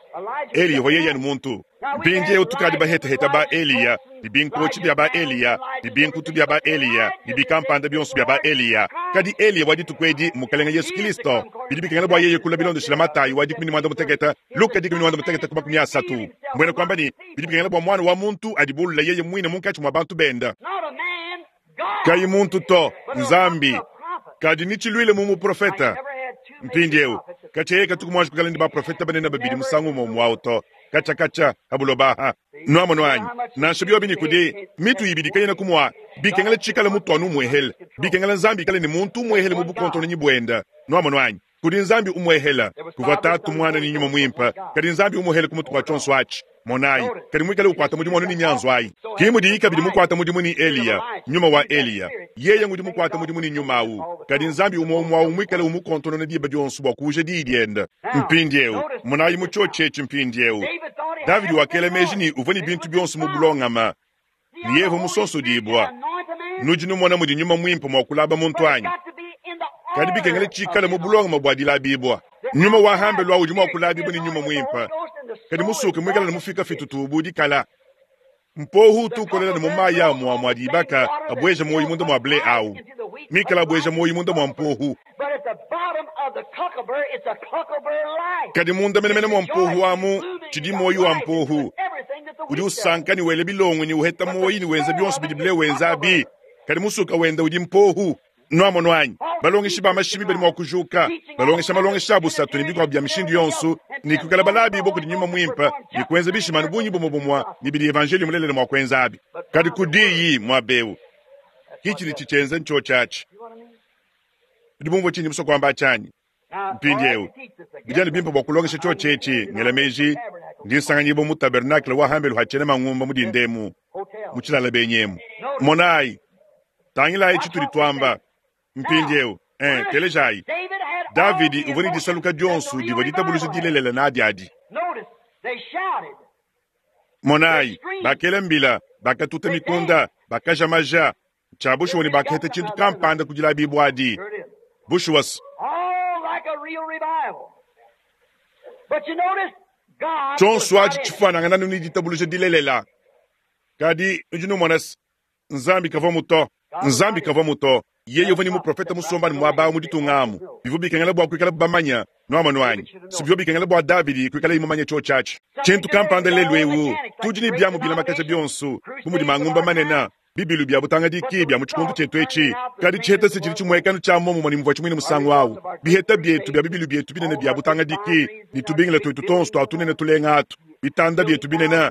Eliya ho yeye ni muntu. Mpindiewu tukadi bahetaheta ba Eliya ni binkochi bya ba Eliya ni binkutu bya ba Eliya ni bikampanda byonso bya ba Eliya. Kadi Eliya waditukwedi mukalenga Yesu Kristo bidi bikengela bwa yeye kula bilondeshela Matayi wa dikumi ni mwanda muteketa Luka dikumi ni mwanda muteketa kuma kumi asatu. Mbwena kwamba ni bidi bikengela bwa mwana wa muntu adibulula yeye mwine munkachi mwa bantu benda. Kayi muntu to nzambi kadi nichilwile mu muprofeta. Mpindiewu kacha katukumwaji kukala ndi baprofeta banene babidi musangu umwe mwawo to kacha kacha habulobaha nwamonwanyi nansha byobi ni kudi mitu ibidi kayina kumwa bikengela tshikala mutwanu umwehele bikengela nzambi ikale ni muntu umwehele mu bukonto ni bwenda nwamonwanyi kudi nzambi umwehela kuva tatu mwana ni nyuma mwimpa kadi nzambi umwehele kumutu kwa chonso achi monayi kadi mwikale ukwata mudimu wanu ni nyanzo ayi kimudi ikabidi mukwata mudimu ni Eliya nyuma wa Eliya yeye ngudi mukwata mudimu ni nyuma awu kadi nzambi umwe umwe awu mwikale umukontono ne diba dionso bwa kuja didienda mpindiewu monayi muchochechi mpindiewu Davidi wakela meji ni uvua ni bintu byonso mu bulongama ni yevo musonso dibwa nudi numona mudi nyuma mwimpe mwa kulaba muntu anyi kadi bikengela tshikale mu bulongama bwa dilabibwa nyuma wa hambe lwa udi mwa kulabibwa ni nyuma mwimpe kadi musuke mwikala ne mufika fitutu dikala mpohu tukolela ne mumayi amwa mwa dibaka abweja moyi munda mwa ble awu mikala abweja moyi munda mwa mpohu kadi munda menemene mwa mpohu amu tshidi moyi wa mpohu udi usanka ni wele bilongo ni uheta moyi ni wenza byonso bidi bile wenza abi kadi musuka wenda udi mpohu nwamonwanyi balongeshi ba mashimi bali mwa kujuka balongesha malongesha abusatu ni bikwa bya mishindu yonso ni kukala balabi boko di nyuma mwimpa ni kuenza bishimanu bunyi bumo bumwa ni bidi evangeli mulelele mwa kuenza abi kadi kudiyi mwa bewu hichi ni chichenze ncho chachi ndibumvo chinyi muso kwamba chanyi mpindiewu bijani bimpa bwa kulongesha cho chechi ngela meji ndi nsanganyibo mu tabernacle wa hambelu hachene mang'umba mudindemu muchilala benyemu monayi tangilayi chituli twamba mpindiewu eh telejayi Davidi uvua ni disaluka dionso divua ditabuluja dilelela nadi adi monayi bakela mbila bakatuta mikunda bakaja maja tshia bushuwa ni bakaheta tshintu kampanda kudilabibwa adi bushuwa tshonso atshi tshifanangana ni ditabuluja dilelela kadi nudi numona nzambi kavua muto nzambi kavua muto yeye uvua ni muprofeta musomba ni muaba muditungamu bivua bikengela bua kuikala bamanya nwamonwanyi sibivua bikengela bua Davidi kuikala imumanya cho chachi tshintu kampanda lelu ewu tudi ni byamu bilamakaja byonso bu mudi mangumba manene bibilu bya butangadiki bya mu tshikundu tshetu etshi kadi tshiheta se tshidi tshimuekano tshia momumue ni muvua tshimuine musangu awu biheta byetu bya bibilu byetu binene bya butangadiki ni tubingila twetu tonso tua tunene tulenga atu bitanda byetu binene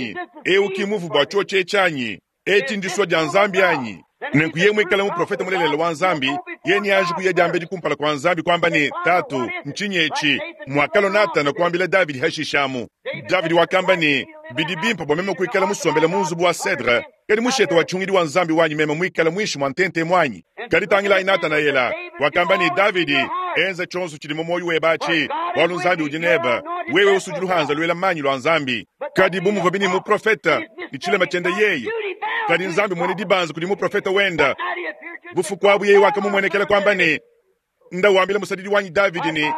anyi? Ewu ki muvu bwa cyoci eci anyi? Eci ndiswa dya Nzambi anyi? Nenku yeye mwikale muprofeta mulelela wa Nzambi, Yeye neanji kuya diambedi kumpala kua Nzambi kuamba ne, Tatu, ntshinyi etshi? Muakalua Natana kuambila Davidi hashishamu. Davidi wakamba ne, bidi bimpe bua meme kuikala musombele mu nzubu wa cedre, kadi mushete wa tshihungidi wa Nzambi wanyi meme muikale muinshi mua ntente muanyi. Kadi tangilayi Natanaela wakamba ne, Davidi, enza tshionso tshidi mu muoyo webe atshi, bualu Nzambi udi nebe, wewe usudi luhanza luela manyi lua Nzambi. Kadi bu muvua bini muprofeta ne tshilema tshiende yeye, kadi Nzambi muene dibanza kudi muprofeta wenda. Bufuku abu yeye wakamumuenekela kuamba ne, nda wambila musadidi wanyi Davidi ne,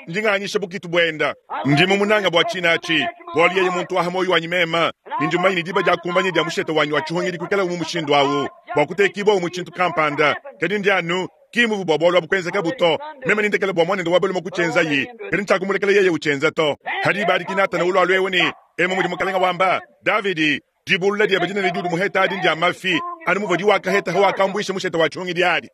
ndinganyisha bukitu buenda, ndi mumunanga bua tshinatshi, bualu yeye muntu waha moyo wanyi mema, ne ndi mumanye ne diba diakumbanya dia mushete wanyi wa tshihungidi kuikala mu mushindu awu bua kutekibua mu tshintu kampanda. Kadi ndi anu kimuvu bua bualu abu kuenzeka buto, meme nindekele bua muanende wa balume kutshienzayi, kadi ntshiakumulekela yeye utshienza to. Hadi badiki Natana ulua lwewe ne, emu mudi mukalenga wamba, Davidi, dibulula diebe dinene diudi muheta adi ndia mafi, anu muvua diwakaheta hawakambuisha mushete wa tshihungidi adi.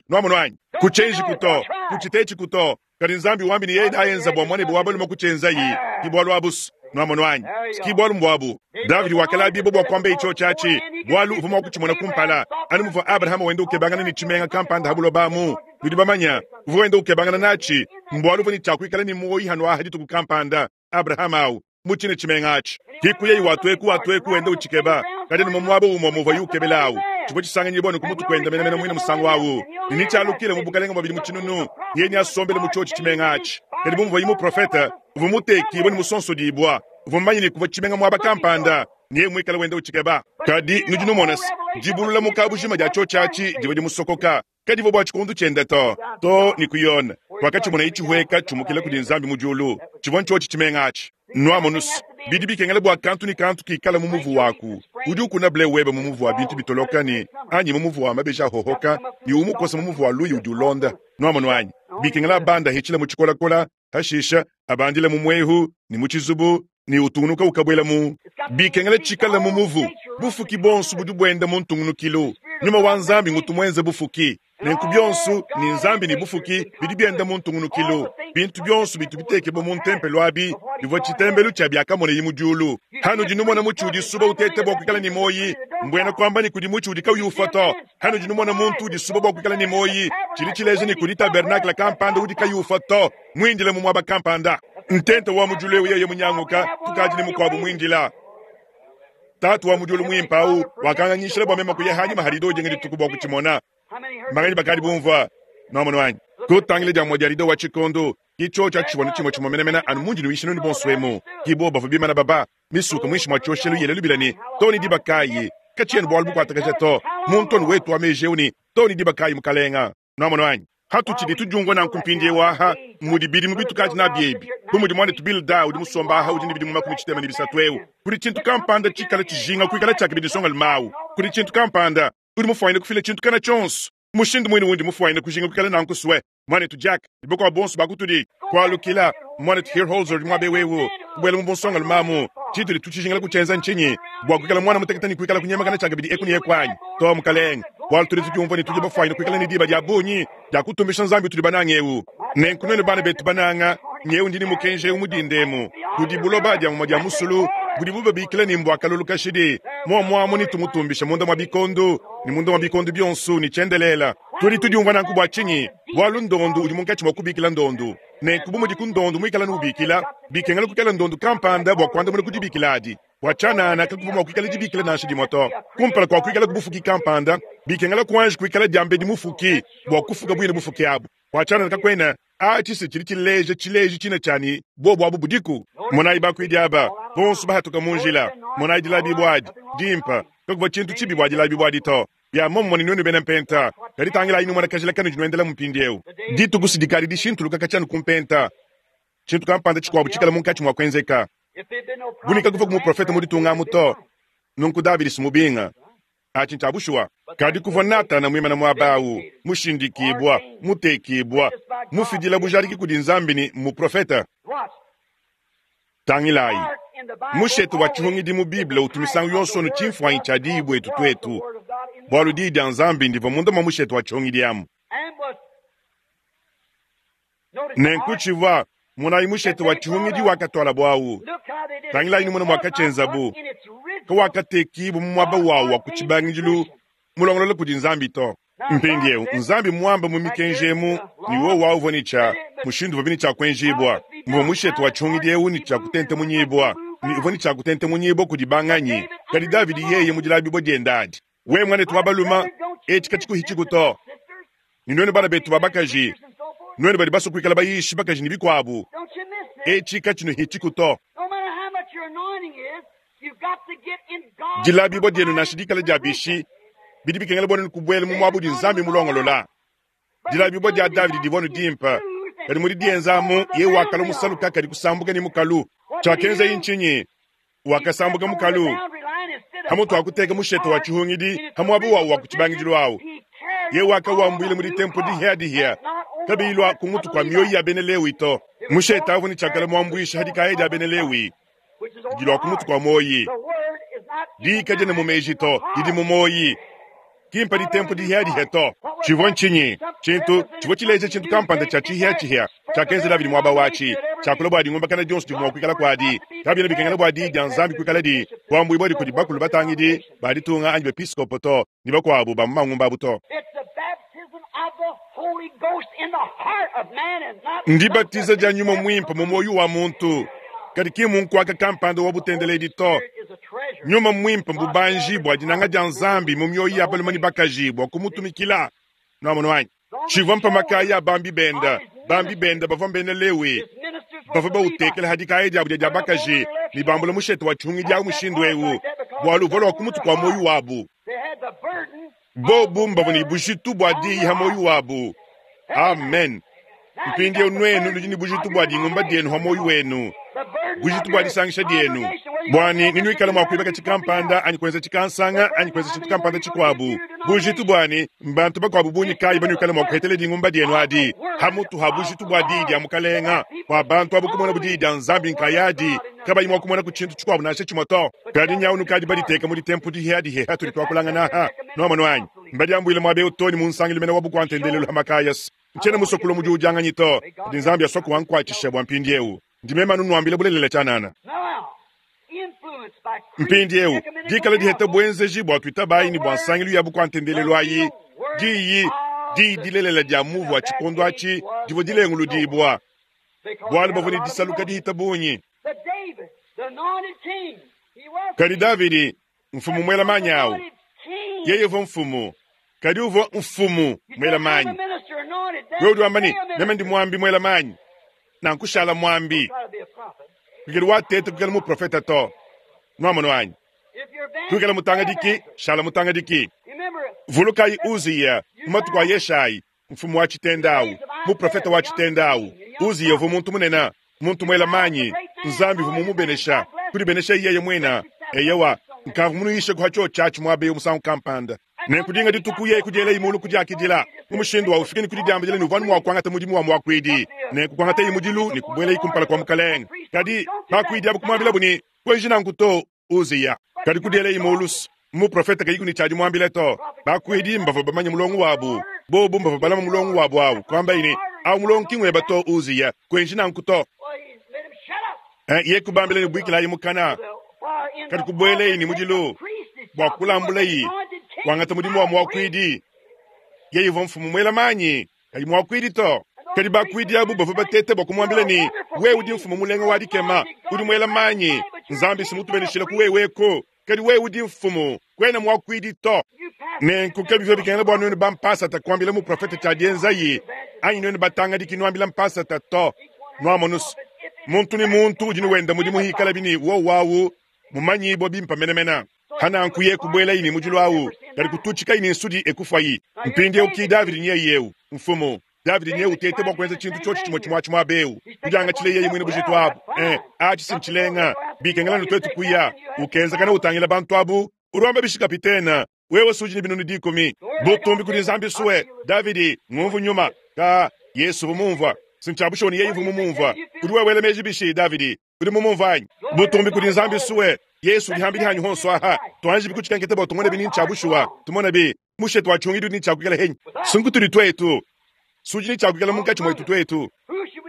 Nuamono anyi? Kutshienji kuto, kutshitetshi kuto, kadi Nzambi wambi ne yeye nayenza bua muanebe wa balume kutshienzayi, ki bualu abusu. Nuamono anyi? Ki bualu mbuabu. Davidi wakalabibua bua kuamba itsho tshiatshi, bualu uvua mua kutshimona kumpala, anu muvua Abrahama wenda ukebangana ne tshimenga kampanda ha buloba amu. Nudi bamanya, uvua wenda ukebangana natshi, mbualu uvua ne tshiakuikala ne muoyi hanuaha dituku kampanda, Abrahama awu mu tshine tshimenga atshi. Kiku yeye watueku watueku wenda utshikeba, kadi ni mu muaba umue muvua yukebela awu. Tshivua tshisanganyibua ne ku mutu kuenda menemene muine musangu awu. Ne nitshialukile mu bukalenga bua bidimu tshinunu, yeye neasombele mu tshiotshi tshimenga atshi. Kadi bu muvua muprofeta, uvua mutekibua ne musonsodibua, uvua mumanye ne kuvua tshimenga muaba kampanda, ne yeye muikale wenda utshikeba. Kadi nudi numona se, dibulula mu kabujima dia tshiotshi atshi divua dimusokoka, kadivua bua tshikundu tshiende to, to ne ku Yone, wakatshimona itshihueka tshiumukila kudi Nzambi mu diulu, tshivua ntshiotshi tshimenga atshi. Nuamonusu, bidi bikengela bua kantu ne kantu kikala mu muvu waku. Udi ukuna ble webe mu muvu wa bintu bitoloka ne anyi mu muvu wa mabeji ahohoka, ne umukosa mu muvu wa luyi udi ulonda. Nuamono anyi? Bikengela abanda hitshila mu tshikolakola, hashisha abandila mu mwehu ne mu tshizubu ne utungunuka ukabuela mu. Bikengela tshikala mu muvu. Bufuki bonso budi buenda mu ntungunukilu. Nyuma wa Nzambi ngutu muenze bufuki. Nenku bionso ni Nzambi ni bufuki bidi bienda mu ntungunukilu. Bintu bionso bitu bitekebwa mu ntempelo abi bivua tshitembelu tshia biakamoneyi mu diulu. Hanudi numona mutshi udi suba utete bua kuikala ne moyi, mbuena kuamba ni kudi mutshi udi kauyi ufua to. Hanudi numona muntu udi suba bua kuikala ne moyi, tshidi tshileja ni kudi tabernakle kampanda udi kayi ufua to, muindile mu muaba kampanda. Ntente wa mu diulu eu yeye munyanguka, tukadi ne mukuabu muindila. Tatu wa mu diulu muimpe awu wakanganyishila bua meme kuya hanyima harido jenga dituku bua kutshimona. Maganyi bakadi bumvua nuamono anyi? Kutangila dia mwa dia rido wa tshikondo itsho tshia tshivua tshimue tshimue menemene anu mundi nuisha nunu bonso emu. Kibo bavua bimana baba misuka muinshi mua tshioshelu yele lubila ne to ne diba kayi katshiena bualu bukuatakaja to muntu anu wetu wa meji eu ne to ne diba kayi mukalenga. Nuamono anyi? Hatutshidi tudiumvua nanku mpindiewu aha mudi bidimu bitukadi nabi ebi, bu mudi muanetu Bilda udi musomba aha udi ne bidimu makumi tshitema ne bisatu eu, kudi tshintu kampanda tshikala tshijinga kuikala tshiakabidi nsongalume kudi tshintu kampanda udi mufuanyine kufila tshintu kana tshionso mushindu muine wundi mufuanyine kujinga kuikala nanku sue muanetu Jack ne bonso bakutudi kualukila muanetu Hierholzer udi muabe wewu kubuela mu bunsongalume amu tshitudi tutshijingila kutshienza ntshinyi bua kuikala mwana mutekete ne kuikala kunyemakana tshiakabidi eku ne eku anyi to mukalenge bualu tudi tudiumvua ne tudi bafuanyine kuikala ne diba dia bungi dia kutumbisha Nzambi tudi banange eu. Nenku nuenu bana betu bananga nyeu ndi ne mukenji eu mudindemu kudi buloba dia mumua dia musulu budi bubabikila ne mbua kalulu kashidi muamuamu ne tumutumbisha munda mua bikondo ne munda mua bikondo bionso ne tshiendelela. Tudi tudiumvua nanku bua tshinyi? Bualu ndondu udi munkatshi mua kubikila ndondu. Nenku bu mudi ku ndondu muikala nubikila, bikengela kukela ndondu kampanda bua kuandamuna ku dibikila adi. Bua tshianana kakuvua mua kuikala dibikila nansha dimue to. Kumpala kua kuikala ku bufuki kampanda, bikengela kuanji kuikala diambedi mufuki bua kufuka buine bufuki abu. Bua tshianana kakuena atshi tshidi tshileja tshileji tshina tshiani bobu abu budiku. Monayi bakuidi aba bonso bahatuka mu njila. Monayi dilabi adi dimpa kakuvua tshintu tshibi bua dilabi adi to. Bia momumue ne nuenu bena mpenta, kadi tangilayi numona kajila kanudi nuendela mpindiewu. Dituku sidikadi dishintuluka katshianu ku mpenta. Tshintu kampanda tshikuabu tshikala munkatshi mua kuenzeka. Bunika kuva ku muprofeta mu ditunga amu to. Nunku Davidi simubinga. Atshi ntshiabushua. Kadi kuvua Natana muimana muaba awu, mushindikibua, mutekibua, mufidila bujadiki kudi Nzambi ne muprofeta. Tangilayi. Mushete wa tshihungidi mu Bible utu misangu yonso anu tshimfuanyi tshia diyi buetu tuetu. Bualu diyi dia Nzambi ndivua munda mua mushete wa tshihungidi amu. Nenku tshivua monayi mushete wa tshihungidi wakatwala bwawu. Tangilayi numona mwakatshienzabu. Kawakatekibu mu muaba wawu wa ku tshibangidilu mulongolola kudi Nzambi to. Mpindieu Nzambi mwamba mu mikenji emu ne wowu uvua ne tshia mushindu uvua ne tshia kuenjibua, muvua mushete wa tshihungidi eu ne tshia kutentemunyibua, ne uvua ne tshia kutentemunyibua kudi banganyi. Kadi Davidi yeye mu dilabibua diende adi, we mwanetu wa baluma etshi katshikuhitshiku to, ne nuenu bana betu ba bakaji, nuenu badi basue kuikala bayishi bakaji ne bikuabu, etshi katshinuhitshiku to. Dilabibua dienu nansha dikala dia bishi bidi bikengela bua kubwela mu muabu udi Nzambi mulongolola. Dilabibua dia Davidi divua nu dimpe, kadi mudi dienzamu ye wakala musaluka kadi kusambuka ne mukalu. Tshiakenza ntshinyi? Wakasambuka mukalu hamutu akuteka mushete wa tshihungidi hamuabu wawu wa kutshibangidilu awu. Ye wakawambuile mudi tempo dihia dihia kabiyi ku mutu kwa mioyo ya bena Lewi to. Mushete awu ne tshiakala muambuisha hadikaya dia bena Lewi dilua ku mutu kwa moyi dika diene mu meji to didi mu moyi kimpa ditempo dihia dihia to. Tshivua ntshinyi? Tshintu tshivua tshileja tshintu kampanda tshia tshihia tshihia tshiakenza Davidi muaba watshi tshiakula bua dingumbakana dionso divua mua kuikala kuadi kabiena bikengela bua diyi dia Nzambi kuikala di kuambuibua kudi bakulu batangidi ba ditunga anyi bepiskopo to ne bakuabu ba mu mangumba abu to. Ndibatiza dia nyuma muimpe mu moyo wa muntu kadi ki munkwaka kampanda wa butendeledi to. Nyuma muimpe mbubanji bua dinanga dia Nzambi mu mioyo ya balume ne bakaji bua kumutumikila. Nwamonu wanyi tshivua mpamaka ya bambi benda bambi benda bavua mbena Lewi bavua bautekela hadikaya diabu dia bakaji ne bambula mushete wa tshihungidi awu mushindu ewu bualu uvua lua ku mutu kua moyo wabu. Bobu mbavua ne bujitu bua diyi ha moyo wabu. Amen. Mpindieu nuenu nudi ne bujitu bua dingumba dienu ha moyo wenu, bujitu bua disangisha dienu bwani ninuikala mua kuibaka tshikampanda anyi kuenza tshikansanga anyi kuenza tshintu kampanda tshikuabu. Bujitu bwani mbantu bakuabu bunyi kayi banuikala mua kuhetela dingumba dienu adi hamutu ha bujitu bua diyi dia mukalenga bua bantu abu kumona budiyi dia Nzambi nkayadi kabayi mua kumona ku tshintu tshikuabu nansha tshimue to. Kadi nyau nukadi baditeka mudi tempu dihia hatudi twakulangana ha nwamonu anyi mbadiambuile muaba eu to ne mu nsangilu mene wa bukua-ntendelelu ha makayas ntshiena musokolo mudi udianganyi to kadi Nzambi asua kuwankwatshisha bua mpindiewu ndimema nunuambile bulelela tshianana. Mpindiewu dikala diheta buenzeji bua twitabayi ne bua nsangilu ya bukua-ntendelelu ayi diyi diyi dilelela dia muvu wa tshikondo atshi divua dilenguludibua bualu bavua ne disaluka dihita bungi. Kadi Davidi mfumu mwela manyi awu yeye uvua mfumu kadi uvua mfumu mwela manyi. Wewe udi wamba ne meme ndi mwambi mwela manyi nankushala mwambi kuikala watete kuikala muprofeta to. Nwamonu anyi kuikala mutangadiki shala mutangadiki. Vulukayi Uziya mu matuku a Yeshayi mfumu wa tshitenda awu muprofeta wa tshitenda awu. Uziya uvua muntu munene muntu mwela manyi Nzambi uvua mumubenesha kudibenesha yeye mwena eyewa nkavu munuyishe kuha cho tshiatshi muaba eu musangu kampanda nenkudinga dituku yeye kudiela imulu kudiakidila mu mushindu wa ufike ne kudidiambila ne uvua mua kuangata mudimu wa muakuidi nenkukuangata imudilu ne kubuela ikumpala kwa mukalenga. Kadi bakuidi abu kumuambila ne kuenji nanku to Uziya kadi kudiela imulu muprofeta kayiku ne tshiadi muambile to. Bakuidi mbavua bamanye mulongo wabu bobu mbavua balama mulongo wabu awu kuamba ne awu mulongo kingweba to Uziya kuenji nanku to. Ye kubambila ne buikilayi mukana kadi kubuelayi ne mudilu bua kulambulayi kuangata mudimu wa muakuidi. Yeye uvua mfumu mwela manyi kadi muakuidi to. Kadi bakuidi abu bavua batete bua kumuambila ne wewe udi mfumu mulenga wa dikema udi mwela manyi Nzambi simutubeneshile ku weweko kadi wewe udi mfumu kwena muakuidi to. Nenku kabivua bikengela bua nuenu bampasata kuambila muprofeta tshia dienzayi anyi nuenu batangadiki nuambila mpasata to. Nwamonusu muntu ne muntu udi wenda mudimu hikala bini wowawu mumanyibua bimpe menemene hananku ye kubuelayi ne mudilu awu kadi kututshikayi ne nsudi ekufayi. Mpindieu ki Davidi nyeye yeu mfumu Davidi nyeye utete bua kuenza tshintu tshiotshi tshimue tshimue tshimue abeu kudiangatshile yeye mwene bujitu abu eh atshi sintshilenga bikengela twetu kuya ukenzakana utangila bantu abu urwamba bishi kapitena wewe suji ne binunu dikumi butumbi kudi Nzambi suwe Davidi ngumvu nyuma ka Yesu mumvua sintshabushoni yeye mumumvua udi wewela meji bishi Davidi udi mumumva anyi butumbi kudi Nzambi suwe Yesu dihambili hanyu honso aha twanje bikutshikanke tebo tumone bini ntshabushuwa tumone bi mushetu wa tshungidu ni tshakukela henyi sunkutudi twetu suji ni tshakukela munkatshi mwetu twetu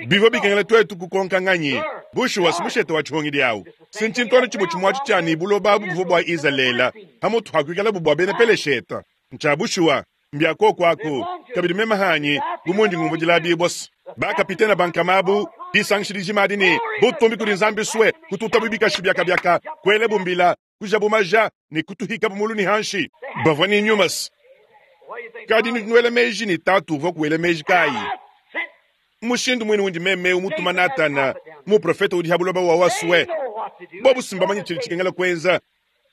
bivua bikengela twetu kukonka nganyi bushuwa simushete wa tshihungidi awu sintshintono tshimue tshimue atshi tshia buloba abu buvua bua Izalele hamutu hakuikala bu bua bena Pelesheta ntshabushuwa. Mbia koku aku kabidi meme hanyi bu mundi ngumvua dilabibua se bakapitena bankamabu disangisha dijima adi ne butumbi kudi Nzambi sue kututabu bikashi biakabiaka kuelebu mbila kujabu maja ne kutuhikabu mulu ne hanshi bavua ne nyuma se kadi nuela meji ne tatu uvua kuela meji kayi mushindu mwene wundi meme umutuma Natana muprofeta udi ha buloba wa wasue bobu simbamanya tshidi tshikengela kuenza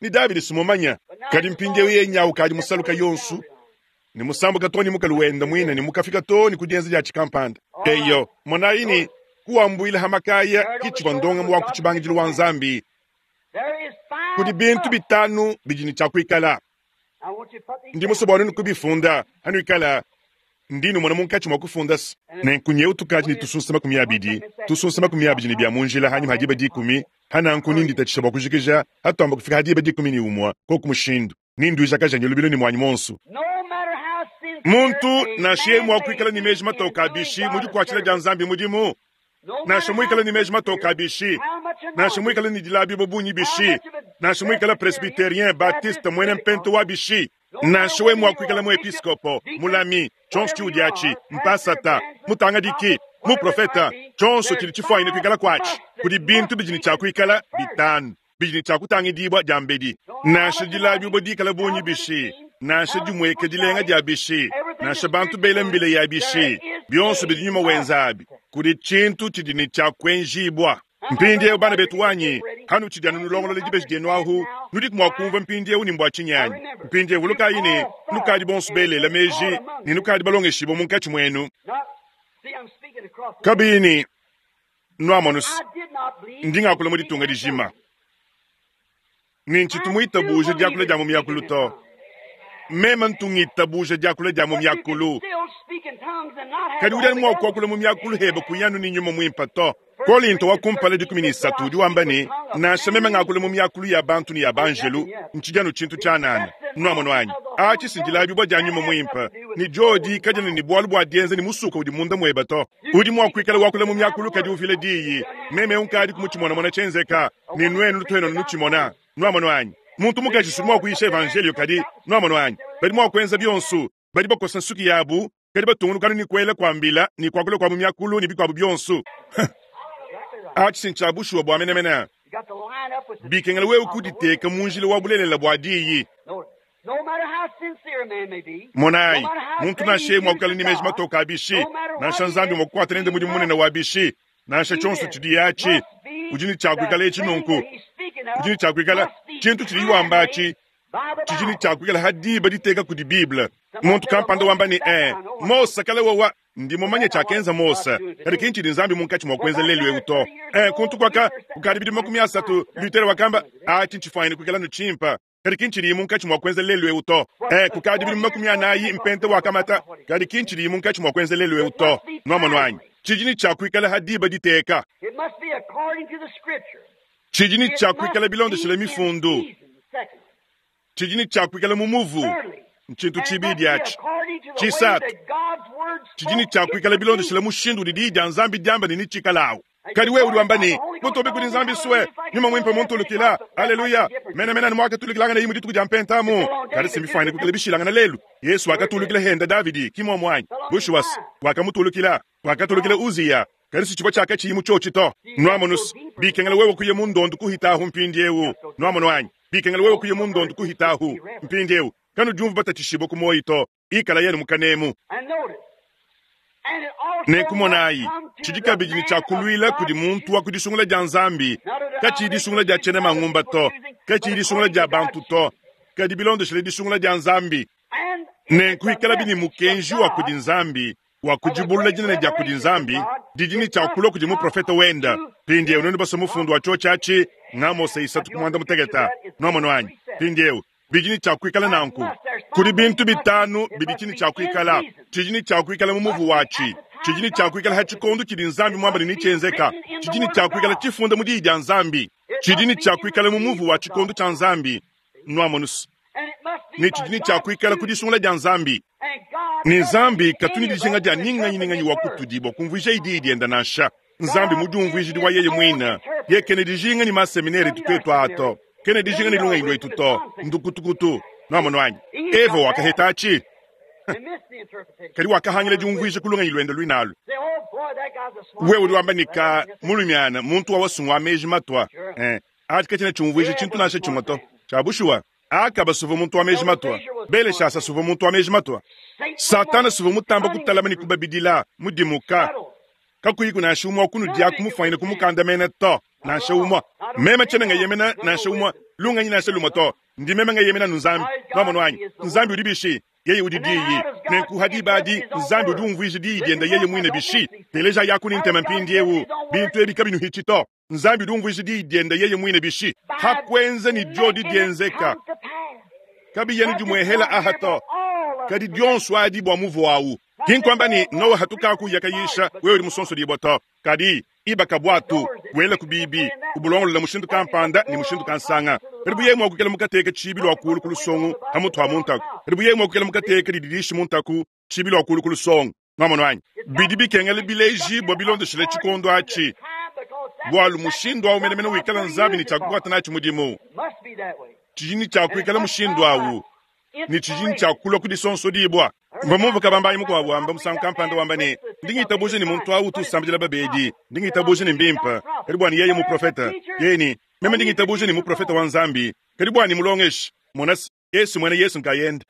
ni Davidi simumanya kadi mpindieu ye nyawu kadi musaluka yonsu ni musambuka to ni mukalu wenda mwine ni mukafika to ni kudienza dia tshikampanda eyo monayi ni kuwambuila hamakaya kitshivua ndongamu wa kutshibangidilu wa Nzambi kudi bintu bitanu bidi ne tshia kuikala ndi musue bua nunu kubifunda hanuikala ndi numona munkatshi mua kufunda se nenku nyeu tukadi ne tusunsa makumi abidi tusunsa makumi abidi ne bia mu njila hanyima ha diba dikumi hananku ninditatshisha bua kujikija hatuamba kufika ha diba dikumi ne umua koku mushindu ninduijakaja lubilo ne muanyi monsu muntu nansha ye mua kuikala ne meji matoka abishi mu dikuatshila dia Nzambi mudimu nansha muikala ne meji matoka abishi nansha muikala ne dilabibo bungi bishi nansha muikala presbyterien baptiste mwene mpento wa bishi nansha we mua kuikala muepiskopo mulami tshonso tshiudi atshi mpasata mutangadiki muprofeta tshonso tshidi tshifuanyine kuikala kuatshi kudi bintu bidi ne tshia kuikala bitanu bidi ne tshia kutangidibua dia mbedi nansha dilabibo dikala bungi bishi nansha dimueka dilenga dia bishi nansha bantu bela mbila ya bishi bionso bidi nyuma wenza abi kudi tshintu tshidi ne tshia kuenjibua mpindieu bana betu wanyi hanu tshidi anu nulongolola dibeji dienu ahu nudi mua kumvua mpindieu ni mbua tshinyanyi mpindieu vulukayi ne nukadi bonso belela meji ne nukadi balongeshibua munkatshi muenu kabiyi ni nuamonusi ndi ngakula mu ditunga dijima ni ntshitu muitabuja diakula dia mu miakulu to meme ntungitabuja diakula dia mu miakulu kadi udi anu mua kuakula mu miakulu hebe kuyanu ni nyuma muimpa to Kolinto wa kumpala dikumi ne isatu udi wamba ne nansha meme ngakula mu miakulu ya bantu ne ya banjelu ntshidi anu tshintu tshianana nuamono anyi atshi sindilabibua dia nyuma muimpa ni diodi kadiena ne bualu bua dienza ni musuka udi munda mueba to udi mua kuikala wakula mu miakulu kadi uvila diyi meme unkadi kumutshimonamona tshienzeka ne nuenu lutuenu nutshimona nuamono anyi muntu mukaji sudi mua kuyisha evanjelio kadi nuamono anyi badi mua kuenza bionso badi bakosa nsuki yabu kadi batungunukanu ni kuela kuambila ni kuakula kua mu miakulu ni bikuabu bionso atshi sintshia bushuwa bua menemene bikengela wewe kuditeka mu njila wa bulelela bua diyi monayi muntu nansha ye mua kukala ne meji matoka abishi nansha Nzambi mua kukuata nende mudimu munene wa bishi nansha tshionso tshidi yatshi udi ne tshia kuikala etshi nunku udi ne tshia kuikala tshintu tshidi wamba atshi tshidi ne tshia kuikala ha diba diteka kudi Bible muntu kampanda wamba ne eh Mose kala wawa ndi mumanye tshiakenza Mose kadi ki ntshidi Nzambi munkatshi mua kuenza lelu eu to eh kuntu kwaka kukadi bidimu makumi asatu Luther wakamba atshi ntshifuanyine kuikala nutshimpa kadi ki ntshidi munkatshi mua kuenza lelu eu to eh kukadi bidimu makumi anayi mpente wakamata kadi ki ntshidi munkatshi mua kuenza lelu eu to nuamono anyi tshidi ne tshia kuikala ha diba diteka tshidi ne tshia kuikala bilondeshele mifundu tshidi ne tshia kuikala mu muvu ntshintu tshibidi atshi tshisatu tshidi ne tshia kuikala bilondeshele mushindu udi diyi dia Nzambi diamba ne nitshikalawu kadi wewe udi wamba ne butobe kudi Nzambi sue nyuma muimpe muntulukila haleluya mena mena ni mwakatulukilangana yimu dituku dia mpentamu kadi simbifuanyine kuikala bishilangana lelu Yesu wakatulukila henda Davidi kimomwanyi bushuwasi wakamutulukila wakatulukila Uziya kadi sitshivua tshiakatshiyi tshiotshi to nuamonusi bikengela wewe kuye mundondo kuhitahu mpindiewu nuamono anyi bikengela wewe kuye mundondo kuhitahu mpindiewu kanu diumvu batatshishibua ku moyi to ikala yenu mukanemu nenkumonayi tshidi kabidi ne tshia kuluila kudi muntu wa kudisungula dia Nzambi katshiyi disungula dia tshiena mangumba to katshiyi disungula dia bantu to kadi bilondeshele disungula dia Nzambi nenkuikala bini mukenji wa kudi Nzambi wa kudibulula dinene dia kudi Nzambi didi ne tshia kulua kudi muprofeta wenda mpindieu nenu basa mufundu wa tshiotshi atshi ng'Amose isatu kumwanda muteketa nuamono anyi mpindieu bidi ne tshia kuikala nanku kudi bintu bitanu bidi tshini tshia kuikala tshidi ne tshia kuikala mu muvu watshi tshidi ne tshia kuikala ha tshikondo tshidi Nzambi muamba ne nitshienzeka tshidi ne tshia kuikala tshifunda mu diyi dia Nzambi tshidi ne tshia kuikala mu muvu wa tshikondo tshia Nzambi nuamonusi ne tshidi ne tshia kuikala ku disungula dia Nzambi ne Nzambi katuni dijinga dia ninganyi ninganyi wa kutudi bua kumvuija idi dienda nansha Nzambi mudiumvuijidi wa yeye muina ye kene dijinga ni maseminari tutetu ato kene dijinga ni lungenyi lwetu to ndukutukutu nuamono anyi Eva wakaheta atshi Kadi wakahangila diumvuija ku lungenyi luende luinalu. Wewe udi wamba ne ka mulumiana muntu wa wasungu wa meji matwa. Eh, ati katshiena tshiumvuija tshintu nansha tshimue to. Tshia bushuwa, Akaba suvua muntu wa meji matwa, Beleshasa suvua muntu wa meji matwa. Satana suvua mutamba kutalama ne kubabidila mudimuka. Kakuyiku nansha umue wa kunudia kumufanyina kumukandamena to, nansha umue. Meme tshiena ngeyemena nansha umue, lungenyi nansha lumue to. Ndi meme ngeyemena nu Nzambi. Nwamonu anyi? Nzambi udi bishi? Yeye udi diyi. Nenku ha diba adi, Nzambi udi umvuija diyi diende yeye muine bishi. Teleja yaku ne ntema mpindiewu. Bintu ebi kabinuhitshi to. Nzambi udi umvuija diyi diende yeye muine bishi. Hakwenza ni diodi dienzeka. Kabiyenu dimuehela aha to. Kadi dionso adi bua muvuawu. Ki nkuamba ne Noa hatukaku yakayisha wewe udi musonsodibwa to. Kadi ibaka bwatu wela ku bibi kubulongolola mushindu kampanda ne mushindu kansanga. Kadi buye mua kukela mukateka tshibi lwa kulu ku lusongo ha mutu wa muntaku. Kadi buye mua kukela mukateka dididishi muntaku tshibi lwa kulu ku lusongo. Nwamonu anyi? Bidi bikengela bileji bua bilondeshile tshikondo atshi. Bwalu mushindu awu menemene wikala Nzambi ne tshiakukwata natshi mudimu. Tshijini tshiakuikala mushindu awu ne tshijini tshiakulua kudisonsodibwa. Mvua bambayi mukuabu wamba musangu kampanda wamba ne ndi ngitabuja ne muntu awu utusambidila babedi, ndi ngitabuja ne mbimpe, kadi bua ni yeye muprofeta. Yeye ni meme ndi ngitabuja ne muprofeta wa Nzambi, kadi bua ni mulongeshi. Mona Yesu mwene Yesu nkayende.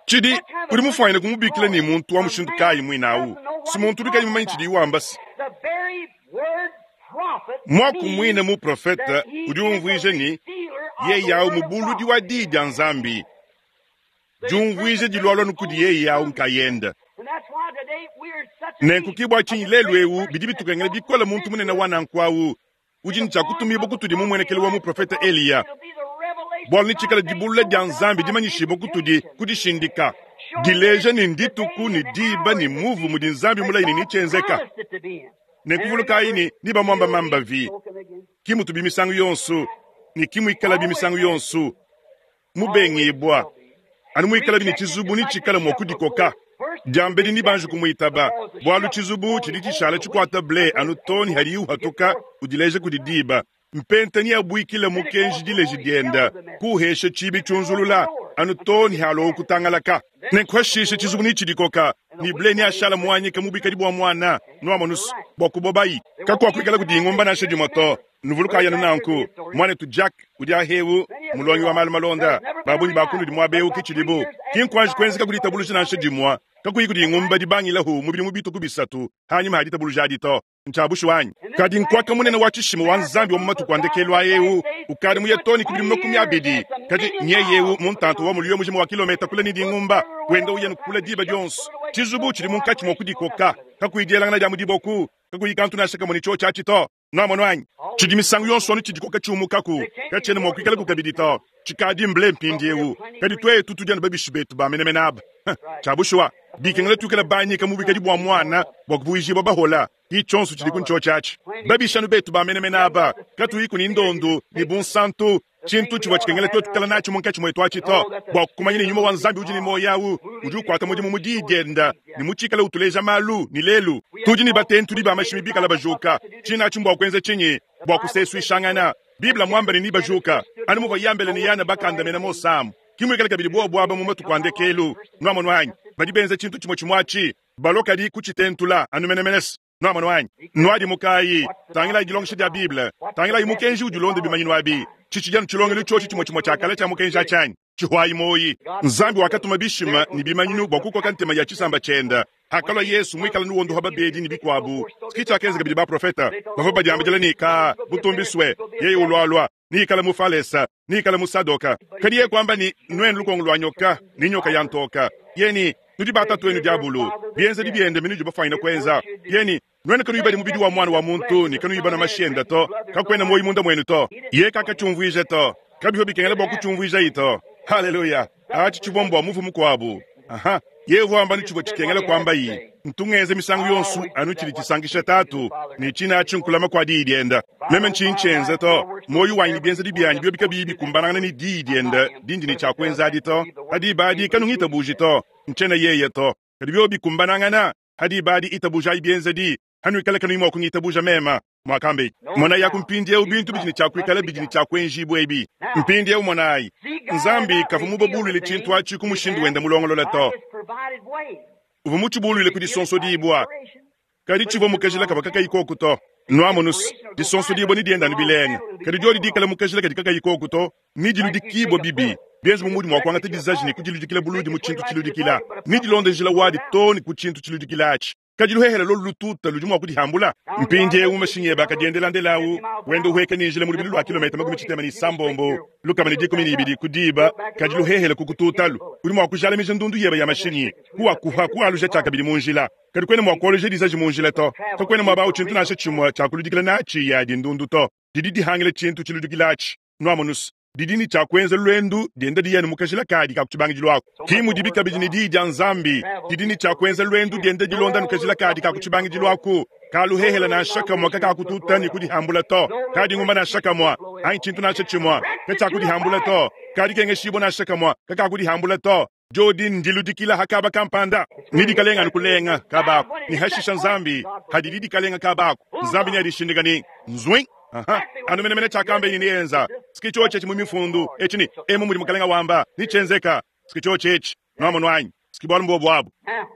Tshidi udi mufanyine kumubikila ne muntu wa mushindu kayi muinawu. Si muntu udi kayi mumanyi tshidi wamba si. Mwaku mwine muprofeta udi umvuija ni yeye awu mubuludi wa diyi dia Nzambi. Diumvuija dilwalwa nukudi yeye awu nkayenda. Nenku kibwa tshinyi lelu ewu bidi bitukengela bikole muntu munene wa nanku awu. Udi ne tshiakutumibwa kutudi mu muenekelo wa muprofeta Eliya. Bwalu ni tshikala dibulula dia Nzambi dimanyishibwa kutudi kudishindika. Dileja ni ndituku ni diba ni muvu mudi Nzambi mulayi ni nitshienzeka. Nenkuvulukayi ni nibamwamba mambavi. Kimutu bimisangu yonso ni kimuikala bimisangu yonso. Mubengibwa. Anu muikala bini tshizubu ni tshikala mua kudikoka. Diambedi ni banji kumuitaba. Bwalu tshizubu tshidi tshishala tshikwata ble anu toni hadi uhatuka udileja kudi diba. Mpenta ni abuikile mukenji dileji dienda. Kuhesha tshibi tshunzulula anu toni halo okutangalaka. Nenkuhashisha tshizubu ni tshidikoka. Ni ble ni ashala muanyika mubikadi bua mwana. Nuamonusu bua kubobayi. Kakuakuikala kudi ingumba nansha dimue to. Nuvuluka yanu nanku. Mwanetu Jack udi ahewu mulongi wa malu malonda. Babunyi bakundu di muabewu kichilibu. Kinkwanji kwenzeka kudi tabuluja nansha dimue. Kakuyi kudi ingumba dibangilahu mubili mubitu kubisatu. Hanyuma hadi tabuluja adi to. Ntshiabushi wanyi. Kadi nkwaka munene wa tshishima wa Nzambi wa mu matuku a ndekelu a ewu. Ukadi muye toni kubili makumi abidi. Kadi nyeyewu muntantu wa muliyo mujima wa kilometa kula ni dingumba. Wenda uya nukula diba dionso. Tshizubu tshidi munkatshi mua kudikoka. Kakuyi dielangana dia mudiboku. Kakuyi kantu nansha kamwe ni tsho tshiatshi to. Nwamonu anyi? Tshidi misangu yonso anu tshidikoka tshiumukaku. Katshiena mua kuikala kukabidi to. Tshikadi mble mpindiewu. Kadi twetu tudi anu babishi betu ba menemene aba. Tshiabushuwa. Bikengela tuikala banyika mubikadi bua mwana bua kuvuijibwa bahola. Itshonso tshidi kuntsho tshiatshi. Babishanu betu ba menemene aba. Katuyiku ni ndondu ni bunsantu. Tshintu tshivua tshikengela twetu kala natshi munkatshi mwetu atshi to. Bua kumanya ni nyuma wa Nzambi udi ni moyo awu. Udi ukwata mudimu mu diyi dienda. Ni mutshikala utuleja malu ni lelu. Tudi ni batentu di ba mashimi bikala bajuka. Tshina atshi mbua kuenza tshinyi? Bua kusesuishangana. Biblia mwamba ni ni bajuka. Anu muvua yambele ni yana bakandamena mosamu. Kimuikala kabidi bua buaba mu matuku a ndekelu. Nwamonu anyi? Badi benza tshintu tshimue tshimue atshi. Balokadi kutshitentula anu menemenese. Nwamonu anyi? Nwadi mukayi. Tangilayi dilongesha dia Bible. Tangilayi mukenji udi ulonda bimanyinu abi. Tshitshidi tshilongelo tshotshi tshimue tshimue tshia kale tshia mukenji atshanyi. Tshihwayi moyi. Nzambi wakatuma bishima ni bimanyinu bua kukoka ntema ya tshisamba tshienda. Hakalua Yesu muikala nuwondo ha babedi ni bikuabu. Tshikitsha kenza kabidi baprofeta. Bavua badiambidila ni ka butumbiswe. Yeye ulwalwa. Ni ikala mufalesa, ni ikala musadoka. Kadi ye kwamba ni nwenu lukongo lwa nyoka, ni nyoka ya ntoka. Yeni nudi batatu wenu diabulu. Bienza dibiende minu dibafaina kwenza. Yeni nwenu kanu ibadi mubidi wa mwana wa muntu, ni kanu ibana mashienda to. Kakwena moyi munda mwenu to. Ye kakachumvuije to. Kabiho bikengela bwa kuchumvuija ito. Haleluya. Achi chibombo muvu mukwabu. Aha. Yehu amba ni chibwa chikengela kwamba yi. Ntungeze misangu yonsu anu chili chisangisha tatu. Ni china achi nkulama kwa diyi dienda. Meme nchincenze to. Moyo wanyi bienza dibyanyi byo bikabibi kumbanangana ni diyi dienda. Dindi ni chakwenza adi to. Hadi badi kanu ngitabuji to. Nchena yeye to. Kadi byo bikumbanangana. Hadi badi itabuja ibienza di. Hanu ikala kanu imwa kungitabuja mema. Mwakambe monayi aku mpindiewu bintu bidi ne tshia kuikala bidi ne tshia kuenjibua ebi. Mpindiewu monayi, Nzambi kavua mubabuluile tshintu atshi ku mushindu wende mulongolola to. Uvua mutshibuluile ku disonsodibua, kadi tshivua mu kajila kavua kakayi koku to. Nuamonus, disonsodibua ne dienda anu bilenga, kadi diodi dikala mu kajila kadi kakayi koku to, ne diludikibua bibi. Bienza bu mudi mua kuangata dizaji ne kudiludikila buludi mu tshintu tshiludikila, ne dilonda njila wadi too ne ku tshintu tshiludikila atshi. Kadi luhehele lolu lututa ludi mua kudihambula. Mpindiewu mashinyi ebe akadiendela ndelawu, wenda uhueka ne njila mu lubilu lua kilometa makumi tshitema ne isambombo lukama ne dikumi ne ibidi ku diba. Kadi luhehele kukututalu, udi mua kujalamija ndundu yebe ya mashinyi, kuwakuha kualuja tshiakabidi mu njila. Kadi kuena mua kualuja dizaji mu njila to. Kakuena muaba awu tshintu nansha tshimue tshia kuludikila natshi yadi ndundu to. Didi dihangila tshintu tshiludikila atshi. Nuamonus, didi ne tshia kuenza luendu dienda diyanu mu kajila kadi ka ku tshibangidilu aku. Ki mudibi kabidi ne diyi dia Nzambi didi ne tshia kuenza luendu dienda dilonda nu kajila kadi ka ku tshibangidilu aku. Kaluhehela nansha kamue kakakututa ne kudihambula to. Kadingumba nansha kamue anyi tshintu nansha tshimue katshiakudihambula to. Kadikengeshibua nansha kamue kakakudihambula to. Diodi ndiludikila ha kaba kampanda, ni dikalenga nukulenga kabaku, ni hashisha Nzambi hadidi dikalenga kabaku. Nzambi ni adishindika ni nzwing. Aha, anu menemene tshiakamba ini nienza siki tshiotshi etshi mu mifundu etshi ni emu mudi mukalenga wamba ni tshenzeka siki tshiotshi etshi nuamono anyi siki bualu mbuobu abu.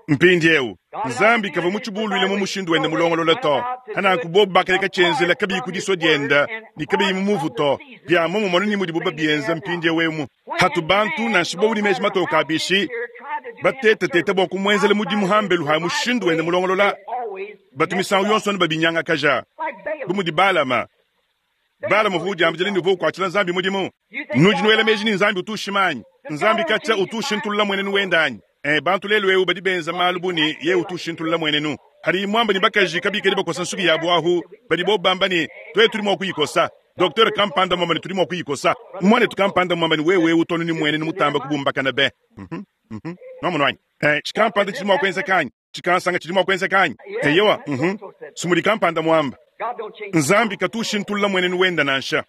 Mpindiewu Nzambi kavua mutshibuluile mu mushindu wende mulongolola to. Hananku bobu bakaleka tshenzela kabiyi ku disua dienda ne kabiyi mu muvu to. Bia momumue ni mudibu babienza mpindiewu emu. Hatu bantu nansha bobu ne meji matoka abishi batetateta bua kumuenzela mudimu hambelu ha mushindu wende mulongolola, batu misangu yonso anu babinyangakaja. Bu mudi Balama. Balama uvua udiambila ne uvua ukuatshila Nzambi mudimu. Nudi nuela meji ne Nzambi utu ushima anyi? Nzambi katshia utu ushintulula muenenu wende anyi? Eh, bantu lelu eu badi benza malu bu ne ye utu ushintulula muenenu. Hadi mwamba ne bakaji kabikadi bakosa nsuki yabu ahu, badi bo bamba ne twetu tudi mua kuyikosa. Docteur kampanda mwamba ne tudi mua kuyikosa. Mwanetu kampanda mwamba ne wewe utonu ni muenenu mutamba kubumbakana be. Mhm, mhm. Nuamono anyi? Eh, tshikampanda tshidi mua kuenza kanyi? Tshikansanga tshidi mua kuenza kanyi? Eyewa, mhm. Sumudi kampanda mwamba. Nzambi katu ushintulula muenenu wenda nansha.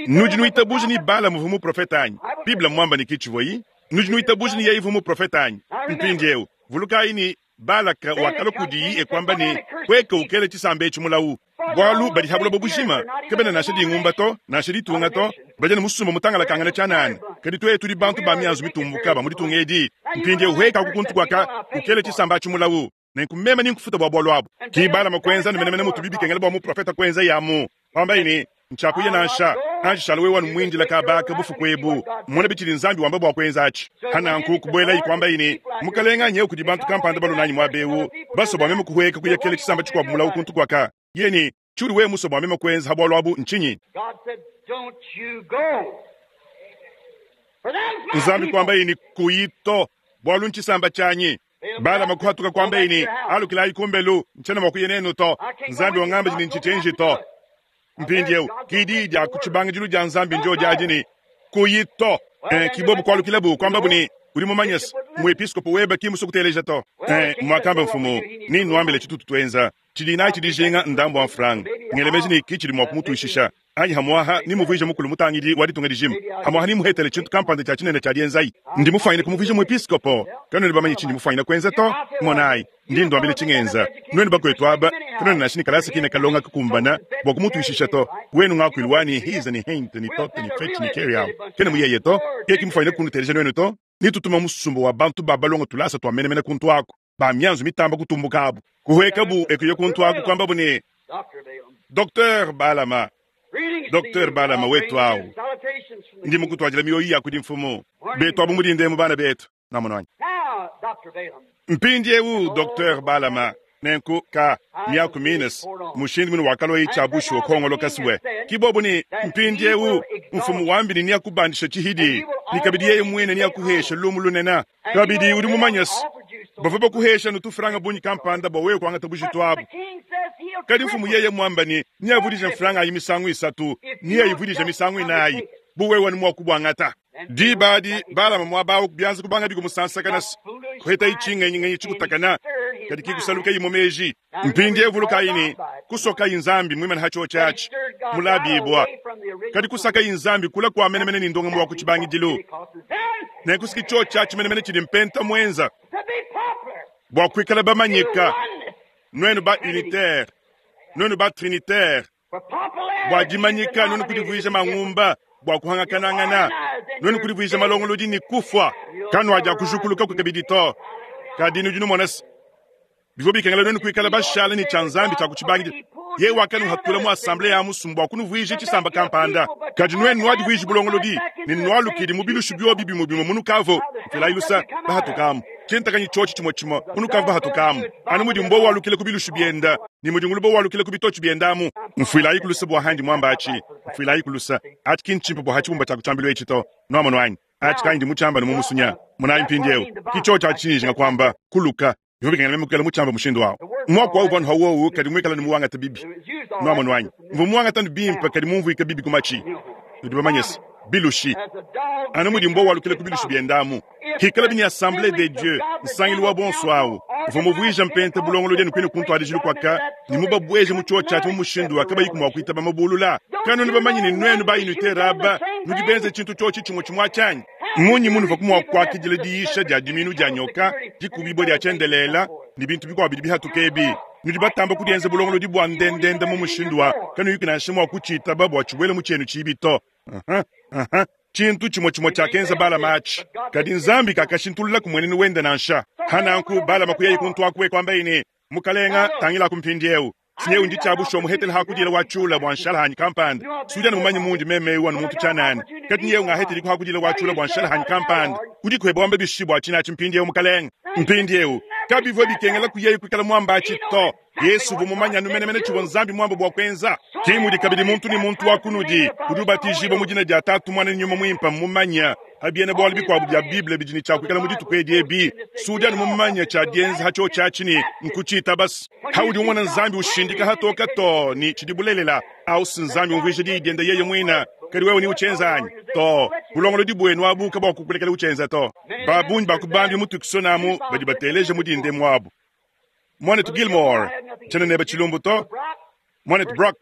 Nudi nuitabuja ni Balamu uvua muprofeta anyi? Biblia mwamba ni kichivoi. Nudi nuitabuja ni yeye uvua muprofeta anyi? Mpindiewu vulukayi ni Balaka wakala kudiyi ekwamba ni kweka ukele tshisambe etshi mulawu. Bwalu badi habula bobushima kebena nansha dingumba to nansha ditunga to badi ne musumba mutangala kangana tshianana. Kadi twetu tudi bantu ba mianzu mitumbuka ba mu ditunga edi. Mpindiewu hweka kukuntu kwaka ukele tshisamba atshi mulawu. Nenku meme ni nkufuta bua bualu abu. Ki Balama kuenza ne menemene mutu bibi kengela bua muprofeta kuenza yamu. Wamba ni ntshiakuya nansha anji shala wewe wanu mwindila kabaka bufuku ebu mona bitshidi Nzambi wamba bua kuenza atshi. Hananku kubuela ikwamba ini mukalenga nyewu kudi bantu kampanda balonanyi mwabewu baso bua meme kuhueka kuyakela tshisamba tshikuabu mulawu kuntu kwaka. Yeni tshiudi wewe muso bua meme kuenza ha bualu abu ntshinyi? God said, Don't you go. For them's my Nzambi people. kwamba ini kuyito bualu ntshisamba tshianyi. Balama kuhatuka kwamba ini alukilayi kumbelu ntshena mua kuya nenu to. Nzambi wangamba ni ntshitshenji to. Mpindiewu kidi dia ku tshibangidilu dia Nzambi ndio diadi ni kuyito. Eh, kibobu kwalukilabu kwamba buni udi mumanye se muepiskopo weba ki musukuteleja to. Eh, mwakamba mfumu ni nwambile tshitutu twenza tshidi nayi tshidijinga ndambu wa mfranga ngelemeji ni kichidi mwa kumutuishisha anyi hamwaha ni muvuije mukulu mutangidi wa ditunga dijima hamwaha ni muhetele tshintu kampanda tshia tshinene tshia dienzayi ndi mufanyine kumuvuija muepiskopo kanoni bamanyi tshindi mufanyine kwenza to monayi ndi ndwambile tshingenza nwenu bakwetu aba kanoni nashi ni kalasa kine kalonga kukumbana bua kumutuishisha to wenu ngakuilu wani hiza ni hente ni tote ni fetch ni carry out kene muyeye to yeki mufanyine kunuteleja nwenu to nitutuma musumba wa bantu babalonga tulasa twamenemene kuntu ako ba mianzu mitamba kutumbuka abu kuhweka bu ekuye kuntu ako kwamba bune Doctor Balaam. Docteur Balama Greetings to Docteur you. Balama I wetu bring awu. you salutations from the ndi king. mukutwajila mioyo ya kudi mfumu betu abu mulinde mu bana betu namonwanyi Now, Doctor Balaam, mpindiewu Docteur Balama nenku ka miaku minus mushindu munu wakaloyi tshia bushuwa khongoloka siwe kibobu ni mpindiewu mfumu wambili ni akubandisha tshihidi ni kabidi yeye mwene ni akuhesha lumu lunena kabidi udi mumanyasi bava bakuhesha nutufuranga bunyi kampanda bwa wewe kuangata bujitu But abu the king says he'll kadi mfumu triple yeye it. mwamba ni ni avudisha mfuranga ayi misangu isatu ni ayivudisha misangu inayi buwewe ni mwakubwangata dibadi balama mwabawu kubyanza kubanga bikumusansakana kuheta ichingenyingenyi chikutakana kadi kikusaluka imo meji mpindi evuluka ini kusoka inzambi mwimana hacho chachi mulabibwa kadi kusaka inzambi kula kwa menemene ni ndonga mwa kuchibangidilu nenkusiki cho chachi menemene chili mpenta mwenza To be popular. bwa kuikala bamanyika Oneness. nwenu ba unitaire nwenu ba trinitaire Bua dimanyika nuenu kudivuija mangumba, bua kuhangakanangana nuenu kudivuija malongolodi ne kufua. Kanuadia kujukuluka kabidi to. Kadi nudi numona se bivua bikengela nuenu kuikala bashala ne tshia Nzambi tshia kutshibangidila. Ye wakanuhatula mu assemblée ya musumba bua kunuvuija tshisamba kampanda. Kadi nuenu nuadivuija bulongolodi ne nualukidi mu bilushu biobi bimue bimue munukavo. Mfilayi lusa bahatukamu. Tshintakanyi tshiotshi tshimue tshimue munukavo bahatukamu. Anu mudi mbo walukile ku bilushu bienda ne mudi ngulubo walukile ku bitotshi biendamu. Mfilayi kulusa bua handi mwamba achi. Mfilayi kulusa. Achi kinchimpa bua hachibumba tshia kutshambilu etshi to. Nuamono anyi. Achi kandi muchamba ne mumusunya. Munayi mpindiewu. Kicho tshia tshinji ngakwamba kuluka. Bivua bikengela meme kukala muchamba mushindu wawo. Mwaku wawu vanhu hawowu kadi mwikala ni muwangata bibi. Nuamono anyi. Mvu muwangata ni bimpe kadi mumvuika bibi kumachi. Nudi bamanyese. Bilushi. Anu mudi mbo walukile ku bilushi biendamu. Hikala bini assemblée des dieux. Nsangilu wa bonso awu. Mvu muvuija mpente bulongolodi enu kwenu kuntwadijilu kwaka. Ni mubabweje mu chuo tshatu mu mushindu wa kabayi kumwa kuitaba mabulula. Kanu ni bamanyi ni nwenu ba inute raba. Nudi benze tshintu tshiotshi tshimue tshimue tshanyi. Munyi munu vakumwa kwakidila diisha dia diminu dia nyoka, dikubibwa dia tshiendelela, ni bintu bikuabu bidi bihatuka ebi. Nudi batamba kudienza bulongolodi bua ndendende mu mushindu wa kanu yiki nansha mua kutshiitaba bua tshibuele mu tshienu tshibi to. Aha, aha. Tshintu tshimue tshimue tshiakenza Balama atshi. Kadi Nzambi kakashintulula ku mwenenu wende nansha. Hananku Balama kuyayi kuntu akue kwamba ine, Mukalenga tangila kumpindiewu. Sinyewu ndi tshiabusho muhetele hakudila wa tshula bua nshala hanyi kampanda. Sudia ni mumanyi mundi meme wa muntu tshanani. Kadi nyewu ngahetele ku hakudila wa tshula bua nshala hanyi kampanda. Udi kweba wamba bishi bua tshina tshimpindiewu mukalenga. Mpindiewu kabivua bikengela kuyeyi kuikala mwamba atshi to. Yesu uvua mumanya numenemene tshivua Nzambi mwamba bua kuenza. Kimudi kabidi muntu ni muntu wa kunudi udi ubatijibwa mu dina dia Tatu Mwana ne Nyuma Mwimpe mumanya habiena bwalo bikuabu bya Bible bidi ne tshia kuikala mu dituku edi ebi. Sudia ni mumanya tshia dienza hatshio tshiatshi ni nkutshiita basi. Haudi umona Nzambi ushindika hatoka to ni tshidi bulelela. Au si Nzambi umvuija diyi diende yeye mwina. Kadi wewe ni uchenza anyi? To. Bulongolodi bwenu abuka bua kukulekela uchenza to. Babunyi bakubambi mutukisonamu badi bateleje mudinde mwabu. Mwanetu Gilmore, tshena neba tshilumbu to. Mwanetu Brock,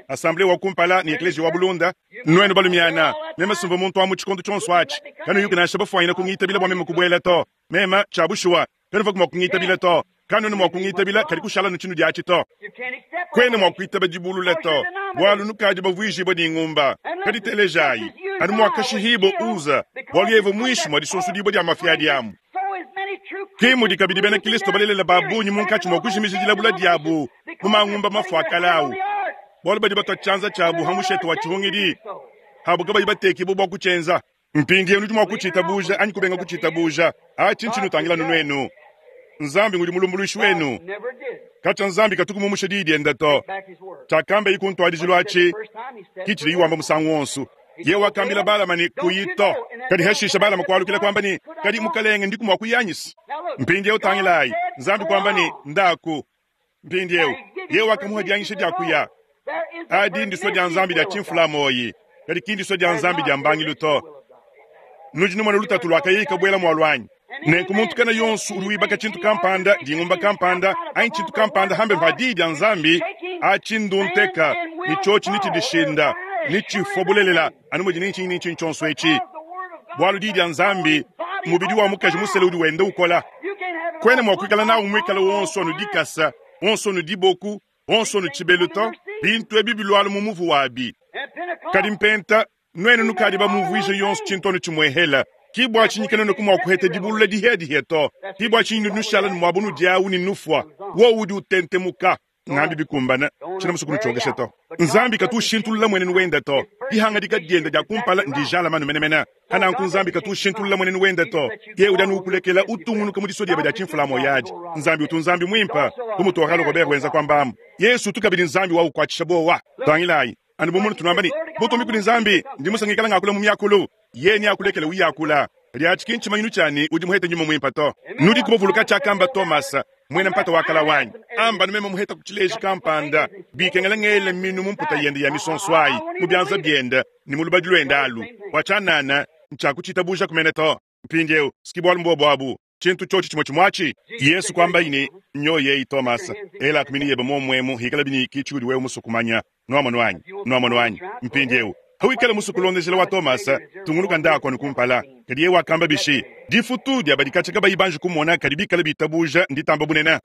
assemblée wa kumpala ni eklesia wa Bulunda. Nwenu balumiana, mema sumva muntu wa mu tshikondo tshonso atshi. Kanu yuki nansha bafuanyina kungitabila bua meme kubuela to. Mema tshia bushuwa, kanu va mua kungitabila to. Kanu nu mua kungitabila kadi kushala nu tshinu diatshi to. Kwena mua kuitaba dibulula to. Bwalu nukadi bavuijibwa ni ngumba. Kadi telejayi, anu mua kashihibo uza. Bwalu yevo mwishi mwa disonsu dibwa dia mafia diamu. Kimudi kabidi bena Kristo balelela babunyi munkatshi mua kujimija dilabula diabu mu mangumba mafuakalawu. Bwalu badi batwa tshianza tshiabu ha mushete wa tshihungidi. Habu kabayi batekibo bua kutshienza. Mpindiewu nudi mua kutshitabuja anyi kubenga kutshitabuja. Atshi ntshinu tangila nuenu. Nzambi ngudi mulumbuluishi wenu. Katshia Nzambi katuku mumusha diyi diende to. Tshiakambe ikuntwadijilu atshi, kitshidi yiwamba musangu wonso. Ye wakambila Balama ni kuyito. Kadi hashisha Balama kwalukila kwamba ni kadi mukalenge ndiku mwa kuyanyisa. Mpindiewu tangilayi. Nzambi kwamba ni ndaku. Mpindiewu ye wakamuha dianyisha dia kuya. Adi ndiswa dia Nzambi dia tshimfula moyi. Kadi kindiswa dia Nzambi dia mbangilu to. Nudi numona lutatu lwakayika bwela mwalwanyi. Nenku muntu kana yonso udi wibaka tshintu kampanda, dingumba kampanda, anyi tshintu kampanda hambe vadi dia Nzambi, atshi ndunteka, ni tshiotshi ni tshidishinda, ni tshifobulelela, anu mudi ni tshinyi ni tshinyi tshionso etshi. Bwalu di dia Nzambi, mubidi wa mukaji musele udi wenda ukola. Kwena mua kuikala nawu muikala wonso anu dikasa, wonso anu diboku, wonso anu tshibelu to, bintu ebi bilwalu mu muvu wabi. Kadi mpenta, nwenu nukadi bamuvuije yonso tshintu anu tshimuehela. Kibwa tshinyi kanene kumwa kuhete dibulula dihe dihe to. Kibwa tshinyi nushala ni mwabunu diawu ni nufwa. Wo udi utentemuka. Ngambi bikumbana, tshina musuku nutshogesha to. Nzambi katushintulula mwenenu wenda to. Dihanga dikadienda dia kumpala ndijala manu menemene. Hananku Nzambi katushintulula mwenenu wenda to. Ye udi anu ukulekela utungunuka mu disodieba dia tshimfula moyadi. Nzambi utu Nzambi mwimpa, kumutohalo Robert wenza kwambamu. Yesu tukabidi Nzambi wa ukwatshisha bowa. Tangilayi, anu bumunu tunamba ni, butumbi kuli Nzambi, ndi musangikala ngakula mu myakulu. Ye ni akulekela uyakula. Lya tshikinchi manyinu tshani udi muhete nyuma mwimpa to. Nudi kubavuluka tshiakamba Thomas, mwena mpata wakala wanyi. Amba numema muheta kutshileji kampanda. Bikengela ngele minu mumputa yende ya misonswayi, mu byanza byende, ni mu lubadi lwende alu. Wachanana, ntshakutshitabusha kumene to. Mpindiewu, sikibwalu mbobwabu. Tshintu tshiotshi tshimue tshimwatshi. Yesu kwamba ine, nyo yeyi Thomas, ela kumini yebe momwemu, hikala bini kichi udi wewe musukumanya. Nwamonu wanyi, nwamonu wanyi. Mpindiewu, hawikala musukulondeshela wa Thomas, tungunuka ndako nukumpala. Kadi yewe wakamba bishi, difutu dia badikatsha kabayi banji kumona kadi bikala bitabuja nditamba bunene.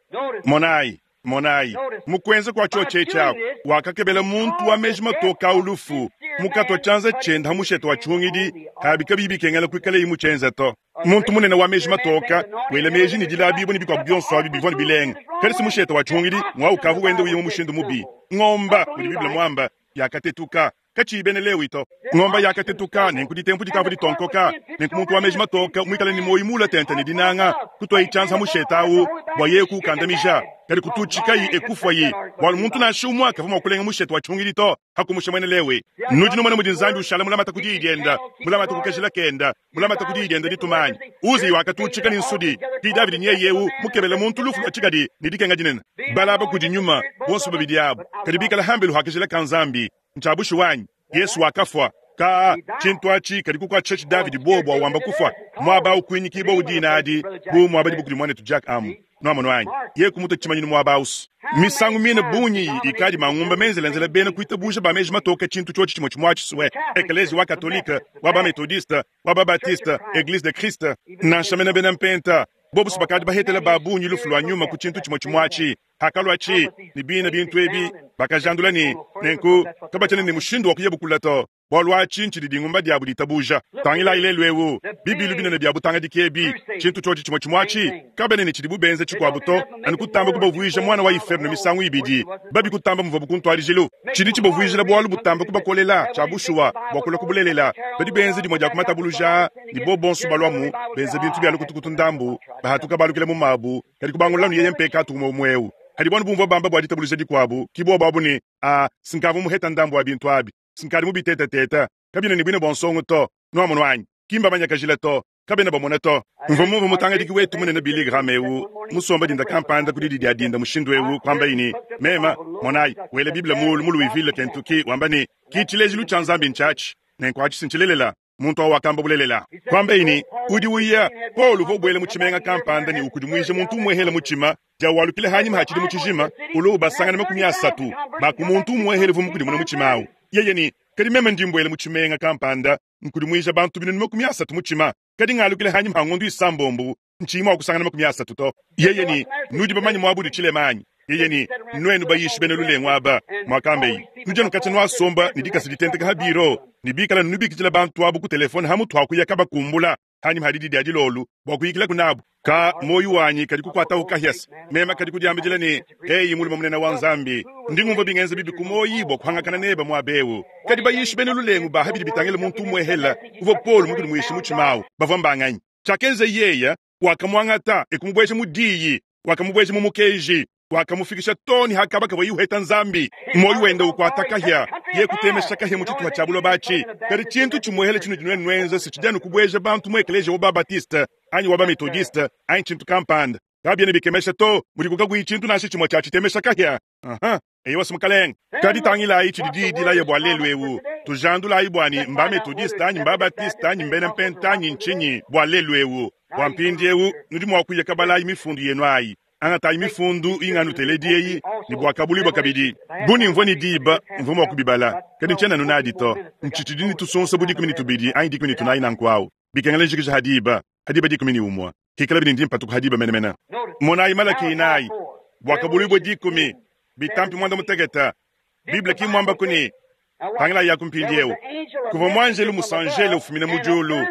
Monayi, Monayi, mu kuenza kua tshiotshi aku, wakakebela muntu wa meji matoka awu lufu, mukatua tshianza tshiende ha mushete wa tshihungidi, abi kabiyi bikengela kuikalayi mutshienza to. Muntu munene wa meji matoka, wela meji ne dilabibua ne bikuabu bionso abi bivua ne bilenga. Kadi si mushete wa tshihungidi, ngwa ukavua wenda uya mu mushindu mubi. Ngomba, mudi Bible muamba, yakatetuka. Katshiyi bena Lewi to. Ngomba yakatetuka, nenku ditempu dikavua ditonkoka, nenku muntu wa meji matoka muikale ne muoyo muula tente ne dinanga, kutuayi tshianza mushete awu bua yeye kuukandamija. Kadi kututshikayi ekufuayi, bualu muntu nansha umue kavua mua kulenga mushete wa tshihungidi to, hakumusha muena Lewi. Nudi numona mudi Nzambi ushala mulamate ku diyi diende, mulamate ku kajila kende, mulamate ku diyi diende ditumanyi. Uziya wakatutshika ne nsudi, ki Davidi nyeye eu mukebele muntu lufu lua tshikadi ne dikenga dinene. Balaba kudi nyuma, bonso babidi abu, kadi bikala hambelu ha kajila ka Nzambi. Ntshiabushi wanyi, Yesu wakafua. Ka tshintu atshi kadi kukuatshisha Davidi bobo wamba kufua. Muaba ukuinyikibua udi adi bu muaba di bukudi muanetu Jack amu. Nuamono anyi, ye kumuta tshimanyinu muaba ausu. Misangu mine bungi ikadi mangumba menzelenzela bena kuitabuja ba meji matoka tshintu tshiotshi tshimue tshimue tshisue. Eklezia wa Katolike, wa ba Methodiste, wa ba Baptiste, Eglise de Christ, nansha mena bena mpenta. Bobo bakadi bahetela ba bungi lufu lua nyuma ku tshintu tshimue tshimue atshi. Hakalua tshi ne bina bintu ebi bakajandula ne nenku kabatshiena ne mushindu wa kuya bukula to. Bualu atshi ntshidi dingumba diabu ditabuja. Tangilayi lelu eu bibilu binene bia butangadiki ebi, tshintu tshiotshi tshimue tshimue atshi, kabena ne tshidibu benza tshikuabu to, anu kutamba kubavuija mwana wa iferno misangu ibidi, babi kutamba muvuabu ku ntuadijilu. Tshidi tshibavuijila bualu butamba kubakolela tshia bushuwa bua kulua kubulelela. Badi benza dimue dia kumatabuluja ne bo bonso balwamu benza bintu bia lukutukutu ndambu, bahatuka balukila mu mabu, kadi kubangulula nu yeye mpekatu umue umue eu. Hadi banu bumvua bamba bua ditabuluja dikuabu, ki bobo abu ne a sinkavu muheta ndambu wa bintu abi. Sinkadi mubitetetete, kabina ne bwine bua nsongo to, nuamono anyi, kimba manyakajila to, kabena bamona to. Mvua mumvue mutangadiki wetu munene Billy Graham eu, musomba dinda kampanda ku didi dia dinda mushindu eu, kwamba ne, mema, monayi, wela Bible mulu mu Louisville, Kentucky, wamba ne, ki tshilejilu tshia Nzambi ntshiatshi, nenku atshi sintshilelela. Muntu awu wakamba bulelela. Kwamba ne, udi uya, Paul uvua ubuela mu tshimenga kampanda ne ukudimuija muntu umuehela mutshima, dia walukila hanyima ha tshidimu tshijima, ulo ubasangana makumi asatu, ba ku muntu umuehela uvua mukudimuna mutshima awu. Yeye ne, kadi meme ndi mbuela mu tshimenga kampanda, nkudimuija bantu binunu makumi asatu mutshima, kadi ngalukila hanyima ha ngondu isambombo, ntshiyi mua kusangana makumi asatu to. Yeye ne, nudi bamanye muabu tshilema anyi? Yeye ne, nuenu bayishi bena lulengu aba, mwakambeyi, nudi anu katshia nuasomba ne dikasa ditenteka ha biro, ne bikala nubikidila bantu abu ku telefone ha mutu akuya kabakumbula, hanyima ha didi dia dilolu, bua kuyikila kunabu. Ka moyo wanyi kadi kukuatawu kahiasa, mema kadi kudiambidila ne, eyi mulume munene wa Nzambi, ndi ngumvua bingenza bibi ku moyi bua kuhangakana neba muaba eu. Kadi bayishi bena lulengu ba habidi bitangila muntu umuehela, uvua Paul mukudimuishi mutshima awu, bavua mbanganyi. Tshiakenza yeya, wakamuangata ekumubueja mu diyi, wakamubueja mu mukeji, wakamufikisha to ne hakaba kavua yuheta Nzambi. Moyo wende ukuata kahia, ye kutemesha kahia mu tshituha tshia buloba atshi. Kadi tshintu tshimuehela tshinudi nuenu nuenza si tshidi anu kubueja bantu mu ekeleziya wa ba Baptiste, anyi wa ba Methodiste, anyi tshintu kampanda. Kabiena bikemesha to, mudi kukakuyi tshintu nansha tshimue tshia tshitemesha kahia. Aha, eyo wasi mukalenge. Kadi tangilayi tshidi diyi dilaya bua lelu eu. Tujandulayi bua ni mba Methodiste anyi mba Baptiste anyi mbena mpenta anyi ntshinyi bua lelu eu. Bua mpindiewu nudi mua kuya kabalayi mifundu yenu ayi. Angatayi mifundu inganuteledi eyi ne bua kabulibua kabidi. Buni mvua ne diba, mvua mua kubibala. Kadi ntshiena nunadi to. Ntshitshidi ne tusonsa bu dikumi ne tubidi anyi dikumi ne tunayi nanku awu. Bikengela njikija ha diba, ha diba dikumi ne umue. Hikala bidi ndi mpatuka ha diba menemene. Monayi Malaki inayi, bua kabulibua dikumi, bitampi muanda mutekete. Bible ki muamba ku ne, tangilayi yaku mpindiewu. Kuvua muanjelu musanjele ufumina mu diulu,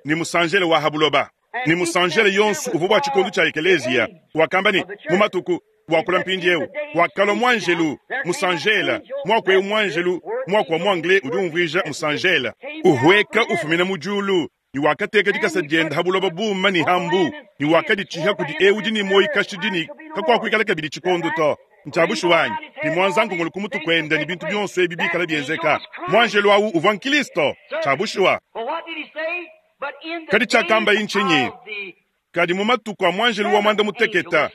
ne musanjele wa ha buloba. Ne musanjele yonso uvua bua tshikondo tshia ekeleziya, wakamba ne, mu matuku wakula mpindiewu, wakalua muanjelu musanjela, muaku eu muanjelu, muaku wa mu anglais udi umvuija musanjela, uhueka ufumina mu diulu, ne wakateka dikasa diende ha buloba buma ne ha mbu, ne wakaditshiha kudi eu udi ne moyo kashidi ne kakuakuikala kabidi tshikondo to. Ntshiabushuwa anyi, ne mwanzankongolo ku mutu kuende ne bintu bionso ebi bikala bienzeka. Muanjelu awu uvua Nkristo. Tshiabushuwa. Kadi tshiakamba ntshinyi? Kadi mu matuku a muanjelu wa muanda mutekete,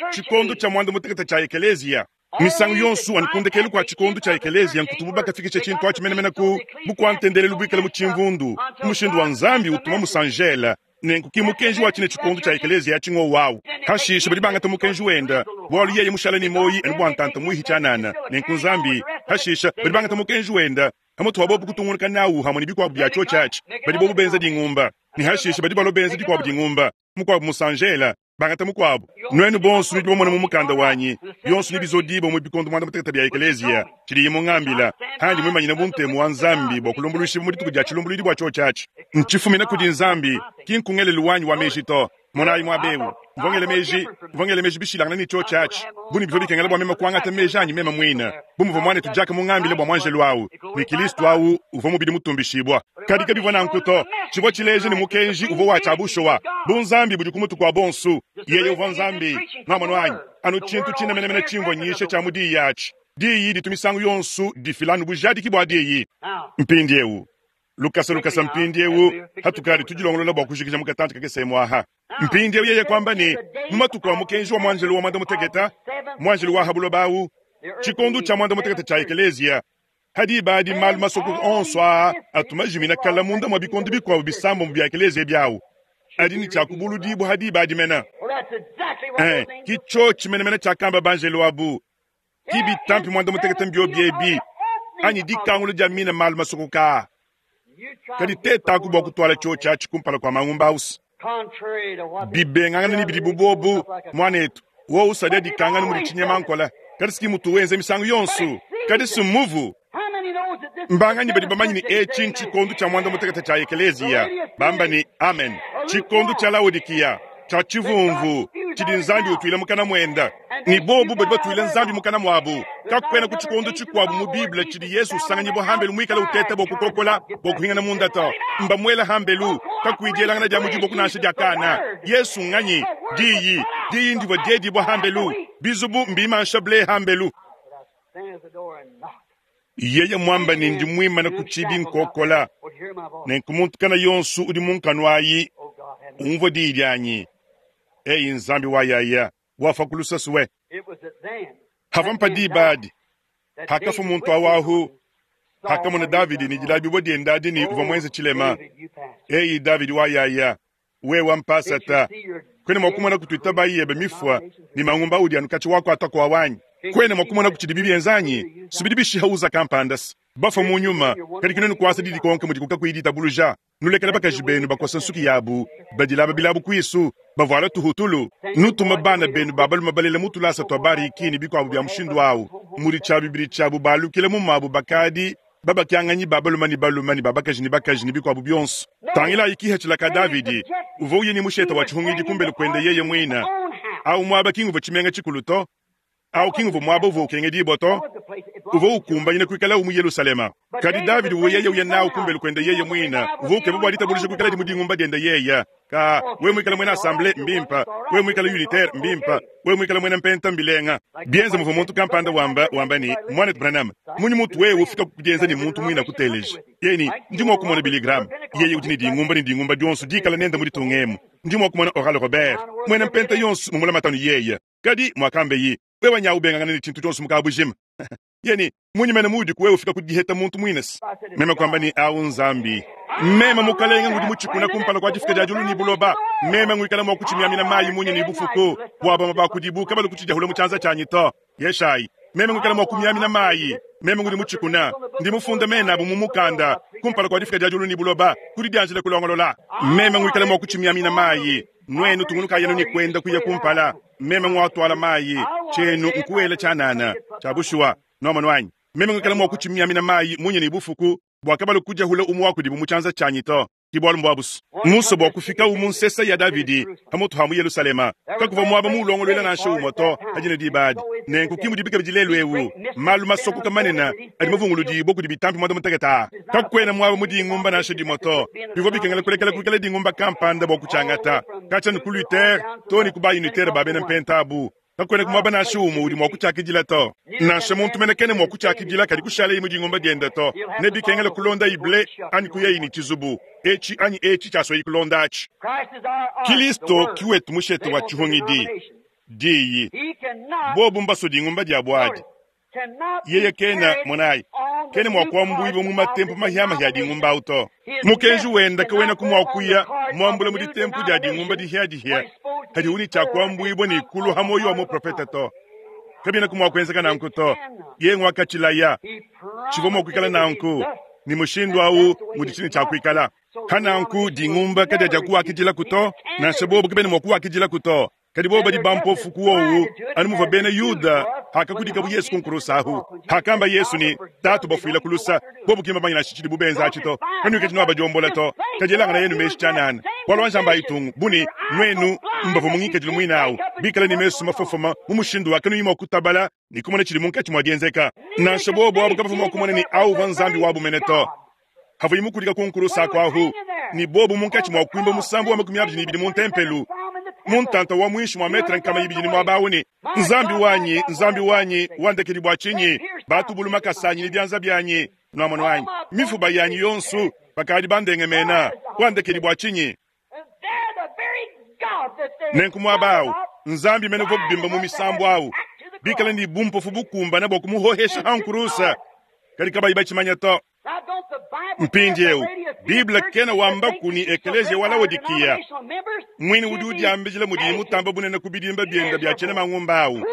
tshikondo tshia muanda mutekete tshia ekeleziya, misangu yonso anukundekelu kua tshikondo tshia ekeleziya nkutubu bakafikisha tshintu atshi menemene ku bukua-ntendelelu buikale mu tshimvundu, ku mushindu wa Nzambi utuma musanjela. Nenku ki mukenji wa tshine tshikondo tshia ekeleziya tshingo wawu. Hashisha badi bangata mukenji wenda, bualu yeye mushala ne moyi anu bua ntanta muihi tshianana. Nenku Nzambi, hashisha badi bangata mukenji wenda, hamutu wa bobu kutungunuka nawu hamwe ne bikuabu bia tshiotshi atshi. Badi bobu benza dingumba, ne hashisha badi balua benza dikuabu dingumba, mukuabu musanjela, Bangata mukuabu. Nuenu bonso nudi bamona mu mukanda wanyi, bionso nebizodibua mu bikondo muanda mutekete bia ekeleziya, tshidiye mungambila, handi muimanyine bu ntemu wa Nzambi bua kulumbuluishibua mu dituku dia tshilumbuluidi bua tshiotshi atshi. Ntshifumina kudi Nzambi, ki nkungelelu wanyi wa meji to. Monayi muaba eu, mvua ngela meji, mvua ngela meji bishilangane ne tshiotshi atshi, bu ne bivua bikengela bua meme kuangata meji anyi meme muine, bu muvua muanetu Jack mungambile bua muanjelu au, ne Kilisto au uvua mubidi mutumbishibua. Kadi kabivua nanku to. Tshivua tshileja ne mukenji uvua wa tshia bushuwa, bu Nzambi budi ku mutu kua bonso. Yeye uvua Nzambi. Nwamonu anyi? Anu tshintu tshine menemene tshimvua nyisha tshia mu diyi atshi. Diyi ditu misangu yonso difila anu bujadiki bua diyi. Mpindieu, lukasa lukasa mpindieu, hatukadi tudilongolola bua kujikija mu katantshi kakese emu aha. Mpindieu yeye kuamba ne, mu matuku a mukenji wa muanjelu wa muanda mutekete, muanjelu wa ha buloba au, tshikondo tshia muanda mutekete tshia ekeleziya, hadi badi malu masokoka onso aa atu majimina kala munda mua bikondo bikuabu bisambombo bia ekeleziya biawu, adi ne tshia kubuludibua hadi badi mena. Eh, ki tshiotshi menemene tshiakamba banjelu abu, ki bitampi muanda mutekete mbio biebi, anyi dikangula dia mina malu masokoka aa. Kadi tetaku bua kutuala tshiotshi atshi kumpala kua mangumba ausi. Bibengangana ne bidi bubobu, muanetu, wowu usadia dikangana mudi tshinyema nkola. Kadi siki mutu wenza misangu yonso, kadi sumuvu. Mbanganyi badi bamanye ne etshi ntshikondo tshia muanda mutekete tshia ekeleziya, bamba ne amen. Tshikondo tshia Laodikiya, tshia tshivumvu, tshidi Nzambi utuila mukana muenda. Ni bobu badi batuila Nzambi mukana muabu. Kakuena ku tshikondo tshikuabu mu Bible tshidi Yesu usanganyibua hambelu muikale uteta bua kukokola, bua kuhingana munda to. Mbamuela hambelu, kakuidielangana dia mudibo kunansha dia kana. Yesu nganyi? Diyi, diyi ndivua diedibua hambelu. Bizubu mbimansha ble hambelu. Yeye mwamba ne ndi muimane ku tshibi nkokola. Nenku muntu kana yonso udi munkanu ayi, umvua diyi dianyi. Eyi Nzambi wa yaya, wafa ku lusasuwe. Hava mpa diba adi, hakafa muntu awahu, hakamona Davidi ne dilabibua diende adi ne uvua muenze tshilema. Eyi Davidi wa yaya, wewa mpasata, kwena mua kumona kutuita bayi yebe mifua ne mangumba udi anu katshi wakuata kwa wanyi. Kwena mua kumona kutshidi bibienzanyi, subidi bishiha uza kampandasi. Bafa mu nyuma, kadi kinenu kuasa didi konke mudi kukakuyi ditabuluja. Nulekela bakaji benu bakosa nsuki yabu, badilaba bilabu kuisu, bavuala tuhutulu. Nutuma bana benu babaluma balela mutulasa tua bariki ne bikuabu bia mushindu awu. Mudi tshia bibidi tshiabu balukila mu mabu bakadi, babakyanganyi babaluma ne baluma ne babakaji ne bakaji ne bikuabu bionso. Tangila ikiha tshilaka Davidi, uvua uye ne musheta wa tshihungidi kumbele kuende yeye muina. Awu muaba kingu tshimenga tshikulu to. Awu kingu muaba uvua ukengedibua to. Uvua ukumbanyina kuikala mu Yerusalema. Kadi Davidi uvua yeye uya nawu kumbele kuende yeye muina. Uvua ukeba bua ditabuluja kuikala di mudingumba diende yeye. Ka we muikala mwena assemblée mbimpa, we muikala unitaire mbimpa, we muikala mwena mpenta mbilenga. Bienza muvua muntu kampanda wamba wamba ni mwanetu Branham, munyi mutu wewe ufika kudienza ni muntu muina kuteleja. Yeye ndi mua kumona Billy Graham. Yeye udi ne dingumba ne dingumba dionso dikala nenda mu ditungemu. Ndi mua kumona Oral Robert, mwena mpenta yonso mumula matanu yeye. Kadi mwakambe yi, wewe nyawu bengangana ne tshintu tshionso mukabujima. Yeni munyi mene mudi kuwe ufika kudiheta muntu mwinesi. Meme kwamba ni awu Nzambi. Meme mukalenga ngudi mutshikuna kumpala kwa difika dia diulu ni buloba. Meme ngwikala mua kutshingamina mayi munyi ni bufuku. Bua bama bakudibuka balu kutshidiahula mu tshianza tshianyi to. Yeshayi. Meme ngwikala mua kumyamina mayi. Meme ngudi mutshikuna. Ndi mufunda mena abu mu mukanda kumpala kwa difika dia diulu ni buloba. Kudi dianjila kulongolola. Meme ngwikala mua kutshingamina mayi. Nwenu tungunuka yenu ni kwenda kuya kumpala. Meme ngwatwala mayi. Chenu nkuwela tshanana. Tshiabushua. Noma nwanyi. Meme ngwikala mua kutshingamina mayi munyi ni bufuku. Bua kabalu kujahula umu wako dibu mu tshianza tshianyi to. Kibwalu mbwabusu. Musa bua kufika umu nsesa ya Davidi pamutu ha mu Yerusalema. Kakuva mwaba mu ulongolwela nansha umwe to hajina dibadi. Nenku kimu dibika bidilelu ewu. Malu masoko kamanena adi mavunguludi boku dibitampi mwanda muteketa. Kakwena mwaba mu dingumba nansha dimoto. Bivua bikengela kulekela kuikala dingumba kampanda bua kutshiangata. Katshia ni ku Luther to ni ku ba unitaire ba bena mpentabu. Kakwena kumwaba nansha umwe udi mua kutshiakidila to. Nansha muntu menekene mua kutshiakidila kadi kushala mu dingumba diende to. Ne bikengela kulonda ible anyi kuya ini chizubu. Echi anyi echi tshiaswa kulonda achi. Kilisto kiwetu mushete wa tshihungidi. Diyi. Bobu mbaso dingumba dia bwadi. Yeye kena monayi. Kene mwa kuambuiba mu matempu mahiama ya dingumba auto. Mukenji wenda kawena kumwakuya mwambula mu ditempu dia dingumba dihia dihia. Hadi uni cha kuambuibwa ni kulu hamoyo wa mu profeta to. Kabina kumwakuenzeka nanku to. Ye ngwakachilaya. Chivo mwakuikala nanku. Ni mushindu au muditshini cha kuikala. Hananku dingumba kadia dia kuwakidila kuto. Nansha bobu kabena mwa kuwakidila kuto. Kadi bobo badi bampofu kuowu anu muvua bena Yuda hakakudikabu Yesu ku nkurusa ahu. Hakamba Yesu ni tatu bafuila kulusa, bobo kimba manyina tshidi bubenza atshi to. Kanuikadi nuabadiombola to. Kadi elangana yenu meshi tshianana. Bualu anjamba itungu buni nwenu mbavua mungikadilu muinawu bikala ni mesu mafofoma mu mushindu wa kanuyi mua kutabala ni kumona tshidi munkatshi mua dienzeka. Nansha bobo abo kabavua mua kumona ni awu uvua Nzambi wabu mene to. Havuyi mukudika ku nkurusa aku ahu ni bobo munkatshi mua kuimba musambu wa makumi abidi ne ibidi mu ntempelu. Muntanta wa mwishi mwa metre nkama ibidi ni mwabawu ni Nzambi wanyi, Nzambi wanyi, wandekedi bua tshinyi, batubulu makasanyi ni byanza byanyi, nwamona wanyi, mifuba yanyi yonsu, bakadi bandengemena, wandekedi bua tshinyi. Nenku mwabawu, Nzambi mene uvua bimba mu misambu awu, bikala ni bumpofu bukumbana bua kumuhohesha hankurusa, kadi kabayi batshimanya to. Mpindiewu, Bible kena wamba kuni ekeleziya wa Laodikiya mwini udi udiambijila mudi mutamba bunene ku bidimba bienda bia tshiena mangumba awu.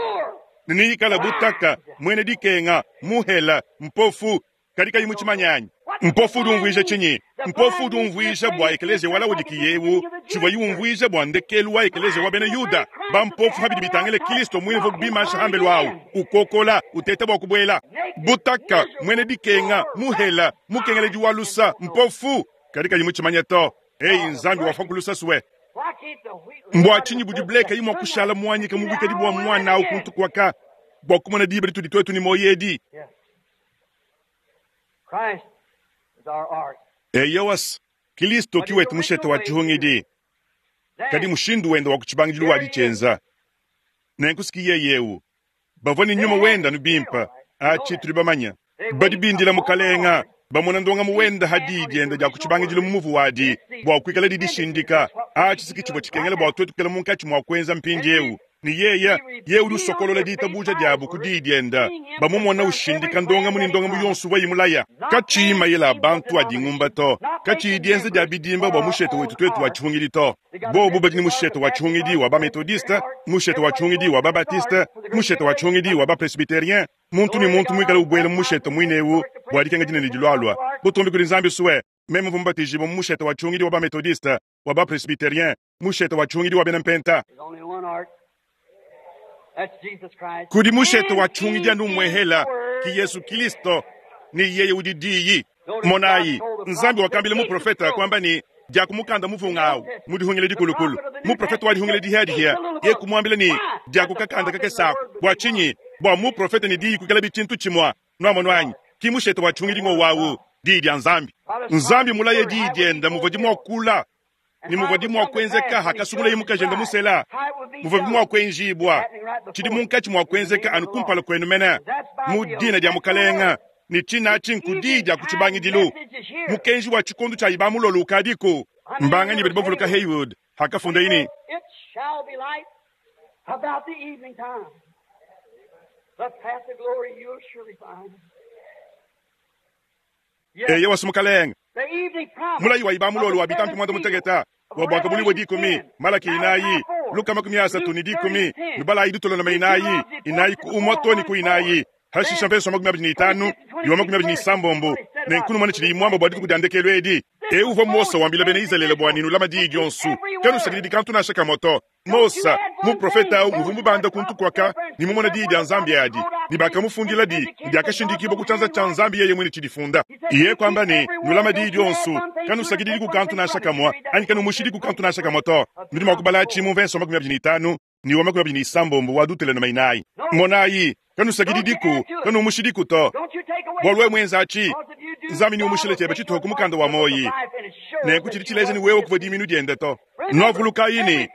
Niyikala butaka, mwene dikenga, muhela, mpofu, kadi kayi mutshimanyanyi. Mpofu udi umvuija tshinyi? Mpofu udi umvuija bua ekeleziya wa Laodikiya ewu, tshivua yiumvuija bua ndekelu wa ekeleziya wa bena Yuda. Bampofu habidi bitangile Kristo mwini uvua bimasha hambelu awu, ukokola, uteta bua kubuela. Butaka, mwene dikenga, muhela, mukengeledi wa lusa, mpofu, kadi kayi mutshimanya to. Eyi Nzambi wafa kulusa sue. Mbua tshinyi budi bleka yi mua kushala muanyika mu bwikadi bua mwana awu kuntu kwaka, bua kumona diba ditudi twetu ni moyo edi. Eyowas, Kristo kiwetu mushete wa tshihungidi. Kadi mushindu wenda wa kutshibangidilu wa ditshenza. Nenkusikiye yewu. Bavua ni nyuma wenda nubimpa, atshi tudi bamanya. Badi bindila mukalenga, bamona ndonga muwenda hadi dienda dia kutshibangidilu mu muvu wadi, bua kuikala didishindika. Atshi siki tshivua tshikengela bua twetu kukela munkatshi mua kuenza mpindiewu. Ni yeya, ye udi usokolola ditabuja diabu ku diyi dienda. Bamumona ushindika ndonga muni ndonga mu yonsu wa imulaya. Katshiyi mayela bantu adi ngumba to. Katshiyi dienza dia bidimba bua mushete wetu twetu wa tshihungidi to. Bobu badi ni mushete wa tshihungidi wa ba-methodiste, mushete wa tshihungidi wa ba-baptiste, mushete wa tshihungidi wa ba-presbytérien. Muntu ni muntu muikale ubwela mu mushete mwinewu bua dikenga dinene dilwalwa. Butumbi kudi Nzambi suwe, meme mvua mubatijibwa mu mushete wa tshihungidi wa ba-methodiste, wa ba-presbytérien, mushete wa tshihungidi wa bena mpenta. Kudi mushete wa tshihungidi anu mwehela ki Yesu Kristo ni yeye udi diyi. Monayi, Nzambi wakambila muprofeta kwamba ni diakumukanda muvunga awu mudihungile dikulukulu. Muprofeta wadihungile dihadihiya ye kumwambila ni diakukakanda kakesako bua tshinyi bua muprofeta ni diyi kukela bitshintu tshimwa nwamonu anyi ki mushete wa tshihungidi ngo wawu diyi dia Nzambi. Nzambi mulaye diyi dienda muvua dimuakula ni muvua dimuakuenzeka hakasungula yimukajenda musela muvua bimuakuenjibwa tshidi munkatshi muakuenzeka anu kumpala kwenu mene mu dina dia mukalenga ni tshina tshinku diyi dia kutshibangidilu mukenji wa tshikondu tshia ibamulolo ukadiku mbanganyi badi bavuluka Haywood hakafunda ini It shall be light about the evening time. The path of glory you'll surely find. Yes, eye wasi mukalenga the evening promise mulayi wa ibamulolo wa bitampi mwanda mutegeta wa bwaka buli bwe dikumi Malaki inayi Luka makumi asatu ni dikumi nubala idutolo na inayi inayi ku umoto ni ku inayi hashisha mpeso makumi abiri ni itanu iwa makumi abiri ni isambombo nenkunu mwana chili imwamba bwa dituku diandekelo edi euva Mosa wambila bena Izalele bwa ninu lama diyi dionsu kanusakidi dikantu nasha kamoto Mosa muprofeta au muvumbu banda kuntu kwaka ni mumona diyi dia Nzambi adi ni bakamufundila di ndiakashindikibwa kuchanza cha Nzambi yeye mwene chidifunda iye kwamba ni nulama diyi dionsu kanusakidi kukantu nasha kamwa anyi kanumushidi kukantu nasha kamoto nudi mwakubala chimu mvenso makumi abiri ni itanu ni wa makumi abiri ni isambombo wa dutele na mainayi monayi kanusakidi diku kanumushidi to Don't you take away bua lwe mwenza achi Because if you do, Nzambi ni God umushile will chebe take chituho the kumukanda wa book of moyi life and it's sure nenku that chili you chileje ni won't wewe be kuva diminu diende to nwavuluka yini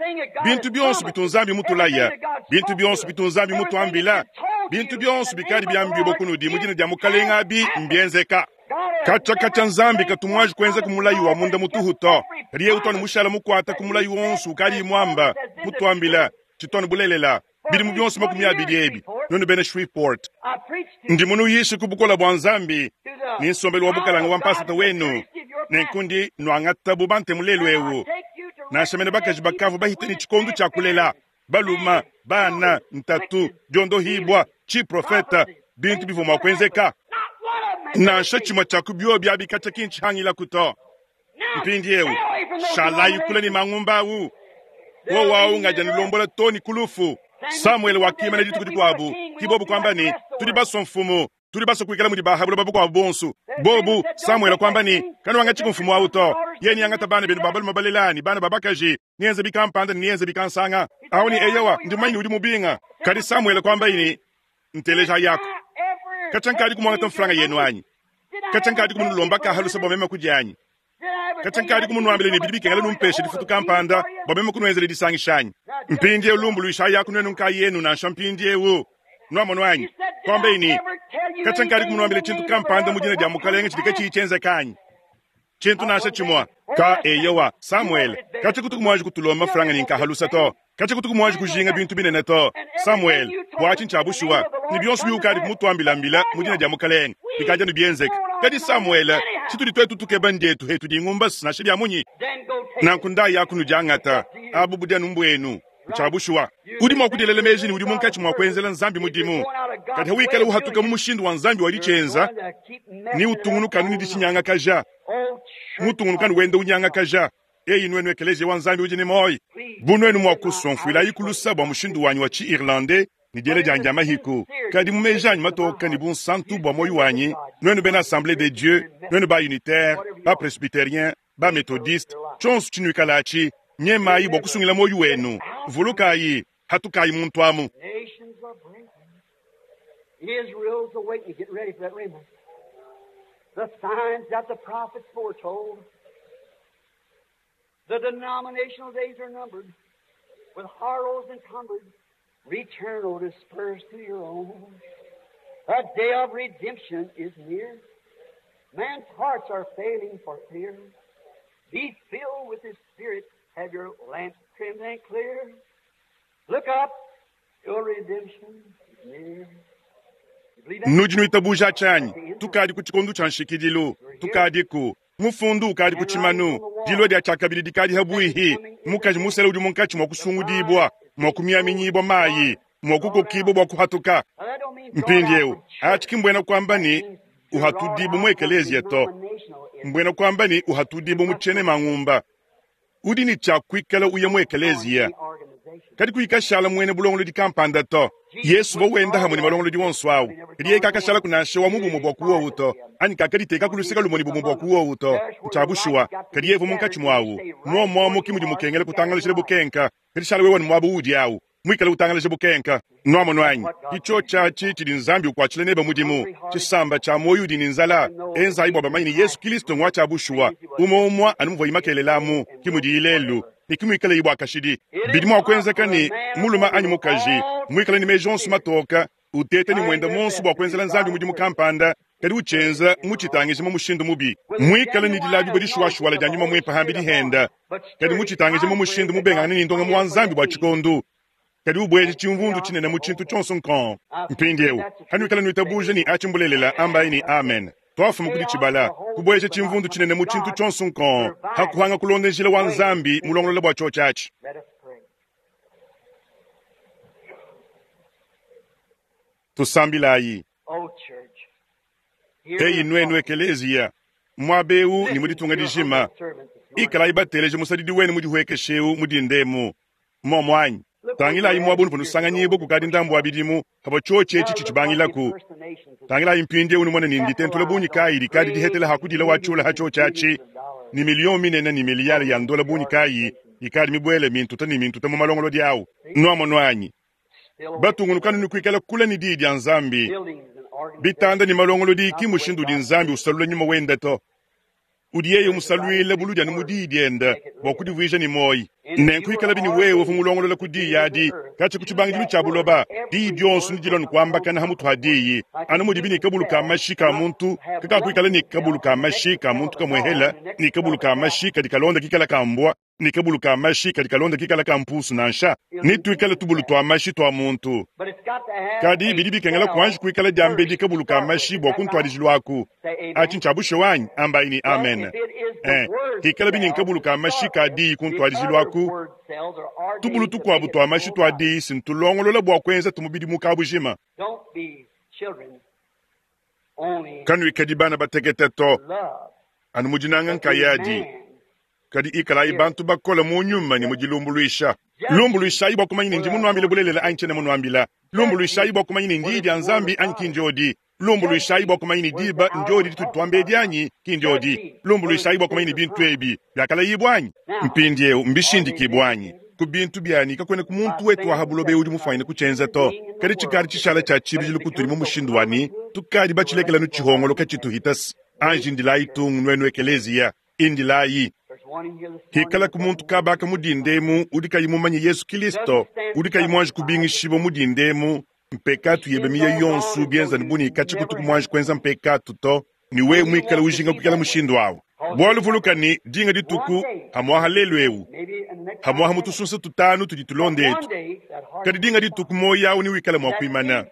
bintu byonso bitunzambi mutulaya bintu byonso bitunzambi mutuambila bintu byonso bikali byambibwa kunudi mudina dia mukalenga abi mbyenzeka kacha kacha Nzambi katumwaji kuenza kumulayi wa munda mutuhu to kadi yewe utwani mushala mukwata kumulayi wonso ukali imwamba mutuambila chitwani bulelela bilimu byonso makumi abiri ebi nonu bena Shreveport I preached to ndi munuyishe kubukola bwa Nzambi to the ni nsombelu wa bukalanga wa mpasata wenu nenkundi nwangata bubante mulelu ewu take you to nashamene bakaji bakavu bahite ni chikondu cha kulela baluma bana ntatu diondohibwa chiprofeta bintu bivua mua kuenzeka not one of them has nansha chimwe cha kubyo byabikacha kinchihangila kuto Now, mpindiewu stay away from those shalayi kula ni denominations. mangumba awu Wowo awu ngadi anulombola too ne ku lufu. Samuele wakimana dituku dikuabu, ke bobu kuamba ne, Tudi basue mfumu, tudi basue kuikala mudi ba ha buloba bukuabu bonso. Bobu, Samuele kuamba ne, Kanuangatshi mfumu awu to. Yeye neangate bana benu ba balume balela ne bana ba bakaji, neenze bikampanda ne neenze bikansanga. Awu ne eyowa, ndi mumanye ne udi mubinga. Kadi Samuele kuambaye ne, Nteleja yako. Katshia nkadi kumuangata mfranga yenu anyi? Katshia nkadi kumunulomba ka halusa bua meme kudia anyi? Katshia nkadi kumunuambila ne bidi bikengela numpeshe difutu kampanda bua meme kunuenzela disangisha anyi? Mpindieu lumbuluishayi yaku nuenu nkayenu nansha mpindieu. Nuamonu anyi? Kuambaye ne, Katshia nkadi kumunuambila tshintu kampanda mu dina dia Mukalenge tshidi katshiyi tshienzeka anyi? Tshintu nansha tshimue. Ka eyowa, Samuele, katshia kutuku muanji kutulomba mfranga ne nkahalusa to. Katshia kutuku muanji kujinga bintu binene to. Samuele, bua tshinyi tshia bushuwa, ne bionso biukadi kumutuambilambila mu dina dia Mukalenge bikadi anu bienzeka. Kadi Samuele, tshitudi tuetu tukeba ndietu hetu dingumba nansha bia munyi. Nanku ndayi yaku nudiangata, abu budi anu mbuenu. Ntshia bushuwa. Udi mua kudielela meji ne udi munkatshi mua kuenzela Nzambi mudimu. Kadi hawikala uhatuka mu mushindu wa Nzambi wa ditshienza, ne utungunuka anu ne ditshinyangakaja, mutungunuka anu wenda unyangakaja. Eyi nuenu ekeleziya wa Nzambi udi ne muoyo. Bu nuenu mua kusua mfuilayi ku lusa bua mushindu wanyi wa tshi-Irlandais ne diela dianyi dia mahiku, kadi mu meji anyi matoka ne bunsantu bua muoyo wanyi, nuenu bena Assemblée de Dieu, nuenu ba unitaire, ba presbytérien, ba methodiste, tshionso tshinuikalatshi, nyemayi bua kusungila muoyo wenu. Vulukayi, hatukayi muntu amu. Nations are breaking. Israel's awakening. Get ready for that remnant. The signs that the prophets foretold. The denominational days are numbered. With horrors encumbered. Return, O dispersed to your own. A day of redemption is near. Man's hearts are failing for fear. Be filled with His Spirit. Have your lamps trimmed and clear. Look up. Your redemption is near. You believe that? Nudi nuitabuja tshianyi, tukadi ku tshikondo tshia nshikidilu, tukadiku mufundu ukadi ku tshimanu, dilua dia tshiakabidi dikadi habuihi, mukaji musele udi munkatshi mua kusungudibua, mua kumiaminyibua mayi, mua kukokibua bua kuhatuka. Now, that don't mean Mpindieu atshi ki mbuena kuamba ne uhatudibu mu ekeleziya to, mbuena kuamba ne uhatudibu mu tshiene mangumba. Udi ne tshia kuikala uya mu ekeleziya, kadi kuikashala muena bulongolodi kampanda to. Yesu uvua wenda hamwe ne malongolodi wonso awu, kadi yeye kakashala kunansha wa mu bumue bua kuwowu to, anyi kakaditeka ku luseke lumue ne bumue bua kuwowu to. Ntshia bushuwa, kadi yeye uvua munkatshi muawu. Muomuomu ki mudi mukengela kutangalajila bukenka, kadi shala wewe ne muaba uudi awu, muikale utangalaja bukenka. Nuamonu anyi? Itsho tshiatshi tshidi Nzambi ukuatshila nebe mudimu, tshisamba tshia muoyo udi ne nzala, enzayi bua bamanye ne Yesu Kristo ngwa tshia bushuwa. Umue umue anu muvua imakelelamu, ki mudiyi lelu, ne ki muikale bua kashidi. Bidi mua kuenzeka ne mulume anyi mukaji muikale ne meji onso matoka, uteta ne muenda monso bua kuenzela Nzambi mudimu kampanda, kadi utshienza mutshitangije mu mushindu mubi, muikale ne dilabibua dishuwashuwala dia nyuma muimpe hambidi henda, kadi mutshitangije mu mushindu mubengangane ne ndongamu wa Nzambi bua tshikondo, kadi ubueje tshimvundu tshinene mu tshintu tshionso nkong. Mpindieu hanuikala nuitabuja ne atshi mbulelela, ambayi ne amen. Twafuma kudi tshibala kubueja tshimvundu tshinene mu tshintu tshionso nkong, hakuhanga kulonda njila wa Nzambi mulongolola bua tshio tshiatshi. Let us pray. Tusambilayi. Oh, church. Hear Eyi the nuenu call. ekeleziya, muaba eu ne mu ditunga Listen to your dijima, humble servant this morning. ikalayi bateleje musadidi wenu mudihuekesheu mudindemu. Momo anyi, tangilayi muaba unuvua nusanganyibua kukadi ndambu wa bidimu, pavua tshiotshi etshi Now look what the tshitshibangilaku. impersonations of Tangilayi mpindieu numone ne nditentula bungi kayi dikadi dihetela hakudila wa tshiula ha tshiotshi atshi, ne miliyo minene ne miliyari ya ndola bungi kayi ikadi mibuele mintuta ne mintuta mu malongolodi awu. Nuamonu anyi, still away batungunukanu ne kuikala kule ne diyi dia Nzambi, buildings and organizations. bitanda ne malongolodi ki mushindu udi Nzambi usalula nyuma wenda to. Udi yeye umusaluila buludi anu mu diyi dienda bua kudivuija ne muoyo. Nenku ikala bini wewe uvua mulongolola ku diyi adi, katshia ku tshibangidilu tshia buloba, diyi dionso ndidilua ne kuambakana ha mutu ha diyi, anu mudibi ne kabulu ka mashi ka muntu kakakuikala ne kabulu ka mashi ka muntu kamuehela, ne kabulu ka mashi kadi kalonda kikala ka mbwa, ne kabulu ka mashi kadi kalonda kikala ka mpusu nansha, ne tuikale tubulu tua mashi tua muntu. But it's got to have Kadi a bidi bikengela cell kuanji kuikala diambedi first kabulu to ka start with. mashi Is bua that right? kuntwadijilu aku. Say amen. Atshi ntshia bushuwa anyi? Ambayi ne Well, amen. if it is the Eh, word hikala bini cell nkabulu to ka mashi start ka with, diyi the kuntwadijilu other aku, word cells are tubulu ordained to tukuabu make it tua mashi full tua body. diyi sintulongolola bua kuenza tumubidi mu kabujima. Don't be children, only Kanuikadi bana batekete to, love, anu mudinanga but be nkayadi, man. kadi ikalayi bantu bakola mu nyuma ne mu dilumbuluisha. Lumbuluishayi bua kumanya ne ndi munuambila bulelela anyi tshiena munuambila. Lumbuluishayi bua kumanya ne ndiyi dia Nzambi anyi ki ndiodi. Lumbuluishayi bua kumanya ne diba ndiodi ditudi tuamba edi anyi ki ndiodi. Lumbuluishayi bua kumanya ne bintu ebi biakalayibua anyi. Mpindieu mbishindikibua anyi? Ku bintu bianyi kakuena ku muntu wetu wa ha buloba udi mufuanyine kutshienza to. Kadi tshikadi tshishala tshia tshibidilu kutudi mu mushindu wa ne tukadi batshilekela nu tshihongoloka tshituhitase. Anji ndilayi tungu nuenu ekeleziya, indilayi. Hikala ku muntu kabaka mudindemu udi kayi mumanye Yesu Kristo, udi kayi muanji kubingishibua mudindemu, mpekatu yebe miye yonso bienza ne buni katshi kutuku muanji kuenza mpekatu to, ni wewe muikale ujinga kuikala mushindu awu. Bualu vuluka ne dinga dituku hamwaha lelu ewu, hamwaha mutusunsa tutanu tudi tulonda etu. Kadi dinga dituku moyo awu ni wikale mua kuimana.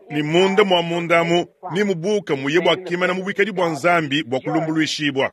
Ni munda mua mundamu ni mubuka muye bua kimana mu bwikadi bua Nzambi bua kulumbuluishibua.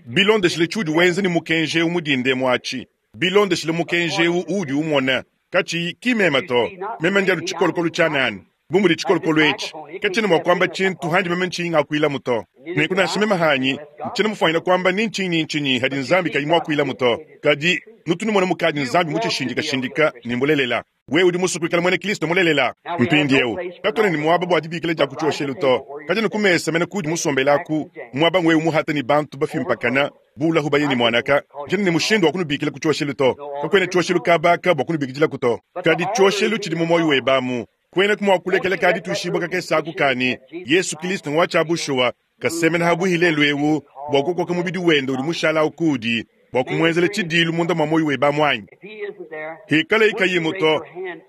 Bilondeshile tshiudi wenza ni mukenji ewu mudindemu atshi. Bilondeshile mukenji ewu uudi umona. Katshiyi ki mema to. Mema ndi anu tshikolokolo tshia nani. Bu mudi tshikolokolo etshi katshiena mua kuamba tshintu handi meme ntshinyi ngakuilamu to. Nenku nansha meme hanyi ntshiena mufuanyine kuamba ni ntshinyi ni ntshinyi hadi Nzambi kayi muakuilamu to. Kadi nutu numona mukadi Nzambi mutshishindikashindika ne mbulelela. Wewe udi musue kuikala muena Kristo mulelela. Mpindieu katuena ne muaba bua dibikila dia ku tshioshelu to. Kadi ne ku mesa mena kudi musombelaku muaba ngwewe muhata ne bantu bafimpakana bulahu baye ne muanaka. Ntshiena ne mushindu wa kunubikila ku tshioshelu to. Kakuena tshioshelu kabaka bua kunubikidilaku to. Kadi tshioshelu tshidi mu moyo webe amu. Kuena kumua kulekela kadi tushibwa kakesa aku kani Yesu Kristo ngwa tshia bushuwa kasemena habuhi lelu ewu bua kukoka mubidi wende udi mushala ukudi bua kumuenzela tshidilu munda mua moyo webe amu anyi. Hikala ikayimu to.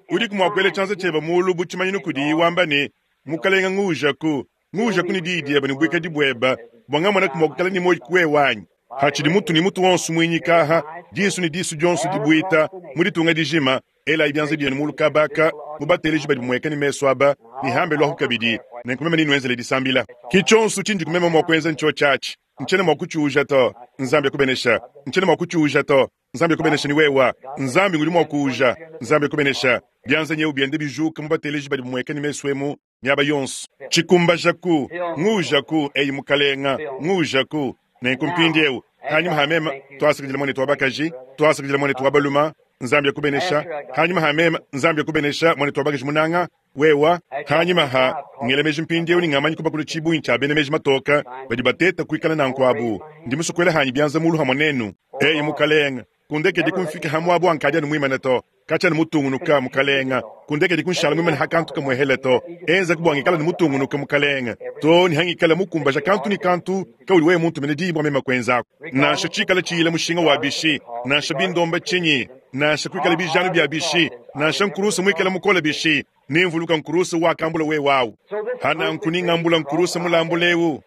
Udi kumua kuela tshianza tshiebe mulu bu tshimanyinu kudi wamba ne mukalenga nguujaku nguujaku ne diyi diebe ne buikadi buebe bua ngamona kumua kukala ne moyo kuwewe anyi. Hatshidi mutu ne mutu wonso muinyikaha disu ne disu dionso dibuita mu ditunga dijima. Elayi bianza bienu mulu kabaka mubateleji badi mueka ne meso aba ne hambe lwahu kabidi nenku meme ninuenzele disambila. Ki tshionso tshindi kumema mua kuenza ntsho tshiatshi. Ntshiena mua kutshiuja to. Nzambi akubenesha. Ntshiena mua kutshiuja to. Nzambi akubenesha ni wewa. Nzambi ngudi mua kuuja. Nzambi akubenesha. Bianza nyeu biende bijuka mubateleji badi mueka ne meso emu miaba yonso. Tshikumbajaku nguujaku eyi mukalenga nguujaku. Nenku mpindieu hanyuma ha mema twasakidila mwanetu wa bakaji, twasakidila mwanetu wa baluma. Nzambi akubenesha. Hanyuma ha mema Nzambi akubenesha mwanetu wa bakaji munanga wewa. Hanyuma ha ngela meji mpindieu ni ngamanyi kubakula tshibunyi tshia bena meji matoka badi bateta kuikala nanku abu. Ndi musukuela hanyi bianza mulu hamwe nenu. Eyi mukalenga kundekedi kumfika hamwabu ankadi anu muimane to. Katshia ni mutungunuka mukalenga kundekedi kunshala muimane hakantu kamwehele to. Enza kubwangikala ni mutungunuka mukalenga to ni hangikala mukumbaja kantu ni kantu kauli wewe muntu mene diyi bwa mema kuenzako. Nansha tshikala tshiyila mushinga wa bishi, nansha bindomba tshinyi, nansha kuikala bijanu bya bishi, nansha nkurusa muikala mukola bishi, nimvuluka nkurusa wakambula wewe awu. Hana nkuningambula nkurusa mulambulewu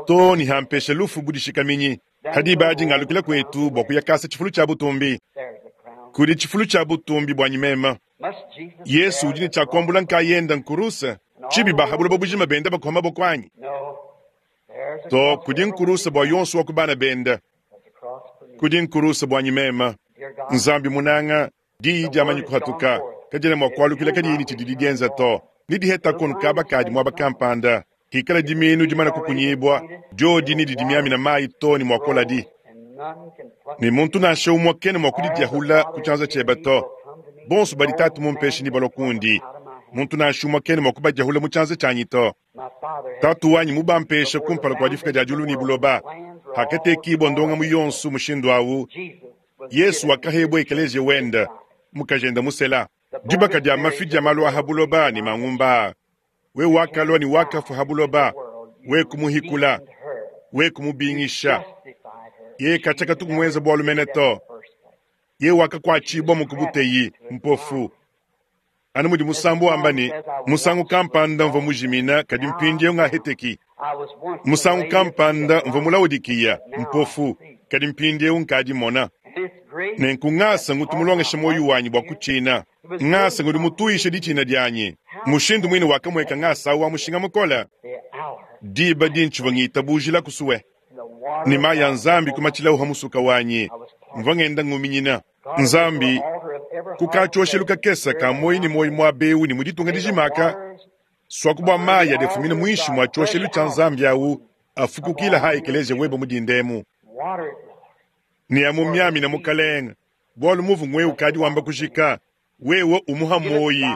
to ni hampesha lufu budishikaminyi. Hadi baji ngalukila kwetu bwa kuyakasa tshifulu tshia butumbi. Kudi tshifulu tshia butumbi bwa nyimema. Yesu udi ne tshia kuambula nkayenda nkurusa tshibi bahabula bujima benda bakuhama bokwanyi. To kudi nkurusa bwa yonso wa kubana benda. Kudi nkurusa bwa nyimema. Nzambi munanga diyi diamanyi kuhatuka kajena mua kualukila kadi yini tshidi dienza to. Nidiheta kono kaba kadi mwaba kampanda. Hikala diminu dimana kukunyibwa diodi ni didimiamina mayi to ni mwakola di. Ni muntu nansha umwe kene mwa kudidiahula kutshianza tshiebe to. Bonso badi tatu mumpeshe ni balokundi. Muntu nansha umwe kene mwa kubadiahula mu tshianza tshianyi to. Tatu wanyi mubampeshe kumpala kua difika dia diulu ni buloba. Hakatekibwa ndonga mu yonso mushindu awu. Yesu wakahebwa ekelezia wenda mukajenda musela. Dibaka dia mafi dia malu aha buloba ni mangumba. We wakalwa ni wakafu habuloba. We kumuhikula. We kumubingisha. Ye kachaka tukumwenza bwalu mene to. Ye wakakwachibwa mukubuteyi mpofu. Anu mudi musambu wamba ni musangu kampanda mva mujimina kadi mpindieu ngaheteki. Musangu kampanda mva mulaudikiya mpofu kadi mpindieu nkadi mona. Nenku ngasa ngutu mulongesha moyo wanyi bua kutshina. Ngasa ngudi mutuishe ditshina dianyi. Mushindu mwine wakamweka ngasa wa mushinga mukola. Diba dintshivua ngitabujila kusuwe. Ni mayi ya Nzambi kumatshilawu ha musuka wanyi. Mvua ngenda nguminyina. Nzambi kukatshioshelu kakesa ka moyi ni moyi mwa bewu ni muditunga dijimaka. Swaku bua mayi adefumina muinshi mua tshioshelu tshia Nzambi awu afukukila ha ekelezia webe mudindemu. Ni amu miamina mukalenga Bwalu muvu ngwe ukadi wamba kujika, wewe umuha moyi,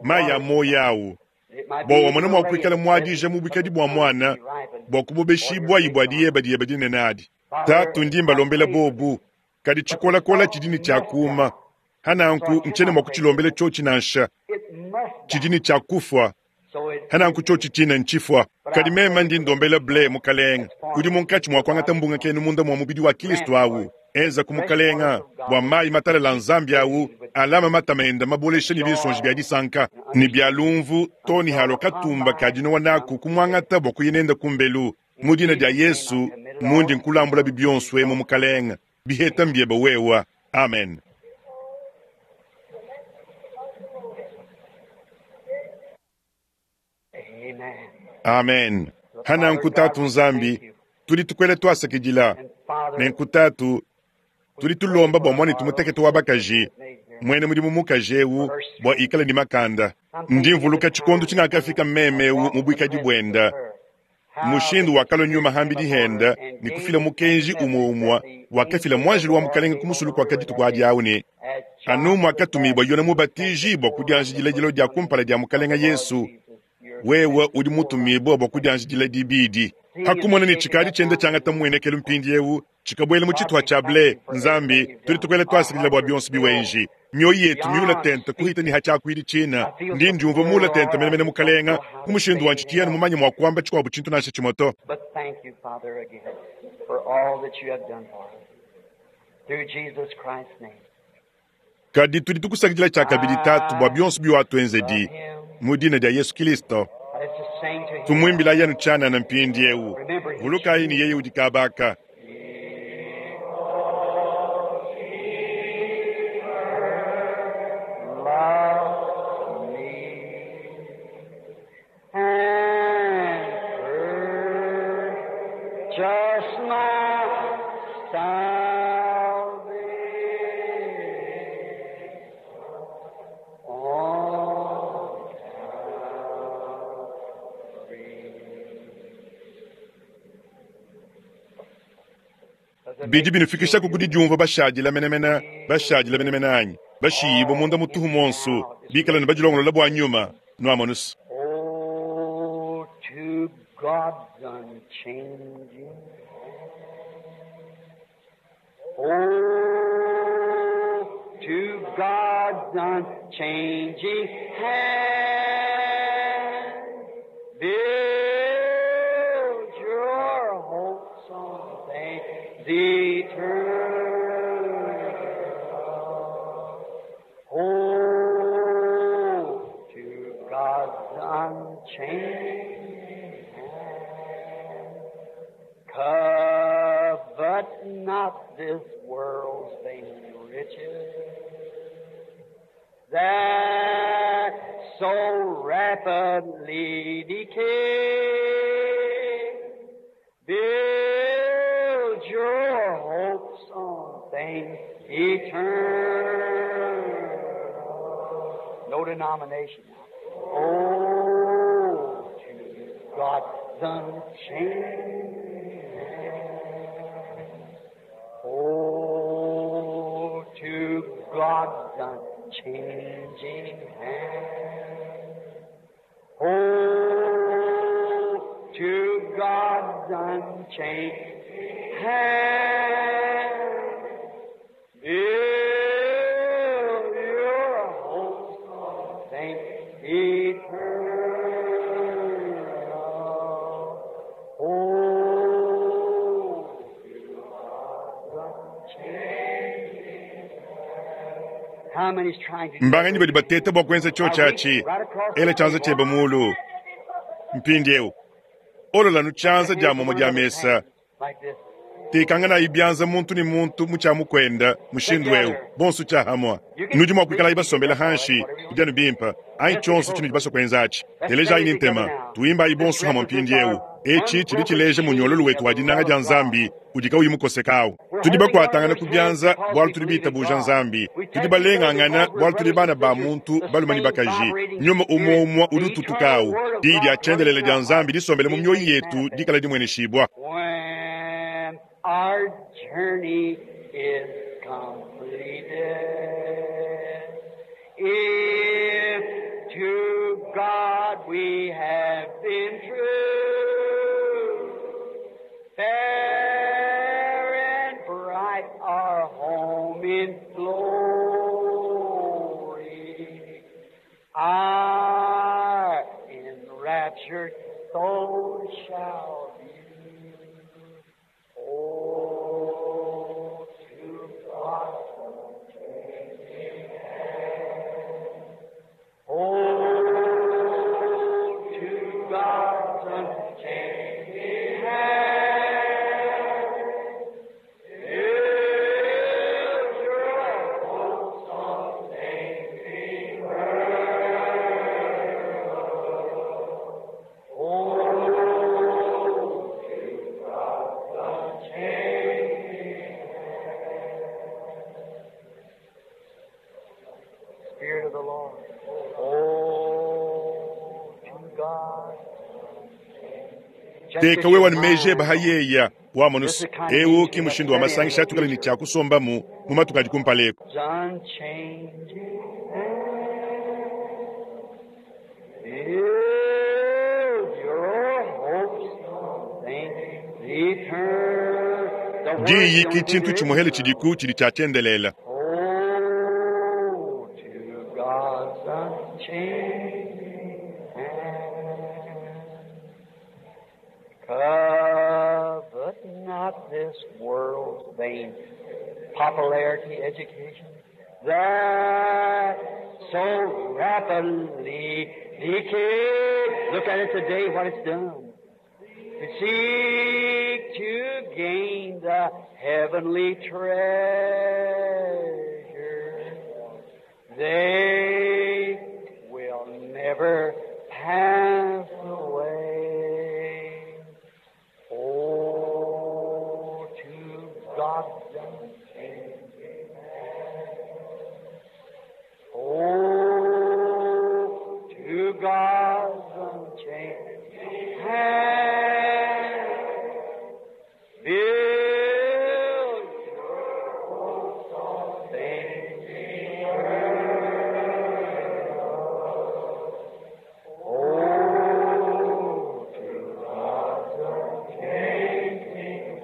maya moyi awu. Bwa wamona mwa kuikala mwadija mu bwikadi bwa mwana, bwa kubobeshibwa ibwa diyeba diyeba dinene adi. Tatu ndi mbalombela bobu, kadi tshikolakola tshidi ne tshiakuma. Hananku nchene mwa kutshilombela tshiotshi nansha, tshidi ne tshiakufwa. Hananku tshiotshi tshina ntshifwa. Kadi mema ndi ndombela ble mukalenga, udi munkatshi mwa kuangata mbunga kenu munda mwa mubidi wa Kristo awu. Enza ku mukalenga bwa mayi matalala nzambi awu, alama matama enda mabolesha ne binsonji bya disanka ne bya lumvu to ne halo katumba ka dinowa naku kumwangata bwa kuyenenda kumbelu. Mu dina dia Yesu mundi nkulambula bibionso emu mukalenga, biheta mbyeba wewa. Amen. Amen. Hana nkutatu nzambi tudi tukwele twasakidila ne nkutatu tudi tulomba bwa mwana tumutekete wa bakaji mwene mudimu mukaji ewu bwa ikala ni makanda. Ndi mvuluka tshikondo tshingakafika mmeme ewu mu bwikadi bwenda mushindu wakalo nyuma hambidi henda ni kufila mukenji umwe umwa wakafila mwanjili wa mukalenga kumusulu kwa kaditu kwa adi awu ne anu mwakatumibwa yona mubatiji bwa kudianjidila dilo dia kumpala dia mukalenga Yesu. Wewe udi mutumibwa bwa kudianjidila dibidi. Hakumona ni tshikadi tshienda tshiangata muenekelo mpindi ewu tshikabwela mu tshitwa tshia ble nzambi tudi tukwela twasikilila bwa bionso biwenji. Mioyo yetu miula tente kuhita ni hachakwili china. Ndi ndiumva mula tente menemene mukalenga ku mushindu wa ntshitiyanu mumanye mwa kuamba tshikuabu tshintu nansha tshimoto. But thank you, Father, again for all that you have done for us. Through Jesus Christ's name. Kadi tudi tukusakidila tshia kabidi tatu bwa bionso biwatuenzedi mu dina dia Yesu Kristo. Let's just sing to him. Tumwimbila yanu tshana na mpindi ewu. Vulukayi ni yeye udi kabaka. Love me and purchase my salvation on Calvary. Bidi binufikisha kukudi diumva bashadila menemene, bashadila menemene anyi. Bashiyibo munda mutuhu monsu, bikala ne badilongolola bwa nyuma, nwamonusu. Oh, to God's unchanging Oh, to God's unchanging hand, build your hopes on things eternal. Oh, to God's unchanging hand, covet not this world's vain riches that so rapidly decay. Build your hopes on things eternal. No denomination. Oh, to God's unchanging hand. Oh, to God's unchanging hand. Oh, to God's unchanging hand. Build your hopes on things eternal. Oh, to God's unchanging hand. How many's trying to do Mbanganyi badi bateta bwa kuenza chio chachi ela chanza cheba mulu mpindi ewu olola nuchanza dia momo dia mesa like this? tekanga ibyanza muntu ni muntu muchamukwenda mushindu ewu bonso chahamwa nudi mwa kuikala ibasombela hanshi kudyanu bimpa ayi tshonso tshinu dibaso kwenza atshi teleja ayi ntema tuimba ayi bonso hamwa mpindi ewu echi chili chileje munyololo wetu wa dinanga dia nzambi udika uyi mukosekawu tudi bakwatangana kubyanza bwalu tudi bitabuja nzambi tudi balengangana bwalu tudi bana ba muntu balumani bakaji nyuma umwe umwe udi ututukawu diyi dia tshendelele dia nzambi disombele mu mioyo yetu dikala dimweneshibwa. When our journey is completed. If to God we have been true, fair and bright our home in glory, our enraptured soul shall view. Oh, to God. Oh, to God's unchanging hand, build your hopes on things eternal. Oh, to God's unchanging hand. Spirit of the Lord. Oh, to God. Teka wewa nimeje bahayeya wamonusi ewu ki mushindu wa masangisha atukale ni tyakusombamu mu matuku adi kumpaleko. Unchanging hand. Build your hopes on things eternal. The word Diyi ki don't tshintu do tshimuhele it. tshidiku tshidi tshiatyendelela. Oh, to God's unchanging hand. Covet not this world's vain popularity, education, that so rapidly decay. Look at it today, what it's done. To seek to gain the heavenly treasure, they will never pass away. Oh, to God's unchanging hand. Oh, to God's unchanging hand. Build your hopes on things eternal. Oh, to God's unchanging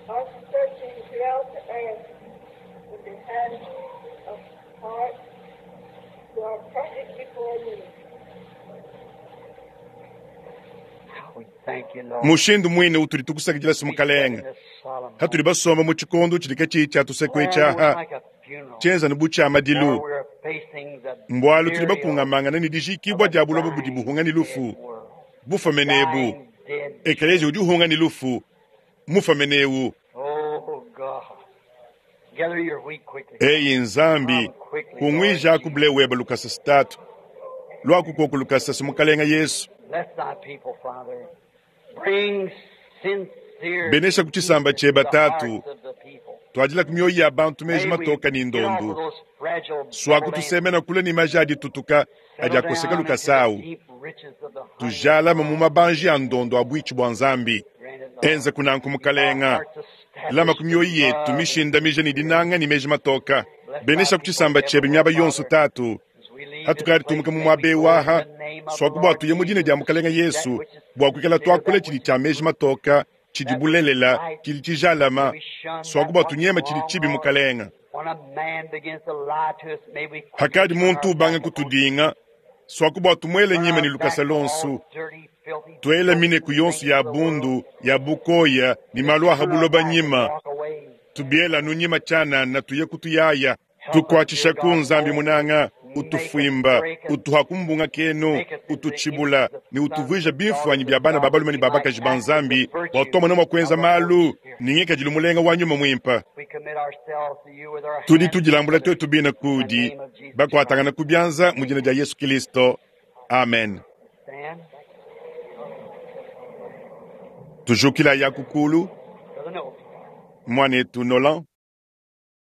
Are searching throughout the earth with the hands of heart who are perfect before me. How we thank you, Lord. Mushindu mwine utuli tukusakidila simukalenga In this solemn hatuli basomba mu tshikondo tshidi katshi tshiatusekwe moment. tshaha Almost like a funeral. tshenza ne butshia madilu Or we're facing the mbwalu tuli burial bakungamangana ne dijikibwa of a dia buloba budi dying, buhunga ni dead lufu world. bufamenebu Dying, dead ekeleziya udi uhunga ni lufu mufamenewu. Oh, God. Gather your wheat quickly. Eyi nzambi Come quickly, Lord kungwija kubule Jesus. weba lukasa sitatu lwakukoku lukasa simukalenga Yesu. Bless thy people, Father. Bring sincere Benesha peace kuchisamba into cheba the tatu hearts of the people. twajila kumyoyi ya bantu meji May we matoka ni get off of ndombu those fragile bubble swakutusemena dances. kule ni maji aditutuka Settle adi akoseka down into the lukasawu deep riches of the honey of tujalama mu God. mabanji ya ndondo abwichi bwa nzambi. Grant it, Lord. Enza kunanku Keep our mukalenga hearts lama established ku in myoyi yetu love and mishindamija ni spirit. dinanga ni meji matoka. Bless thy Benesha people kuchisamba chebe evermore, myaba yonso Father. tatu As we leave this hatukali place, tumuka mu may we mwabe go in waha the name of the swakuba Lord tuye mu dina Jesus dia to mukalenga speak that Yesu which is bwa kuikala sincere, twakula that chili which is cha meji good, matoka chidi that which is bulelela right. chili May chijalama we shun that swakuba what's tunyema chili wrong, chibi Lord. mukalenga. When a man begins to lie to us, may we quickly Hakadi turn muntu our ubanga back upon him. kutudinga swakuba tumwele Turn nyima our ni lukasa back to all lonsu dirty, filthy, twela mine loathsome ku yonsu things ya of the world. bundu ya bukoya ni Just malu turn our ahabuloba back and nyima walk away. tubiela nunyima chana na tuye kutuyaya Help us, dear tukwachisha ku God, nzambi oh, munanga Utufwimba, utuha ku mbunga kenu, ututshibula ne utuvuija bimfuanyi bia bana ba balume ne ba bakaji ba Nzambi, bua tuamona mua kuenza malu ne ngikadilu mulenga wa nyuma muimpe. Tudi tudilambula tuetu bine kudi, bakuatangana ku bianza mu dina dia Yesu Kilisto. Amen. Tujukila ya kukulu, mwanetu Nolan.